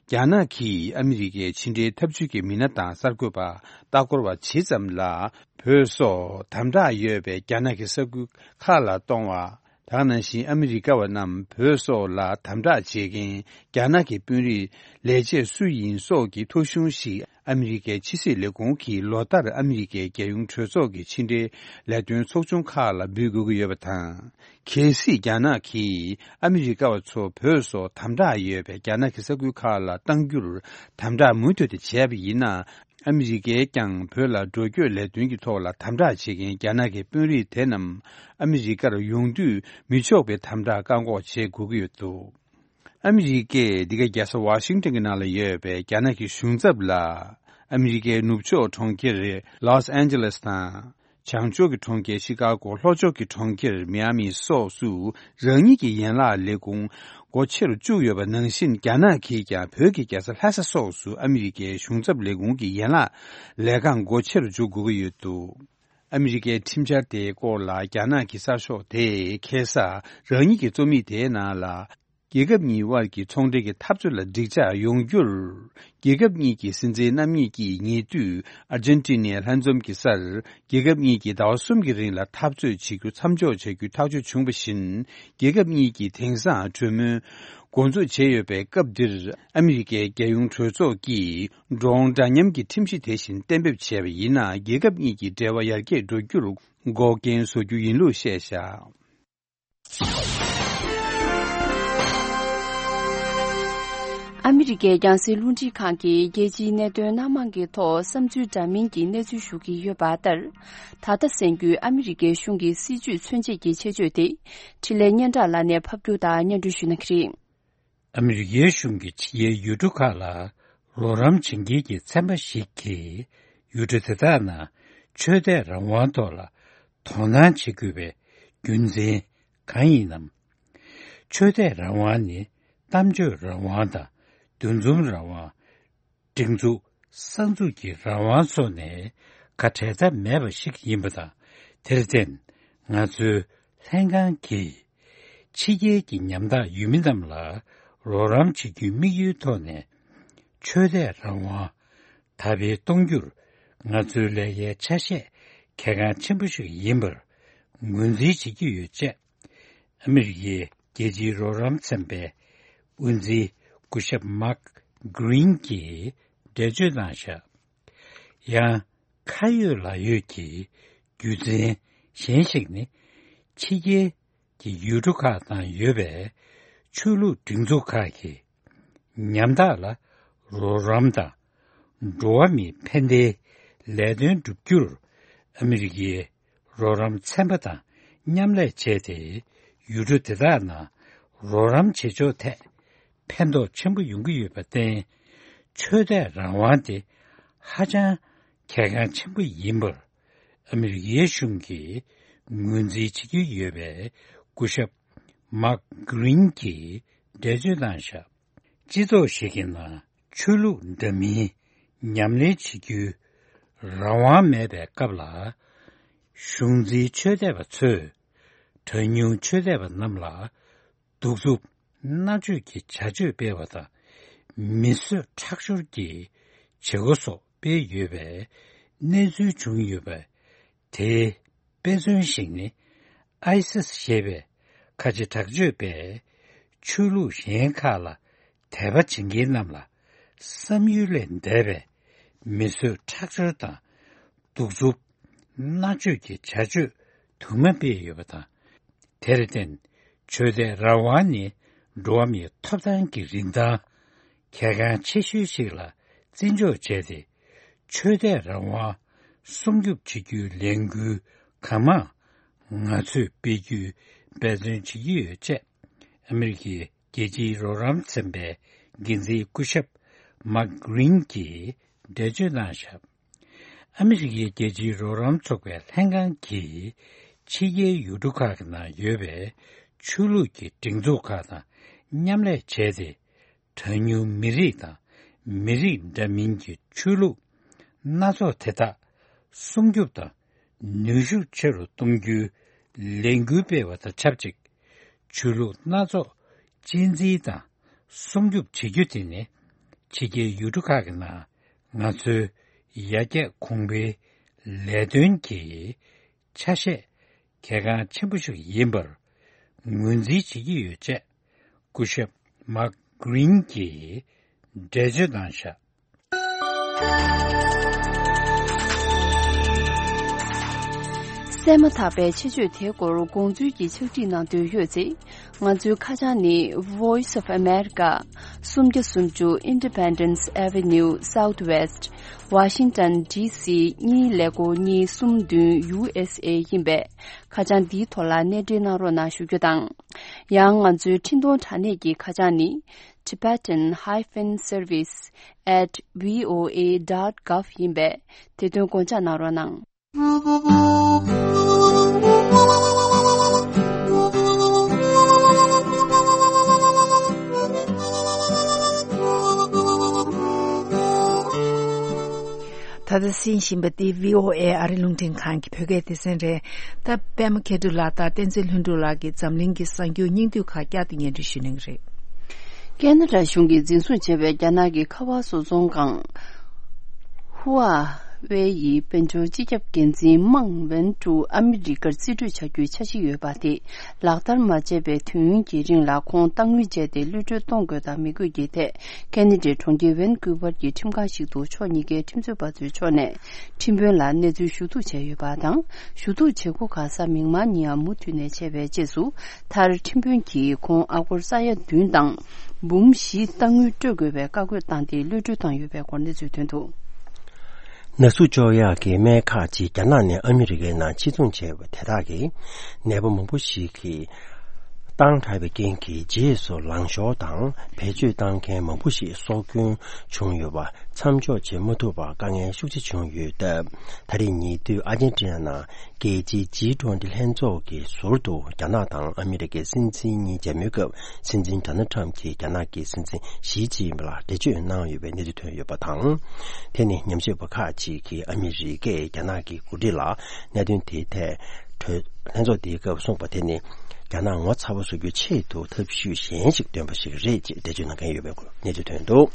རྒྱ་ནག་གིས་ཨ་མི་རི་ཀའི་ཕྱི་འབྲེལ་འཐབ་ཇུས་ཀྱི་མི་སྣ་དང་གསར་འགོད་པ། ལྟ་སྐོར་བ་ཇི་ཙམ་ལ། བོད་སོགས་དམ་དྲག་ཡོད་པའི་རྒྱ་ནག་གི་ས་ཁུལ་ཁག་ལ་གཏོང་བ། དེ་ནང་བཞིན་ཨ་མི་རི་ཀ་བ་རྣམས་བོད་སོགས་ལ་དམ་དྲག་བྱེད་མཁན་རྒྱ་ནག་གི་དཔོན་རིགས་ལས་བྱེད་སུ་ཡིན་སོགས་ཀྱི་ཐོ་གཞུང་ཞིག་ཨ་མི་རི་ཀའི་ཕྱི་སྲིད་ལས་ཁུངས་ཀྱིས་ལོ་ལྟར་ཨ་མི་རི་ཀའི་རྒྱལ་ཡོངས་གྲོས་ཚོགས་ཀྱི་ཕྱི་འབྲེལ་ལས་དོན་ཚོགས་ཆུང་ཁག་ལ་འབུལ་དགོས་ཀྱི་ཡོད་པ་དང་། གལ་སྲིད་རྒྱ་ནག་གིས་ཨ་མི་རི་ཀ་བ་ཚོ་བོད་སོགས་དམ་དྲག་ཡོད་པའི་རྒྱ་ནག་གི་ས་ཁུལ་ཁག་ལ་གཏང་རྒྱུར་དམ་དྲག་མུ་མཐུད་དུ་བྱས་པ་ཡིན་ན། ཨ་མི་རི་ཀས་ཀྱང་བོད་ལ་འགྲོ་སྐྱོད་ལས་དོན་གྱི་ཐོག་ལ་དམ་དྲག་བྱེད་མཁན་རྒྱ་ནག་གི་དཔོན་རིགས་དེ་རྣམས་ཨ་མི་རི་ཀར་ཡོང་དུས་མི་ཆོག་པའི་དམ་དྲག་བཀག་འགོག་བྱེད་དགོས་ཀྱི་ཡོད་འདུག་ཨ་མི་རི་ཀས་འདི་ག་རྒྱལ་ས་ཝ་ཤིང་ཏོན་གྱི་ནང་ལ་ཡོད་པའི་རྒྱ་ནག་གི་གཞུང་ཚབ་ལ། ཨ་མི་རི་ཀའི་ནུབ་ཕྱོགས་གྲོང་ཁྱེར་ལོས་ཨན་ཇེ་ལེས་དང་། བྱང་ཕྱོགས་ཀྱི་གྲོང་ཁྱེར་ཤི་ཀ་གོ། ལྷོ་ཕྱོགས་ཀྱི་གྲོང་ཁྱེར་མི་ཡ་མི་སོགས་སུ་རང་ཉིད་ཀྱི་ཡན་ལག་ལས་ཁུངས་སྒོ་ཕྱེ་རུ་བཅུག་ཡོད་པ་ནང་བཞིན། རྒྱ་ནག་གིས་ཀྱང་བོད་ཀྱི་རྒྱལ་ས་ལྷ་ས་སོགས་སུ་ཨ་མི་རི་ཀའི་གཞུང་ཚབ་ལས་ཁུངས་ཀྱི་ཡན་ལག་ལས་ཁང་སྒོ་ཕྱེ་རུ་འཇུག་དགོས་ཀྱི་ཡོད་འདུག་ཨ་མི་རི་ཀའི་ཁྲིམས་འཆར་དེའི་སྐོར་ལ་རྒྱ་ནག་གི་གསར་ཤོག་དེས་ཁ་སང་རང་ཉིད་ཀྱི་རྩོམ་ཡིག་དེའི་ནང་ལ། རྒྱལ་ཁབ་གཉིས་དབར་གྱི་ཚོང་འབྲེལ་གྱི་འཐབ་རྩོད་ལ་འགྲིག་འཇགས་ཡོང་རྒྱུར། རྒྱལ་ཁབ་གཉིས་ཀྱི་སྲིད་འཛིན་རྣམ་གཉིས་ཀྱིས་ཉེ་དུས་ཨར་ཇན་ཏི་ནའི་ལྷན་འཛོམས་ཀྱི་སར། རྒྱལ་ཁབ་གཉིས་ཀྱིས་ཟླ་བ་གསུམ་གྱི་རིང་ལ་འཐབ་རྩོད་བྱེད་རྒྱུ་མཚམས་འཇོག་བྱ་རྒྱུའི་ཐག་གཅོད་བྱུང་བ་བཞིན། རྒྱལ་ཁབ་གཉིས་ཀྱིས་དེང་སང་གྲོས་མོལ་འགོ་འཛུགས་བྱས་ཡོད་པའི་སྐབས་འདིར། ཨ་མི་རི་ཀའི་རྒྱལ་ཡོངས་གྲོས་ཚོགས་ཀྱིས་འགྲོ་འོང་འདྲ་མཉམ་གྱི་ཁྲིམས་གཞི་དེ་བཞིན་གཏན་འབེབས་བྱས་པ་ཡིན་ན། རྒྱལ་ཁབ་གཉིས་ཀྱི་འབྲེལ་བ་ཡར་རྒྱས་འགྲོ་རྒྱུར་འགོག་རྐྱེན་བཟོ་རྒྱུ་ཡིན་ལུགས་བཤད་བཞག་ཨ་མི་རི་ཀའི་རྒྱང་སྲིང་རླུང་འཕྲིན་ཁང་གིས་རྒྱལ་སྤྱིའི་གནད་དོན་སྣ་མང་གི་ཐོག་བསམ་ཚུལ་འདྲ་མིན་གྱི་གནས་ཚུལ་ཞུ་གི་ཡོད་པ་ལྟར། ད་ལྟ་གསན་རྒྱུའི་ཨ་མི་རི་ཀའི་གཞུང་གི་སྲིད་བྱུས་མཚོན་བྱེད་ཀྱི་ཆེད་བརྗོད་དེ། འཕྲིན་ལས་སྙན་གྲགས་ལགས་ནས་ཕབ་སྒྱུར་དང་སྙན་སྒྲོན་ཞུ་གནང་གི་རེད། ཨ་མི་རི་ཀའི་གཞུང་གིས་ཕྱི་རྒྱལ་ཡུལ་གྲུ་ཁག་ལ་རོགས་རམ་བྱེད་མཁན་གྱི་ཚན་པ་ཞིག་གིས་ཡུལ་གྲུ་དེ་དག་ནང་ཆོས་དད་རང་དབང་ཐོག་ལ་དོ་སྣང་བྱེད་དགོས་པའི་རྒྱུ་མཚན་གང་ཡིན་ནམ། ཆོས་དད་རང་དབང་ནི་གཏམ་བརྗོད་རང་དབང་དང་འདུ་འཛོམས་རང་དབང་། སྒྲིག་འཛུགས་གསར་འཛུགས་ཀྱི་རང་དབང་སོགས་ནས་ཁ་བྲལ་ཐབས་མེད་པ་ཞིག་ཡིན་པ་དང་། དེར་བརྟེན་ང་ཚོའི་ལྷན་ཁང་གིས་ཕྱི་རྒྱལ་གྱི་ཉམ་ཐག་ཡུལ་མི་རྣམས་ལ་རོགས་རམ་བྱེད་རྒྱུའི་དམིགས་ཡུལ་ཐོག་ནས་ཆོས་དད་རང་དབང་དར་སྤེལ་གཏོང་རྒྱུར་ང་ཚོའི་ལས་ཀའི་ཆ་ཤས་གལ་འགངས་ཆེན་པོ་ཞིག་ཡིན་པར་ངོས་འཛིན་བྱེད་ཀྱི་ཡོད་ཅེས། ཨ་མི་རི་ཀའི་རྒྱལ་སྤྱིའི་རོགས་རམ་ཚན་པའི་དབུ་འཛིན་སྐུ་ཞབས་མཱག་གྷི་རིན་གྱིས་འགྲེལ་བརྗོད་གནང་བཞག་ཡང་ཁ་ཡོད་ལག་ཡོད་ཀྱི་རྒྱུ་མཚན་གཞན་ཞིག་ནི། ཕྱི་རྒྱལ་གྱི་ཡུལ་གྲུ་ཁག་ནང་ཡོད་པའི་ཆོས་ལུགས་སྒྲིག་འཛུགས་ཁག་གིས་ཉམ་ཐག་ལ་རོགས་རམ་དང་། འགྲོ་བ་མིའི་ཕན་བདེའི་ལས་དོན་བསྒྲུབ་རྒྱུར་ཨ་མི་རི་ཀའི་རོགས་རམ་ཚན་པ་དང་མཉམ་ལས་བྱས་ཏེ། ཡུལ་གྲུ་དེ་དག་ནང་རོགས་རམ་བྱེད་ཕྱོགས་ཐད་ཕན་ཐོགས་ཆེན་པོ་ཡོང་གི་ཡོད་པར་བརྟེན། ཆོས་དད་རང་དབང་དེ་ཧ་ཅང་གལ་འགངས་ཆེན་པོ་ཡིན་པར་ཨ་མི་རི་ཀའི་གཞུང་གིས་ངོས་འཛིན་བྱེད་ཀྱི་ཡོད་པའི་སྐུ་ཞབས་མཱག་གྷི་རིན་གྱིས་འགྲེལ་བརྗོད་གནང་བཞག་སྤྱི་ཚོགས་ཤིག་གི་ནང་ཆོས་ལུགས་འདྲ་མིན་ཉམས་ལེན་བྱེད་རྒྱུའི་རང་དབང་མེད་པའི་སྐབས་ལ། གཞུང་འཛིན་ཆོས་དད་པ་ཚོས་གྲངས་ཉུང་ཆོས་དད་པ་རྣམས་ལ་གདུག་རྩུབ་མནར་གཅོད་ཀྱི་བྱ་སྤྱོད་སྤེལ་བ་དང་། མི་གསོད་ཁྲག་སྦྱོར་གྱི་བྱེད་སྒོ་སོགས་སྤེལ་ཡོད་པའི་གནས་ཚུལ་བྱུང་ཡོད་པ། དེའི་དཔེ་མཚོན་ཞིག་ནི། ཨའི་སིས་ཞེས་པའི་ཁ་ཆེ་དྲག་སྤྱོད་པས་ཆོས་ལུགས་གཞན་ཁག་ལ་དད་པ་བྱེད་མཁན་རྣམས་ལ་བསམ་ཡུལ་ལས་འདས་པའི་མི་གསོད་ཁྲག་སྦྱོར་དང་། གདུག་རྩུབ་མནར་གཅོད་ཀྱི་བྱ་སྤྱོད་དུ་མ་སྤེལ་ཡོད་པ་དང་། དེར་བརྟེན། ཆོས་དད་རང་དབང་ནི་འགྲོ་བ་མིའི་ཐོབ་ཐང་གི་རིན་ཐང་གལ་འགངས་ཆེ་ཤོས་ཤིག་ལ་བརྩི་འཇོག་བྱས་ཏེ། ཆོས་དད་རང་དབང་སྲུང་སྐྱོབ་བྱེད་རྒྱུའི་ལས་འགུལ་གང་མང་ང་ཚོས་སྤེལ་རྒྱུའི་འབད་བརྩོན་བྱེད་ཀྱི་ཡོད་ཅེས། ཨ་མི་རི་ཀའི་རྒྱལ་སྤྱིའི་རོགས་རམ་ཚན་པའི་འགན་འཛིན་སྐུ་ཞབས་མཱག་གྷི་རིན་གྱིས་འགྲེལ་བརྗོད་གནང་བཞག་ཨ་མི་རི་ཀའི་རྒྱལ་སྤྱིའི་རོགས་རམ་ཚོགས་པའི་ལྷན་ཁང་གིས་ཕྱི་རྒྱལ་ཡུལ་གྲུ་ཁག་གི་ནང་ཡོད་པའི་ཆོས་ལུགས་ཀྱི་སྒྲིག་འཛུགས་ཁག་དང་མཉམ་ལས་བྱས་ཏེ། གྲངས་ཉུང་མི་རིགས་དང་མི་རིགས་འདྲ་མིན་གྱི་ཆོས་ལུགས་སྣ་ཚོགས་དེ་དག་སྲུང་སྐྱོབ་དང་ནུས་ཤུགས་ཆེ་རུ་གཏོང་རྒྱུའི་ལས་འགུལ་སྤེལ་བ་དང་ཆབས་ཅིག་ཆོས་ལུགས་སྣ་ཚོགས་གཅེས་འཛིན་དང་སྲུང་སྐྱོབ་བྱེད་རྒྱུ་དེ་ནི་ཕྱི་རྒྱལ་ཡུལ་གྲུ་ཁག་གི་ནང་ང་ཚོའི་ཡར་རྒྱས་གོང་འཕེལ་ལས་དོན་གྱི་ཆ་ཤས་གལ་འགངས་ཆེན་པོ་ཞིག་ཡིན་པར་ངོས་འཛིན་བྱེད་ཀྱི་ཡོད་ཅེས་སྐུ་ཞབས་མཱག་གྷི་རིན་གྱིས་འགྲེལ་བརྗོད་གནང་བཞག་གསན་མ་ཐག་པའི་ཆེད་བརྗོད་དེའི་སྐོར་དགོངས་ཚུལ་གྱི་ཕྱག་བྲིས་གནང་འདོད་ཡོད་ཚེ། ང་ཚོའི་ཁ་བྱང་ནི། Voice of America། སུམ་བརྒྱ་སུམ་ཅུ་Independence Avenue Southwest། Washington D C གཉིས་ཀླད་ཀོར་གཉིས་གསུམ་བདུན་U S A ཡིན་པས། ཁ་བྱང་འདིའི་ཐོག་ལ་གནས་འབྲེལ་གནང་རོགས་གནང་ཞུ་རྒྱུ་དང་། ཡང་ང་ཚོའི་འཕྲིན་གཏོང་དྲ་གནས་ཀྱི་ཁ་བྱང་ནི། Tibetan hyphen service at V O A dot gov ཡིན་པས། དེ་དོན་དགོངས་འཇགས་གནང་རོགས་གནང་། ད་ལྟ་གསན་བཞིན་པ་འདི་V O A ཨ་རི་རླུང་འཕྲིན་ཁང་གི་བོད་སྐད་སྡེ་ཚན་རེད། ད་པད་མ་མཁས་གྲུབ་ལགས་དང་བསྟན་འཛིན་ལྷུན་གྲུབ་ལགས་ཀྱིས་འཛམ་གླིང་གི་གསར་འགྱུར་སྙིང་བསྡུས་ཁག་བསྐྱར་དུ་སྙན་སྒྲོན་ཞུ་གནང་གི་རེད། ཁེ་ན་ཌ་གཞུང་གིས་འཛིན་བཟུང་བྱས་པའི་རྒྱ་ནག་གི་ཁ་པར་བཟོ་ཚོང་ཁང་ཧུ་ཨ་ཝེ་ཡི་དཔལ་འབྱོར་སྤྱི་ཁྱབ་འགན་འཛིན་མང་ཝེན་ཀྲུའུ་ཨ་མི་རི་ཀར་རྩིས་སྤྲོད་བྱ་རྒྱུའི་འཆར་གཞི་ཡོད་པ་དེ་ལག་བསྟར་མ་བྱས་པའི་དུས་ཡུན་གྱི་རིང་ལ་ཁོང་གཏའ་དངུལ་སྤྱད་དེ་གློད་གྲོལ་གཏོང་དགོས་དང་མི་དགོས་ཀྱི་ཐད། ཁེ་ན་ཌའི་གྲོང་ཁྱེར་ཝན་ཀུ་ཝར་གྱི་ཁྲིམས་ཁང་ཞིག་ཏུ་ཕྱོགས་གཉིས་ཀའི་ཁྲིམས་རྩོད་པ་ཚོའི་ཕྱོགས་ནས་ཁྲིམས་དཔོན་ལ་གནས་ཚུལ་ཞུ་གཏུག་བྱས་ཡོད་པ་དང་། ཞུ་གཏུག་བྱེད་སྒོ་ཁག་གཟའ་མིག་དམར་ཉིན་ཡང་མུ་མཐུད་ནས་བྱས་པའི་རྗེས་སུ། མཐར་ཁྲིམས་དཔོན་གྱིས་ཁོང་ཨ་སྒོར་ས་ཡ་བདུན་དང་འབུམ་བཞི་གཏའ་དངུལ་སྤྲོད་དགོས་པའི་བཀའ་བཀོད་བཏང་སྟེ་གློད་གྲོལ་བཏང་ཡོད་པའི་སྐོར་གནས་ཚུལ་ཐོན་འདུག་ནག་གསུབ་གཅོག་ཡག་གི་སྨན་ཁག་ཅིག་རྒྱ་ནག་ནས་ཨ་མི་རི་ཀའི་ནང་ཕྱིར་ཚོང་བྱས་པ་དེ་དག་གིས་ནད་པ་མང་པོ་ཞིག་གི་བཏང་དྲགས་པའི་རྐྱེན་གྱིས་རྗེས་སུ་ལངས་ཤོར་དང་བེད་སྤྱོད་བཏང་མཁན་མང་པོ་ཞིག་སྲོག་སྐྱོན་བྱུང་ཡོད་པ་མཚམས་འཇོག་བྱེད་མ་ཐུབ་པར་དཀའ་ངལ་ཤུགས་ཆེ་བྱུང་ཡོད་སྟབས། ད་རེས་ཉེ་དུས་ཨར་ཇེན་ཊི་ན་ནང་རྒྱལ་སྤྱིའི་ཇི་ཊུ་ཝེན་ཊི་ལྷན་ཚོགས་ཀྱི་ཟུར་དུ་རྒྱ་ནག་དང་ཨ་མི་རི་ཀའི་སྲིད་འཛིན་གཉིས་མཇལ་མོལ་སྐབས། སྲིད་འཛིན་ཌོ་ནལ་ཊམ་གྱིས་རྒྱ་ནག་གི་སྲིད་འཛིན་ཞི་ཅིན་ཕིང་ལ་འགྲེལ་བརྗོད་གནང་ཡོད་པའི་གནས་ཚུལ་ཐོན་ཡོད་པ་དང་། དེ་ནི་ཉམས་ཞིབ་པ་ཁག་ཅིག་གིས་ཨ་མི་རི་ཀས་རྒྱ་ནག་གི་འགོ་ཁྲིད་ལ་གནད་དོན་དེའི་ཐད་གྲོས་ལྷན་ཚོགས་དེའི་སྐབས་གསུངས་པ་དེ་ནི། རྒྱ་ནག་ངོ་ཚ་པོ་བཟོ་རྒྱུའི་ཆེད་དུ་ཐབས་ཤེས་གཞན་ཞིག་འདོན་པ་ཞིག་རེད་ཅེས་འགྲེལ་བརྗོད་གནང་མཁན་ཡོད་པའི་སྐོར་གནས་ཚུལ་ཐོན་འདུག་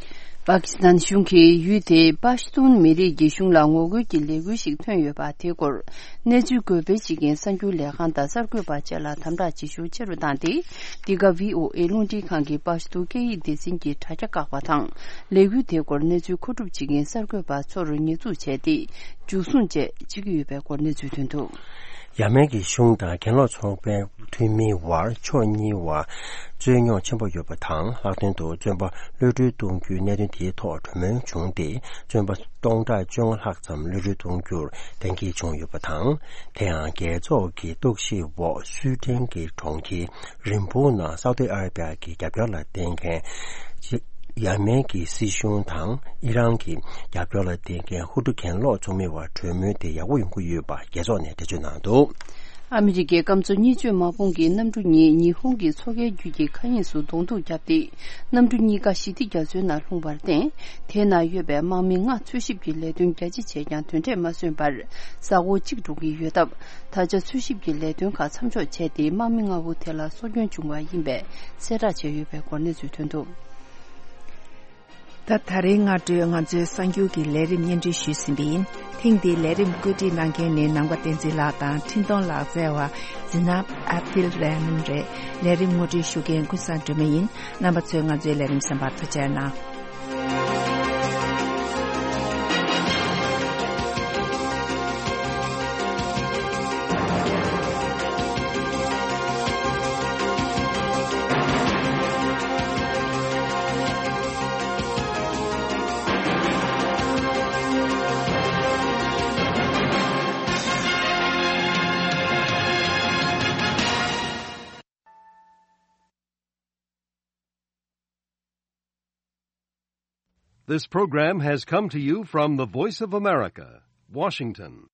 པ་ཀི་སི་ཐན་གཞུང་གིས་ཡུལ་དེའི་པ་ཤ་ཏུན་མི་རིགས་ཀྱི་གཞུང་ལ་ངོ་རྒོལ་གྱི་ལས་འགུལ་ཞིག་ཐོན་ཡོད་པ་དེའི་སྐོར། གནས་ཚུལ་འགོད་སྤེལ་བྱེད་མཁན་གསར་འགྱུར་ལས་ཁང་དང་གསར་འགོད་པ་བཅས་ལ་དམ་དྲག་བྱེད་ཤུགས་ཆེ་རུ་བཏང་སྟེ། འདི་ག་བྷི་ཨོ་ཨེ་རླུང་འཕྲིན་ཁང་གི་པ་ཤ་ཏུ་སྐད་ཡིག་སྡེ་ཚན་གྱི་དྲ་རྒྱ་བཀག་པ་དང་། ལས་འགུལ་དེའི་སྐོར་གནས་ཚུལ་མཁོ་སྒྲུབ་བྱེད་མཁན་གསར་འགོད་པ་ཚོར་ཉེས་འཛུགས་བྱས་ཏེ། འཇུ་བཟུང་བཅས་བྱེད་ཀྱི་ཡོད་པའི་སྐོར་གནས་ཚུལ་ཐོན་འདུག་ཡ་མེན་གྱི་གཞུང་དང་གྱེན་ལོག་ཚོང་པའི་འཐུས་མིའི་བར་ཕྱོགས་གཉིས་བར་རྩོད་རྙོག་ཆེན་པོ་ཡོད་པ་དང་། ལྷག་དོན་དུ་བཙོན་པ་གློད་གྲོལ་གཏོང་རྒྱུའི་གནད་དོན་དེའི་ཐོག་གྲོས་མོལ་བྱུང་སྟེ། བཙོན་པ་སྟོང་ཕྲག་བཅོ་ལྔ་ལྷག་ཙམ་གློད་གྲོལ་གཏོང་རྒྱུར་གཏན་འཁེལ་བྱུང་ཡོད་པ་དང་། དེ་ཡང་རྒྱལ་ཚོགས་ཀྱི་རྟོག་ཞིབ་འོག་སུའེ་ཏེན་གྱི་གྲོང་ཁྱེར་རིན་སྦུག་ནང་སའུ་ཏི་ཨ་ར་པི་ཡ་གི་རྒྱབ་སྐྱོར་ལ་བརྟེན་མཁན་ཡ་མེན་གྱི་སྲིད་གཞུང་དང་ཨི་རན་གྱི་རྒྱབ་སྐྱོར་ལ་བརྟེན་མཁན་ཧུ་ཏུ་གྱེན་ལོག་ཚོགས་མིའི་བར་གྲོས་མོལ་དེ་ཡག་པོ་ཡོང་གི་ཡོད་པ་རྒྱལ་ཚོགས་ནས་འགྲེལ་བརྗོད་གནང་འདུག་ཨ་མི་རི་ཀའི་སྐམ་མཚོ་གཉིས་སྤྱོད་དམག་དཔུང་གིས་གནམ་གྲུ་གཉིས་ཉི་ཧོང་གི་མཚོ་ཁའི་རྒྱུད་ཀྱི་མཁའ་དབྱིངས་སུ་གདོང་ཐུག་བརྒྱབ་སྟེ། གནམ་གྲུ་གཉིས་ཀ་ཞི་བདེ་རྒྱ་མཚོའི་ནང་ལྷུང་བར་བརྟེན། དེའི་ནང་ཡོད་པའི་དམག་མི་ལྔ་འཚོལ་ཞིབ་ཀྱི་ལས་དོན་རྒྱ་ཆེ་བྱས་ཀྱང་དོན་འབྲས་མ་སོན་པར། ས་འོག་གཅིག་འགྲོ་གི་ཡོད་སྟབས། ད་ཆ་འཚོལ་ཞིབ་ཀྱི་ལས་དོན་ཁག་མཚམས་འཇོག་བྱས་ཏེ། དམག་མི་ལྔ་བོ་དེ་ལ་སྲོག་སྐྱོན་བྱུང་བ་ཡིན་པའི་གསལ་བསྒྲགས་བྱས་ཡོད་པའི་སྐོར་གནས་ཚུལ་ཐོན་འདུག། ད། ད་རེས་སྔ་དྲོའི་ང་ཚོའི་གསར་འགྱུར་གྱི་ལས་རིམ་སྙན་སྒྲོན་ཞུས་ཟིན་པ་ཡིན། ཐེངས་འདིའི་ལས་རིམ་བཀོད་སྒྲིག་གནང་མཁན་ནི་ནང་པ་བསྟན་འཛིན་ལགས་དང་འཕྲིན་གཏོང་ལག་རྩལ་བ་ཛི་ནབ་ཨབ་དིལ་རེ་མན་རེད། ལས་རིམ་ངོ་སྤྲོད་ཞུ་མཁན་ཀུན་བཟང་སྒྲོལ་མ་ཡིན། རྣམ་པ་ཚོས་ང་ཚོའི་ལས་རིམ་གསན་པར་ཐུགས་རྗེ་གནང་། This program has come to you from the Voice of America, Washington.